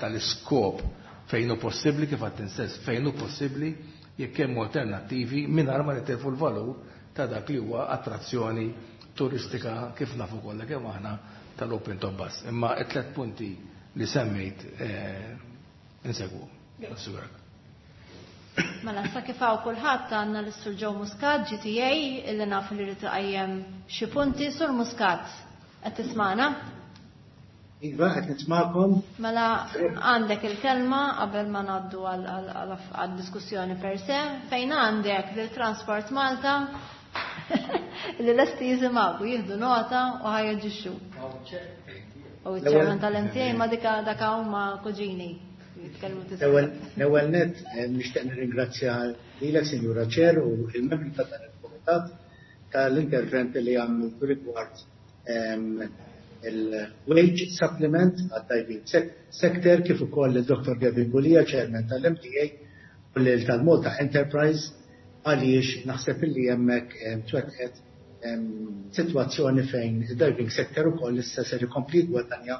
tal-iskop fejn hu possibbli, kif għedt stess, fejn hu possibbli jekk hemm alternattivi mingħajr ma nitilfu l-valur ta' dak li huwa attrazzjoni turistika kif nafu kollha kemm aħna tal-open top bus. Imma it-tlet punti li semmejt insegwu. Nassigurak. Mela, sa kif hawn kulħadd, għandna l-Sur Joe Muscat, G T A, illi naf li rid iqajjem xi punti. Sur Muscat, qed tismana? Iva, qed nismakom. Mela, għandek il-kelma qabel ma ngħaddu għad-diskussjoni per se, fejn għandek lil Transport Malta li lesti jisimgħu, jieħdu nota u ħa jaġixxu. U ċ-chairman tal-M T A ma dika daka huma kuġini. L-ewwel net nixtieq nirringrazzja lilek, Sinjura Chair, u il-membri ta' dan il-kumitat tal-intervent li għamlu rigward il-wage supplement għad-diving sector, kif ukoll il-Dottor Gavin Gulia, Chairman tal-M T A, u lil tal-Malta Enterprise, għaliex naħseb illi hemmhekk twettqet sitwazzjoni fejn il-diving sector ukoll issa ser ikompli gwadanja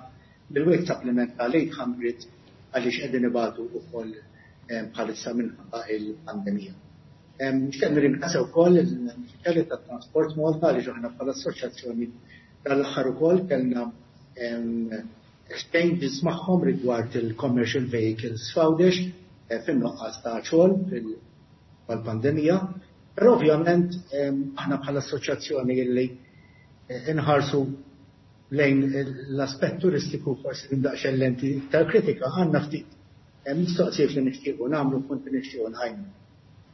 bil-wage supplement tal-eight hundred, għaliex qegħdin ibatu wkoll bħalissa minħabba il-pandemija. Nixtieq nirringrazzja wkoll l-uffiċjali tat-Transport Malta, għaliex aħna bħala assoċjazzjoni tal-aħħar ukoll kellna exchanges magħhom rigward il-commercial vehicles f'Għawdex eh, fin-nuqqas ta' xogħol fil-pandemija. Però ovvjament aħna bħala assoċjazzjoni illi eh, inħarsu lejn l-aspett turistiku forsi daqsxejn lenti tal-kritika, għandna ftit mistoqsijiet li nixtiequ nagħmlu, punti nixtiequ nqajmu.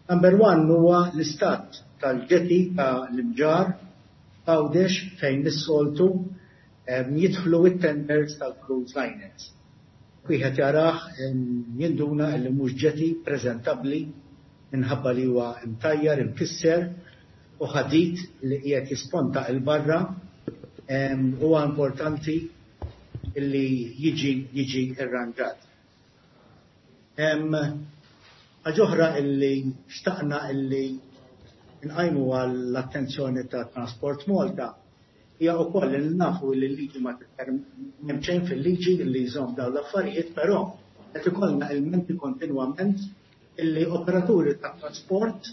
Number one huwa l-istat tal-jetty ta' l-Imġarr Għawdex, fejn is-soltu jidħlu it-tenders tal-cruise liners. Wieħed jarah jinduna li mhux jetty preżentabbli minħabba li huwa imtajjar, imkisser u ħadid li qiegħed jisponta 'l barra. Huwa importanti li jiġi jiġi irranġat. Ħaġa oħra illi xtaqna illi nqajmu għall-attenzjoni ta' Transport Malta hija wkoll li nafu li l-liġi ma hemm xejn fil-liġi li jżomm dawn l-affarijiet, però qed ikollna ilmenti kontinwament illi operaturi ta' trasport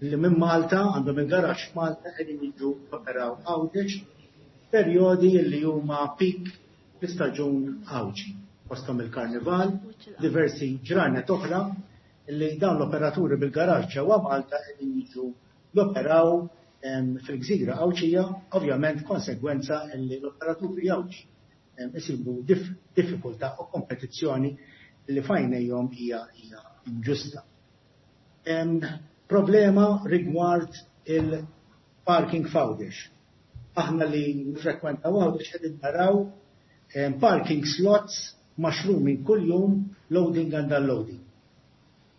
li minn Malta għandhom il-garaxx Malta qegħdin jiġu operaw Għawdex perjodi li huma peak fl-istaġun Għawdxi, fosthom il-Karnival, diversi ġranet oħra li dawn l-operaturi bil-garaxx ġewwa Malta qegħdin jiġu joperaw fil-gżira Għawdxija, ovvjament konsegwenza li l-operaturi Għawdxi isibu diffikultà u kompetizzjoni li f'għajnejhom hija hija inġusta. Problema rigward il-parking f'Għawdex. Aħna li nfrekwentaw Għawdex qegħdin naraw parking slots mushrooming kull jum, loading and unloading.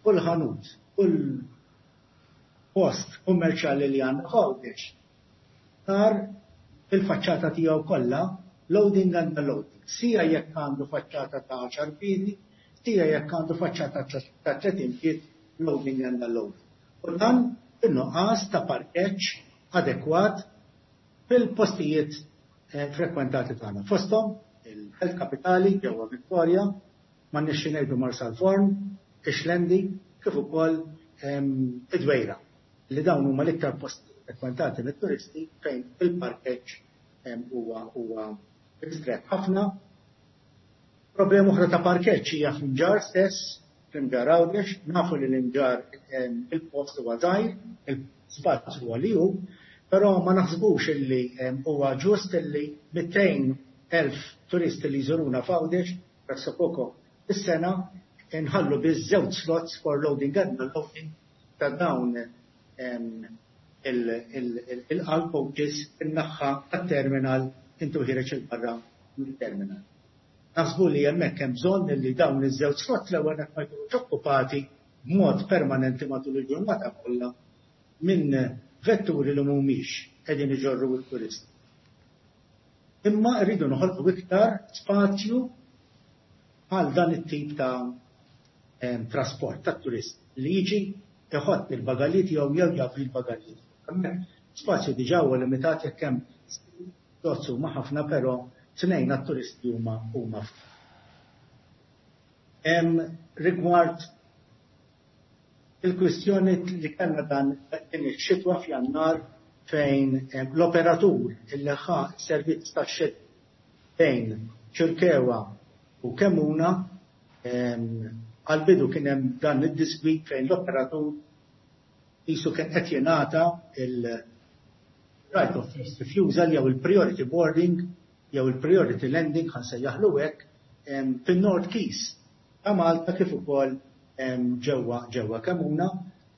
Kull ħanut, kull post kummerċjali li għandna Għawdex sar il-faċċata tiegħu kollha loading and unloading. Sija jekk għandu faċċata ta' għaxar piedi, sija jekk għandu faċċata ta' tletin pied, loading and unloading. U dan in-nuqqas ta' parkeġġ adekwat fil-postijiet eh, frekwentati tagħna. Fosthom il-Belt Kapitali ġewwa Victoria, ma nixxi ngħidu Marsalforn, Ix-Xlendi, kif ukoll id-Dwejra, li dawn huma l-iktar posti frekwentati mit-turisti fejn il-parkeġġ huwa huwa ristret ħafna. Problema oħra ta' parkeġġ hija fl-Imġarr stess, fl-Imġarr Għawdex. Nafu li l-Imġarr il-post huwa żgħir, il-spazju huwa li hu, però ma naħsbux illi huwa ġust illi mitejn elf turisti li jżuruna f'Għawdex pressappoco is-sena nħallu biss żewġ slots for loading and unloading ta' dawn il-coaches in-naħa tat-terminal intu ħiereġ 'il barra mill-terminal. Naħsbu li hemmhekk hemm bżonn li dawn iż-żewġ slots l-ewwel ma jkunux okkupati b'mod permanenti matul il-ġurnata kollha minn vetturi li mhumiex qegħdin iġorru t-turisti. Imma rridu noħolqu iktar spazju għal dan it-tip ta' trasport ta' turist li jiġi iħott il-bagalji tiegħu jew jagħti il-bagalji. Spazju diġà huwa limitat jekk hemm slots huma ħafna, però tnejn għat-turisti huma huma ftit. Rigward il-kwistjoni li kellna dan din ix-xitwa f'Jannar, fejn l-operatur illi ħa servizz ta' xit bejn Ċirkewa u Kemuna, għal-bidu kien hemm dan id-diskwit fejn l-operatur qisu kien qed jingħata il-right of first refusal jew il-priority boarding jew il-priority landing, ħa nsejjaħlu hekk, fin-North Quays ta' Malta kif ukoll ġewwa ġewwa Kemuna,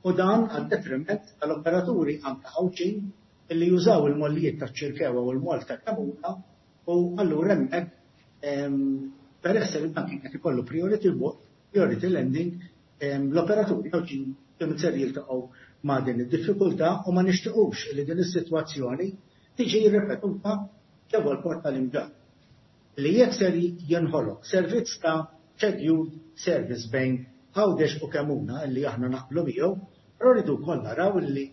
u dan għad detriment tal-operaturi anke Għawdxin illi jużaw il-mollijiet ta' Ċirkewa u l-moll ta' Kemuna. U allura hemmhekk, peress li dan kien qed ikollu priority priority landing, l-operaturi Għawdxin kienu ser jiltaqgħu ma' din id-diffikultà, u ma nixtiequx li din is-sitwazzjoni tiġi ripetuta ġewwa l-port tal-Imġarr. Li jekk ser jinħoloq servizz ta' scheduled service bejn Għawdex u Kemuna, li aħna naqblu miegħu, però rridu wkoll naraw li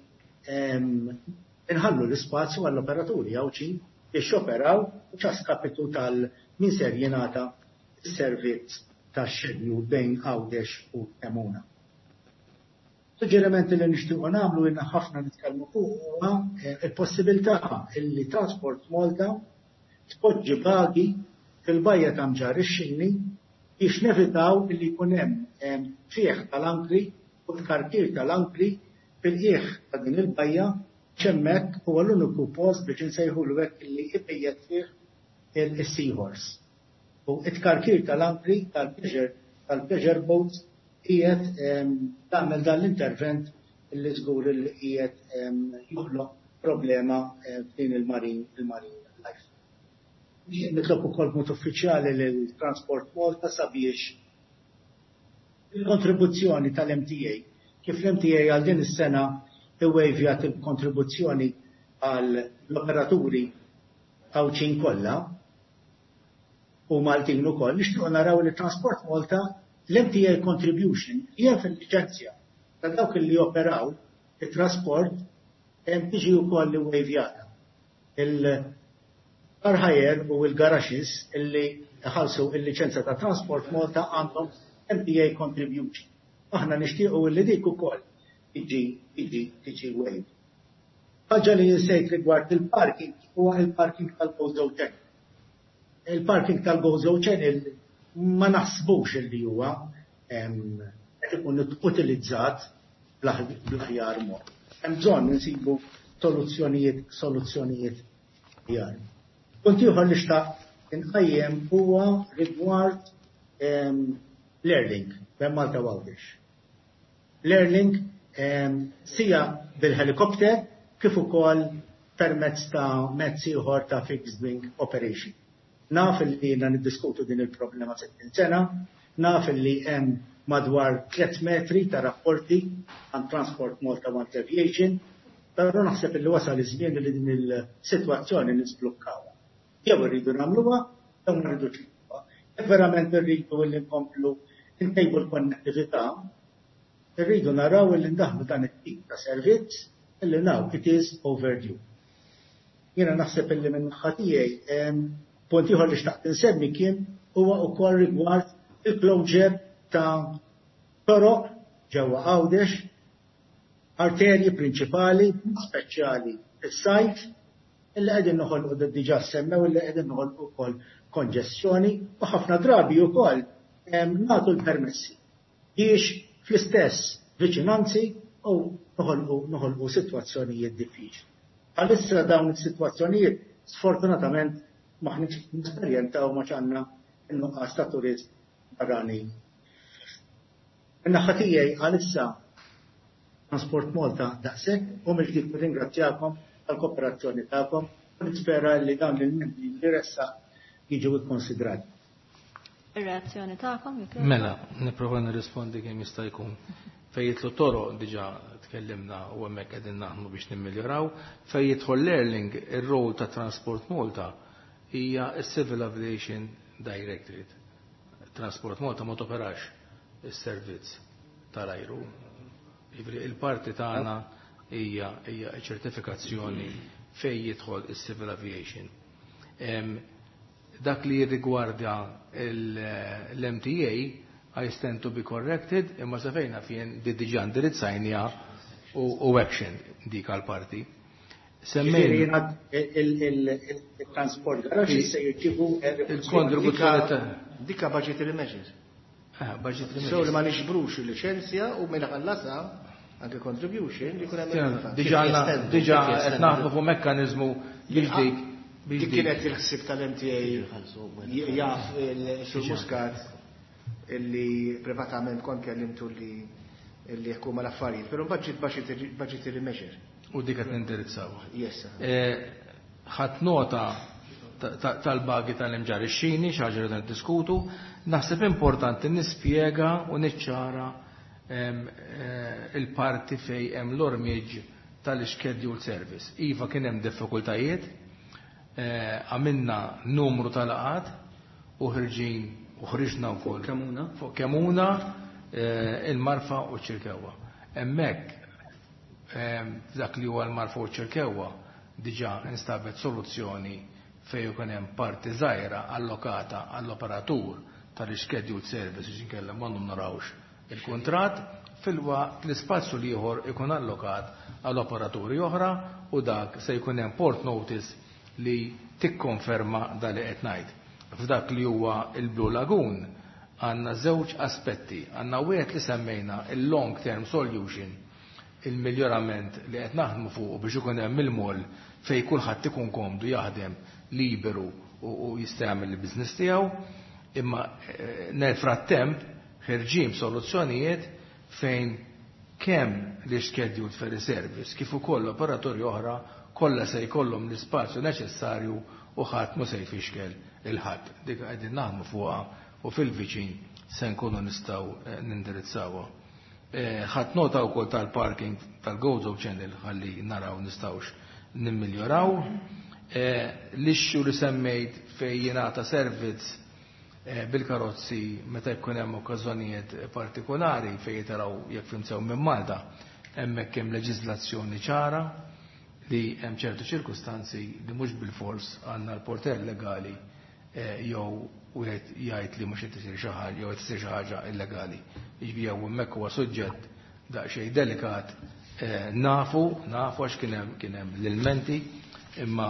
inħallu l-ispazju għall-operaturi Għawdxin biex joperaw u a skapitu tal min ser jingħata s-servizz ta' schedule bejn Għawdex u Kemuna. Suġġerimenti li nixtiequ nagħmlu, ilna ħafna nitkellmu fuq, huwa eh, il-possibilità illi Transport Malta tpoġġi pagi fil-bajja ta' Mġarr ix-Xini biex nevitaw li jkun hemm fih tal-ankri u tkarkir tal-ankri fil-qiegħ ta' din il-bajja, hemmhekk huwa l-uniku post biex insejħulu hekk li ibejjet fih il-seahorse. U it-tkarkir tal-ankri tal-pleasure tal-pleasure boats qiegħed tagħmel dan l-intervent li żgur li qiegħed joħloq problema f'din il-marine il-marine life. Nitlob ukoll mod uffiċjali lil Transport Malta sabiex il-kontribuzzjoni tal-M T A, kif l-M T A għal din is-sena iwejvjat il-kontribuzzjoni għal l-operaturi Għawdxin kollha u Maltin ukoll, nixtiequ naraw li Transport Malta l-M T A contribution hija fil-liċenzja ta' dawk li operaw it-trasport tiġi wkoll iwejvjata. Il-car hire u il-garages illi ħalsu il-liċenzja ta' Transport Malta għandhom M T A contribution. Aħna nixtiequ li dik ukoll tiġi tiġi tiġi waived. Ħaġa li jinsejt rigward il-parking huwa il-parking tal-Gozo Channel. Il-parking tal-Gozo Channel ma naħsbux li huwa qed ikun utilizzat bl-aħjar mod. Hemm bżonn insibu soluzzjonijiet soluzzjonijiet aħjar. Punt ieħor li xtaqt inqajjem huwa rigward l-Airlink bejn Malta u Għawdex. L-Airlink sija bil-helikopter kif ukoll permezz ta' mezz ieħor ta' fixed wing operation. Naf li jiena niddiskutu din il-problema sittin sena, naf li hemm madwar tliet metri ta' rapporti għand Transport Malta u Aviation, però naħseb li wasal iż-żmien li din il-sitwazzjoni nisblukkawha. Jew irridu nagħmluha, jew ma rridux nagħmluha. Jekk verament irridu li nkomplu ntejbu l-konnettività, irridu naraw li ndaħlu dan it-tip ta' servizz illi now it is overdue. Jiena naħseb illi minn naħa tiegħi punt ieħor li xtaqt insemmi kien huwa wkoll rigward il-closure ta' toroq ġewwa Għawdex, arterji prinċipali, speċjali fis-sajf, illi qegħdin noħolqu, diġà semmew, illi qegħdin noħolqu wkoll konġestjoni u ħafna drabi wkoll nagħtu l-permessi biex fl-istess viċinanzi u noħolqu noħolqu sitwazzjonijiet diffiċli. Għalissa dawn is-sitwazzjonijiet sfortunatament m'aħniex nesperjenzaw ma għandna in-nuqqas ta' turist barrani. In-naħa tiegħi għalissa Transport Malta daqshekk u mill-ġdid nirringrazzjakom tal-kooperazzjoni tagħkom u nispera li dawn il-membri li ressaqt jiġu ikkonsidrati. Ir-reazzjoni tagħkom jekk Mela, nipprova nirrispondi kemm jista' jkun. Fejn jidħlu toroq diġà tkellimna u hemmhekk qegħdin naħdmu biex nimmeljoraw. Fejn jidħol l-Airlink, ir-rol ta' Transport Malta hija s-Civil Aviation Directorate. Transport Malta ma toperax is-servizz tal-ajru. Jiġifieri il-parti tagħna hija hija ċertifikazzjoni fejn jidħol is-Civil Aviation. Em, dak li jirrigwarda l-M T A, I stand to be corrected, imma sa fejn naf jien di diġà indirizzajnieha u u action dik għal-parti. Ġifieri jiena il-transport garage se jirċievu Il-kontribuzzjoni ta' Dika budgetary measures. Ah, budgetary So li ma measures. nixbrux il-licenzja u minn ħallasa anke contribution li kun hemm. Diġà għandna- diġà qed naħdmu fuq mekkaniżmu biex dik biex Dik dik. kienet il-ħsib tal-M T A, jaf il-Sur Muscat illi privatament kont kellimtu li illi jekk huma l-affarijiet, però budget budgetary budgetary measure. U dik qed nindirizzaw. Yes. Eh, ħadt nota ta- ta- tal-bagi tal-Imġarr ix-Xini, xi ħaġa li diskutu, naħseb importanti nispjega u niċċara em, eh, il-parti fej hemm l-ormiġ tal-scheduled service. Iva, kien hemm diffikultajiet, eh, għamilna numru tal-laqgħat u ħirġin u ħriġna wkoll. Kemuna. Fuq Kemuna, eh, il-Marfa u Ċirkewwa. Hemmhekk em, dak li huwa l-Marfa u Ċirkewwa diġà instabet soluzzjoni fejn ikun hemm parti żgħira allokata għall-operatur tal-scheduled service biex inkella ma narawx il-kuntratt, filwaqt l-ispazju l-ieħor ikun allokat għall operaturi oħra u dak se jkun hemm port notice li tikkonferma dal li qed ngħid. F'dak li huwa il-Blue Lagoon għandna żewġ aspetti. Għandna wieħed li semmejna il-long term solution, il-miljorament li qed naħdmu fuq biex ikun hemm il-mall fejn kulħadd ikun komdu jaħdem liberu u jista' jagħmel il-business tiegħu, imma nel frattemp ħerġin soluzzjonijiet fejn kemm li scheduled ferry service kif ukoll operatori oħra kollha se jkollhom l-ispazju neċessarju u ħadd mhu se jfixkel il-ħadd. Dik qegħdin naħdmu fuqha u fil-viċin se nkunu nistgħu nindirizzawha. Ħadd nota wkoll tal-parking tal-Gozo Channel ħalli naraw nistgħux nimmiljoraw. L-issue li semmejt fejn jingħata servizz bil-karozzi meta jkun hemm okkażjonijiet partikolari fejn jitaraw jekk fimsew minn Malta, hemmhekk hemm leġiżlazzjoni ċara li hemm ċertu ċirkustanzi li mhux bil-fors għandna l-porter legali jew wieħed jgħid li mhux qed isir xi ħaġa jew qed isir xi ħaġa illegali. Jiġifieri jew hemmhekk huwa suġġett daqsxejn delikat, nafu, nafu għax kien hemm kien hemm l-ilmenti, imma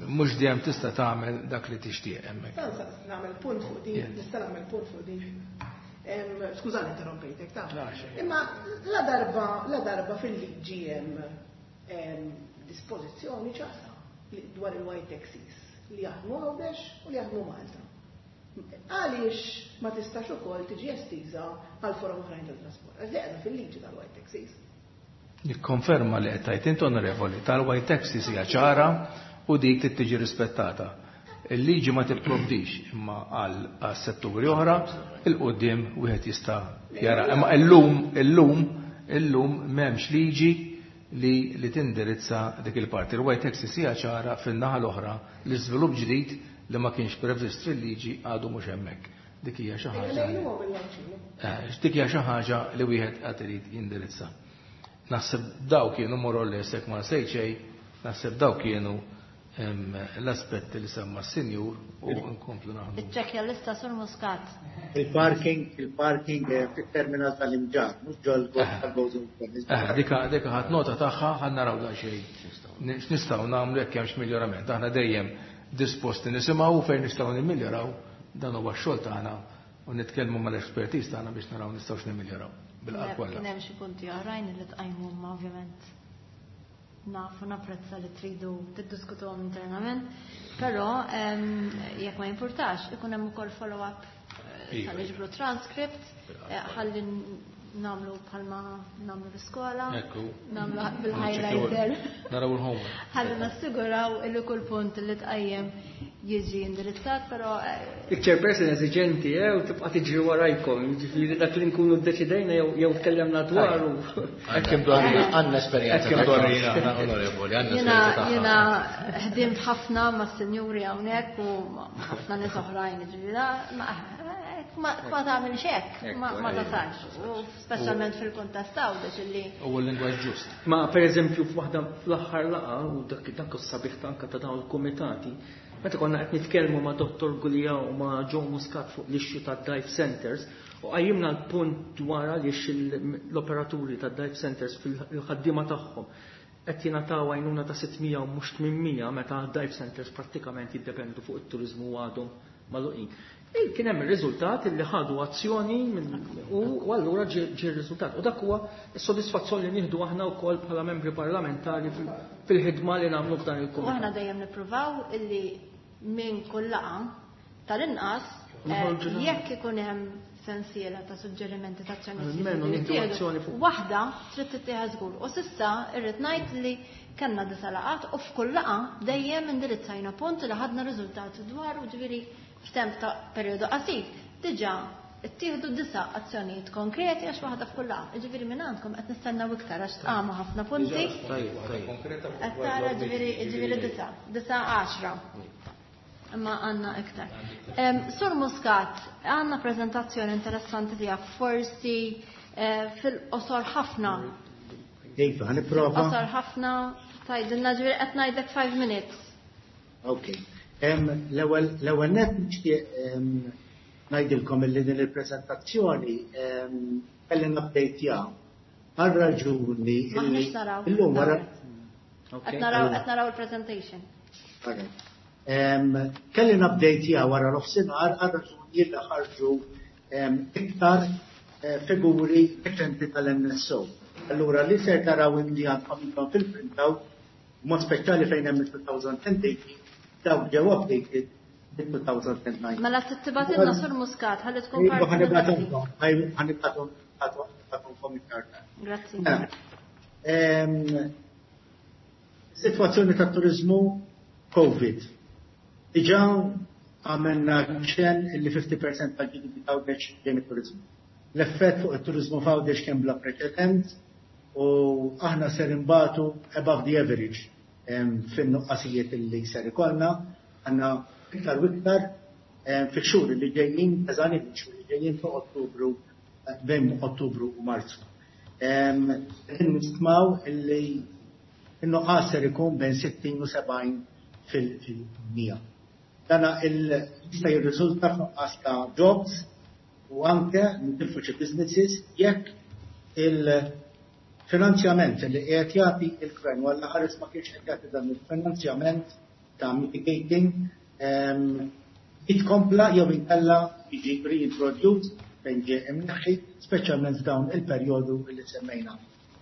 mhux dejjem tista' tagħmel dak li tixtieq hemmhekk. Nagħmel punt fuq din, nista' nagħmel punt fuq din. Skużani interrompejtek ta'. Imma la darba la darba fil-liġi hemm dispożizzjoni ċara dwar il-white taxis li jaħdmu Għawdex u li jaħdmu Malta. Għaliex ma tistax ukoll tiġi estiża għal forom oħrajn tal-trasport? Għax qiegħda fil-liġi tal-white taxis. Nikkonferma li qed tgħid int, onorevoli, tal-white taxis hija ċara u dik trid tiġi rispettata. Il-liġi ma tipprovdix imma għal setturi oħra il-qudiem wieħed jista' jara. Imma illum illum illum m'hemmx liġi li li tindirizza dik il-parti. Il-white taxis hija ċara, fin-naħa l-oħra l-iżvilupp ġdid li ma kienx previst fil-liġi għadu mhux hemmhekk. Dik hija xi ħaġa. Dik hija xi ħaġa li wieħed qed irid jindirizza. Naħseb daw kienu more or less, jekk ma nsejt xejn, naħseb daw kienu l-aspetti li semma s-sinjur u nkomplu naħdmu. Iċċekkja l-lista, Sur Muscat. Il-parking, il-parking fit-terminal tal-Imġarr, mhux ġol tal-Gozo. Dika dika ħadd nota tagħha, ħa naraw daqsxejn x'nistgħu nagħmlu jekk hemmx miljorament. Aħna dejjem disposti nisimgħu fejn nistgħu nimmiljoraw, dan huwa x-xogħol tagħna u nitkellmu mal-expertise tagħna biex naraw nistgħux nimmiljoraw. Bil-qalb kollha. Kien hemm xi punti oħrajn li tqajmu, ma ovvjament nafu napprezza li tridu tiddiskutuhom internament, però jekk ma jimpurtax ikun hemm ukoll follow-up tal-iġbru transcript ħalli nagħmlu bħalma nagħmlu l-iskola, nagħmlu bil-highlighter. Naraw il-homework. Ħalli nassiguraw illi kull punt li tqajjem jiġi indirizzat, però Il-chairperson eżiġenti, eh, u tibqa' tiġri warajkom, jiġifieri dak li nkunu ddeċidejna jew tkellemna dwaru. Hekk imdorrina. Għandna esperjenza. Hekk imdorrina, onorevoli, għandna esperjenza. Jiena ħdimt ħafna mas-sinjuri hawnhekk u ħafna nies oħrajn, jiġifieri ma ma tagħmel hekk, ma tasalx. U speċjalment fil-kuntest Għawdex illi. U l-lingwaġġ ġust. Ma pereżempju f'waħda fl-aħħar laqgħa, u dak dak is-sabiħ anke ta' dawn il-kumitati, meta konna qed nitkellmu ma' Dottor Gulia u ma' Joe Muscat fuq l-issue tad-dive centers, u qajjimna l-punt dwar għaliex l-operaturi tad-dive centers fil-ħaddiema tagħhom qed jingħataw għajnuna ta' sitt mija u mhux tmien mija, meta dive centers prattikament jiddependu fuq it-turiżmu u għadhom magħluqin. Kien hemm ir-riżultat li ħadu azzjoni u allura ġie r-riżultat. U dak huwa s-sodisfazzjon li nieħdu aħna wkoll bħala membri parlamentari fil-ħidma li nagħmlu f'dan il-kumitat. U aħna dejjem nippruvaw illi minn kull laqgħa tal-inqas jekk ikun hemm sensiela ta' suġġerimenti ta' azzjoni, waħda trid tittieħed żgur. U s'issa irrid ngħid li kellna disa' laqgħat u f'kull laqgħa dejjem indirizzajna punt li ħadna riżultati dwar, u ġifieri f'temp ta' perjodu qasir diġà ittieħdu disa' azzjonijiet konkreti, għax waħda f'kull laqgħa. Ġifieri minn għandkom qed nistennew iktar għax tqamu ħafna punti. Qed tara, ġifieri ġifieri disa', disa' għaxra. Imma għandna iktar. Sur Muscat, għandna prezentazzjoni interessanti tiegħek, forsi fil-qosor ħafna. Iva, nipprova. Qosor ħafna, tgħidilna, ġifieri qed ngħidlek five minutes. Ok. L-ewwel net nixtieq ngħidilkom illi din il-preżentazzjoni kelli update għal raġuni M'aħniex naraw. Illum wara Qed naraw qed naraw il-presentation. Kelli update wara nofsinhar għal raġuni li ħarġu iktar figuri reċenti tal-N S O. Allura li ser taraw li għandkom intom fil-printout, mod speċjali fejn hemm il-elfejn u tmintax, dawk ġew updated bil-elfejn u dsatax. Mela tibgħatilna, Sur Muscat, ħalli tkun Iva, parti. Ħa nibgħathomlkom, ħa nibgħathomlkom iktar. Grazzi. Situazzjoni ta' turizmu Covid. Diġà għamilna ċen li fifty percent tal-G D P ta' Għawdex ġej mit-turizmu. L-effett fuq it-turizmu f'Għawdex kien bla preċedent u aħna ser imbatu above the average fin-nuqqasijiet li ser ikollna, għandna iktar u iktar fix-xhur li ġejjin, eżani fix-xhur li ġejjin fuq Ottubru, bejn Ottubru u Marzu. Nistmaw illi in-nuqqas ser ikun bejn sittin u sebgħin fil-mija. Dana jista' jirriżulta f'nuqqas ta' jobs u anke nitilfu xi businesses jekk il-finanzjament li qiegħed jagħti il-gvern, walla ħares ma kienx qed jagħti dan il-finanzjament ta' mitigating, jitkompla jew inkella jiġi reintroduced fejn ġie imneħħi, speċjalment f'dawn il-perjodu li semmejna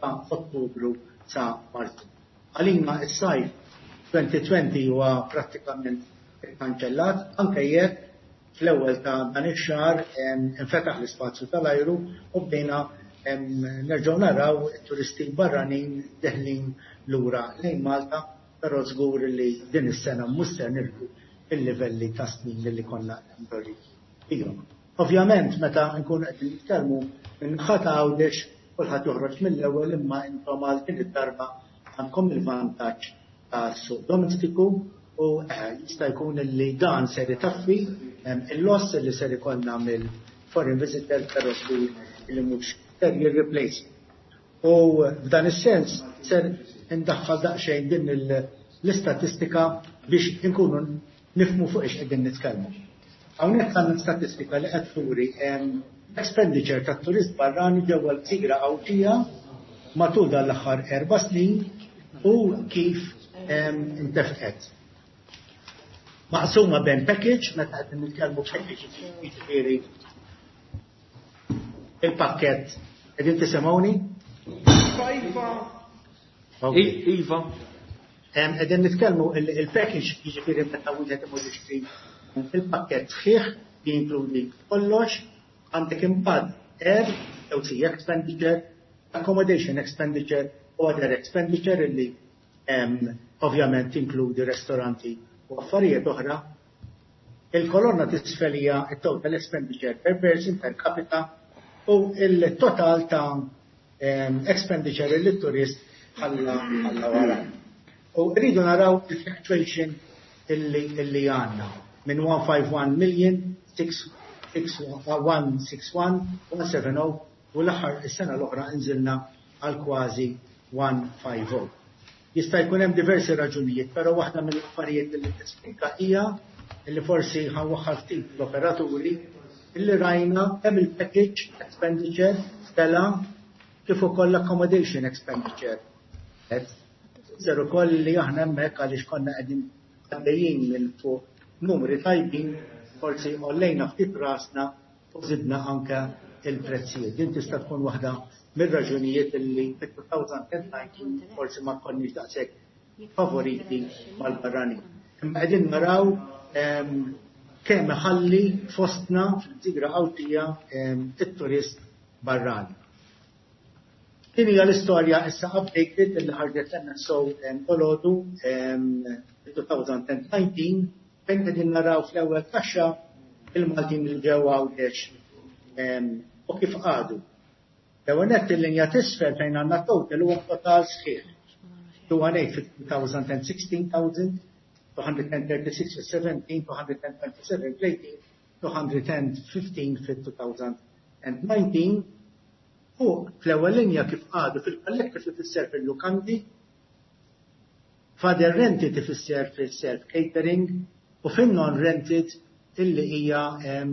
ta' Ottubru sa Marzu. Għalina is-sajf elfejn u għoxrin huwa prattikament kanċellat, anke jekk fl-ewwel ta' dan ix-xahar infetaħ l-ispazju tal-ajru u bdejna nerġgħu naraw turisti barranin deħlin lura lejn Malta, però żgur li din is-sena mhux ser nilħqu il-livelli ta' snin li konna mdorrijin fihom. Ovvjament, meta nkunu qed nitkellmu minn ħata Għawdex, kulħadd joħroġ mill-ewwel, imma intom għal din id-darba għandkom il-vantaġġ tas-suq domestiku u jista' jkun li dan ser itaffi il-loss li ser ikollna mill-foreign visitor, però żgur li mhux ser jirreplace. U f'dan is-sens ser indaħħal daqsxejn din l-istatistika biex inkunu nifhmu fuq ix qegħdin nitkellmu. Hawnhekk għandna statistika li qed turi expenditure tat-turist barrani ġewwa l-gżira Għawdxija matul dan l-aħħar erba' snin u kif intefqet. Maqsuma bejn package, meta qed nitkellmu package jiġifieri il-pakkett. Qegħdin tisimgħuni? Iva. Iva. Qegħdin nitkellmu il-package, jiġifieri meta wieħed imur jixtri il-pakkett sħiħ li jinkludi kollox, għandek imbagħad air, jew sea expenditure, accommodation expenditure u other expenditure illi ovvjament inkludi ristoranti u affarijiet oħra. Il-kolonna t'isfel hija il-total expenditure per person, per capita, u il-total ta' expenditure li turist ħalla ħalla wara. U rridu naraw il-fluctuation illi illi għandna minn one hundred fifty-one million one sixty-one one seventy u l-aħħar is-sena l-oħra nżilna għal kważi one hundred fifty. Jista' jkun hemm diversi raġunijiet, però waħda mill-affarijiet li tispikka hija illi forsi ħa nwaħħal ftit l-operaturi illi rajna kemm il-package expenditure tela kif ukoll l-accommodation expenditure. Ser ukoll li aħna hemmhekk għaliex konna qegħdin għaddejjin minn fuq numri tajbin, forsi għollejna ftit rasna u żidna anke il-prezzijiet. Din tista' tkun waħda mir-raġunijiet illi fit-elfejn u dsatax forsi ma konniex daqshekk favoriti mal-barranin. Imma qegħdin naraw kemm ħalli fostna fil-gżira Għawdxija it-turist barrani. Din hija l-istorja issa updated illi ħarġet l-N S O dalgħodu elfejn u dsatax, fejn qegħdin naraw fl-ewwel kaxxa il-Maltin li ġew Għawdex u kif qagħdu. L-ewwel nett, il-linja t'isfel fejn għandna total huwa total sħiħ. two hundred eight fit-elfejn u sittax, two hundred thirty-six fil-seventeen, two hundred twenty-seven fil-eighteen, two hundred fifteen fil-elfejn u dsatax. U fl-ewwel linja kif qagħdu fil-collective tifisser fil-lukandi, f'other rented tifisser fil-self catering u fin-non rented illi hija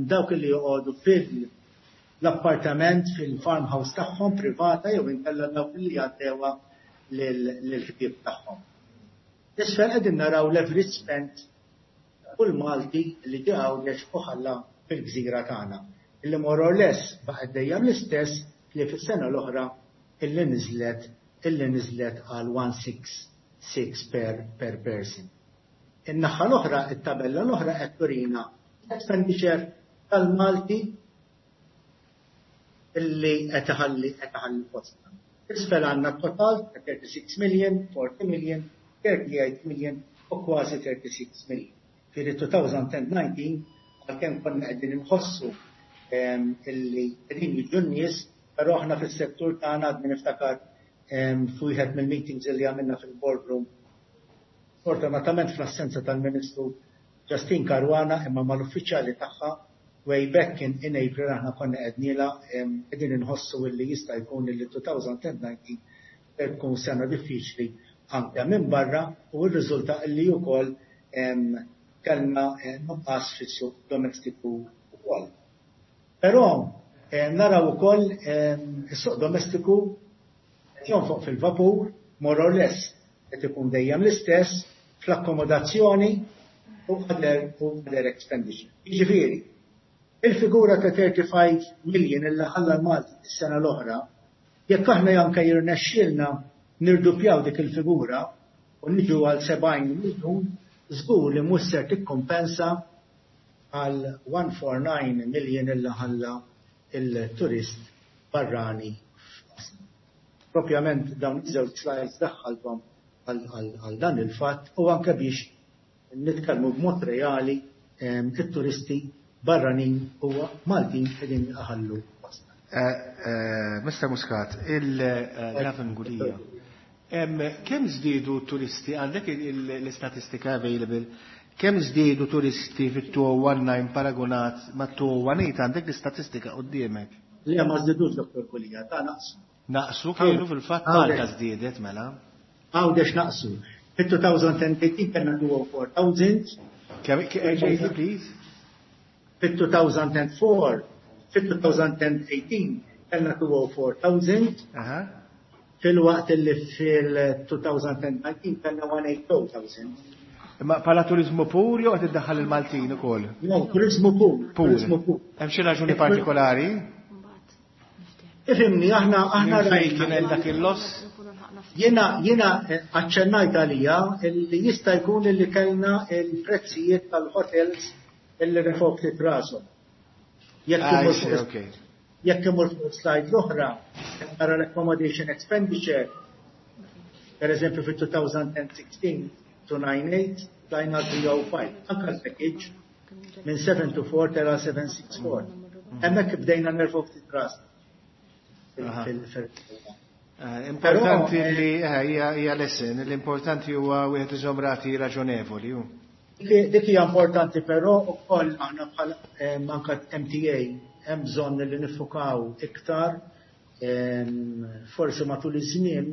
dawk illi joqogħdu fil-appartament fil-farmhouse tagħhom privata jew inkella dawk illi jgħaddewha lill-ħbieb tagħhom. Isfel qegħdin naraw l-average spent Kull Malti li ġie Għawdex u ħalla fil-gżira tagħna. Illi more or less baqgħet dejjem l-istess li fis-sena l-oħra illi niżlet illi niżlet għal one six six per, per person. In-naħa l-oħra, it-tabella l-oħra qed turina expenditure tal-Malti illi qed iħalli qed iħalli fostna. Isfel għandna total ta' thirty-six million, forty million, thirty-eight million u kważi thirty-six million. Firi twenty nineteen, għalkemm konna qegħdin inħossu illi qegħdin jiġu n-nies, però aħna fis-settur tagħna għadni niftakar f'wieħed mill-meetings illi għamilna fil-boardroom. Fortunatament fl-assenza tal-Ministru Justin Caruana, imma mal-uffiċjali tagħha, way back in, in April aħna konna għednielha qegħdin inħossu illi jista' jkun illi twenty nineteen tkun sena diffiċli anke minn barra, u r-riżulta illi wkoll kellna nuqqas fis-suq domestiku wkoll. Però naraw ukoll is-suq domestiku qed jonfoq fil-vapur, more or less qed ikun dejjem l-istess fl-akkomodazzjoni u other, u other expenditure. Jiġifieri, il-figura ta' thirty-five million illa ħalla l-Malti is-sena l-oħra, jekk aħna anke jirnexxielna nirdupjaw dik il-figura u niġu għal seventy miljun, żgur li mhux ser tikkompensa għal one forty-nine million illa ħalla il-turist barrani. Propjament dawn iż-żewġ slides daħħalthom għal dan il-fatt u anke biex nitkellmu b'mod reali it-turisti barranin u Maltin qegħdin iħallu fostna. Mister Muscat, il-Gavin Gulia, kemm żdiedu turisti, għandek l-istatistika available, kemm żdiedu turisti fit-elfejn u tnax paragonat ma' elfejn u tmintax, għandek l-istatistika quddiemek? Le, ma żdiedux, Dottor Gulia, ta' naqsu. Naqsu kienu fil-fatt, Malta żdiedet mela. Għawdex naqsu. Fit-elfejn u tmintax kellna two hundred four thousand. Kemm, please? Fit-two thousand four, fit-twenty eighteen kellna two hundred four thousand. Fil-waqt li fil-twenty nineteen kellna one hundred eighty thousand. Imma bħala turizmu pur jew qed iddaħħal il-Maltin ukoll? No, turizmu pur. Turizmu pur. Hemm xi raġuni partikolari? Ifhimni, aħna aħna Fejn kien hemm dak il-loss? Jiena jiena aċċennajt għalija li jista' jkun li kellna il-prezzijiet tal-hotels illi refgħu ftit rashom. Jekk jekk imur fuq slide l-oħra, nara l-accommodation expenditure, per eżempju fit-twenty sixteen two ninety-eight, tlajna three oh five, anka l-package minn seven two four tela seven six four. Hemmhekk bdejna nerfgħu ftit ras. Importanti li hija lesson, l-importanti huwa wieħed iżomm rati raġonevoli. Dik hija importanti, però wkoll aħna bħal anka M T A hemm bżonn li niffukaw iktar, forsi matul iż-żmien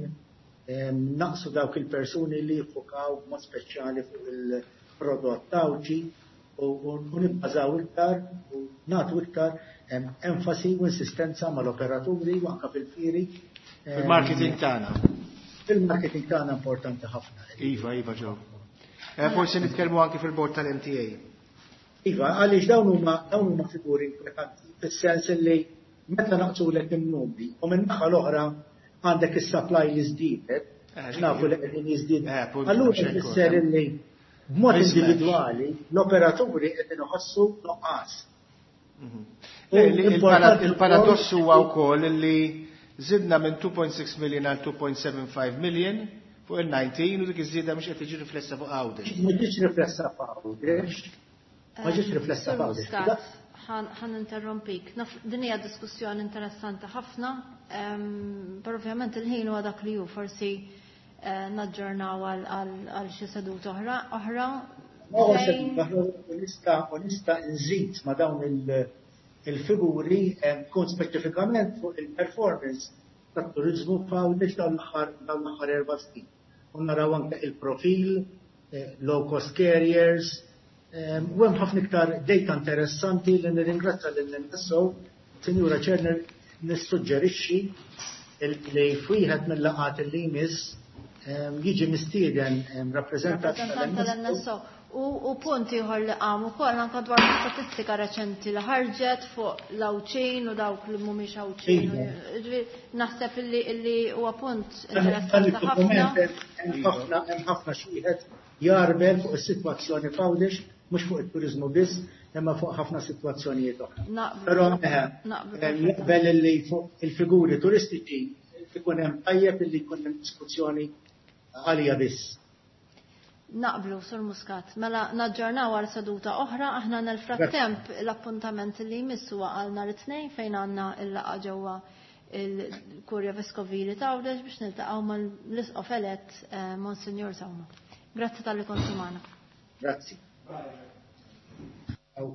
naqsu dawk il-persuni li jiffukaw b'mod speċjali fuq il-prodott Għawdxi u nibbażaw iktar u nagħtu iktar enfasi u insistenza mal-operaturi u anka fil-fieri. Fil-marketing tagħna. Fil-marketing tagħna importanti ħafna. Iva, iva ġew. Forsi nitkellmu anki fil-bord tal-M T A. Iva, għaliex dawn huma dawn huma figuri inkwetanti, fis-sens li meta naqsulek in-numri u minn naħa l-oħra għandek is-supply li żdiedet, nafu li qegħdin jiżdied. Allura tfisser illi b'mod individwali l-operaturi qegħdin iħossu nuqqas. Il-paradoss huwa wkoll li żidna minn two point six million għal two point seven five million fuq il-nineteen u dik iż-żieda mhux qed tiġi riflessa fuq Għawdex. Ma ġietx riflessa fuq Għawdex. Ma ġietx riflessa fuq Għawdex. Ħa ninterrompik. Din hija diskussjoni interessanti ħafna, però ovvjament il-ħin huwa dak li hu, forsi naġġornaw għal xi seduta oħra. Oħra. Nista' nista' nżid ma' dawn il-figuri tkun speċifikament fuq il-performance tat-turizmu f'Għawdex dawn l-aħħar dawn l-aħħar erba' snin. U naraw anke il-profil, low cost carriers, u hemm ħafna iktar data interessanti li nirringrazzja lill-N S O. Sinjura Chair, nissuġġerixxi li f'wieħed mill-laqgħat li jmiss jiġi mistieden rappreżentant tal-N S O. U, u punt ieħor li qam ukoll anke dwar statistika reċenti li ħarġet fuq l-Għawdxin u dawk li mhumiex Għawdxin. Iva. Ġifieri naħseb illi illi huwa punt Dan interessanti id-dokument ħafna. hemm ħafna hemm ħafna xi wieħed jarbel fuq is-sitwazzjoni f'Għawdex, mhux fuq it-turiżmu biss, imma fuq ħafna sitwazzjonijiet oħra. Naqblu. Però eh, Naqblu eh, naqbel illi fuq il-figuri turistiċi ikun hemm tajjeb illi jkun hemm diskussjoni għalija biss. Naqblu, Sur Muscat. Mela naġġornaw għal seduta oħra, aħna nel-frattemp l-appuntament li jmiss huwa għal nhar it-tnejn fejn għandna il-laqgħa ġewwa il-Kurja Veskovili ta' Għawdex biex niltaqgħu mal-Isqof elett eh, Monsignor Sauma. Grazzi talli kontu magħna. Grazzi. Aw.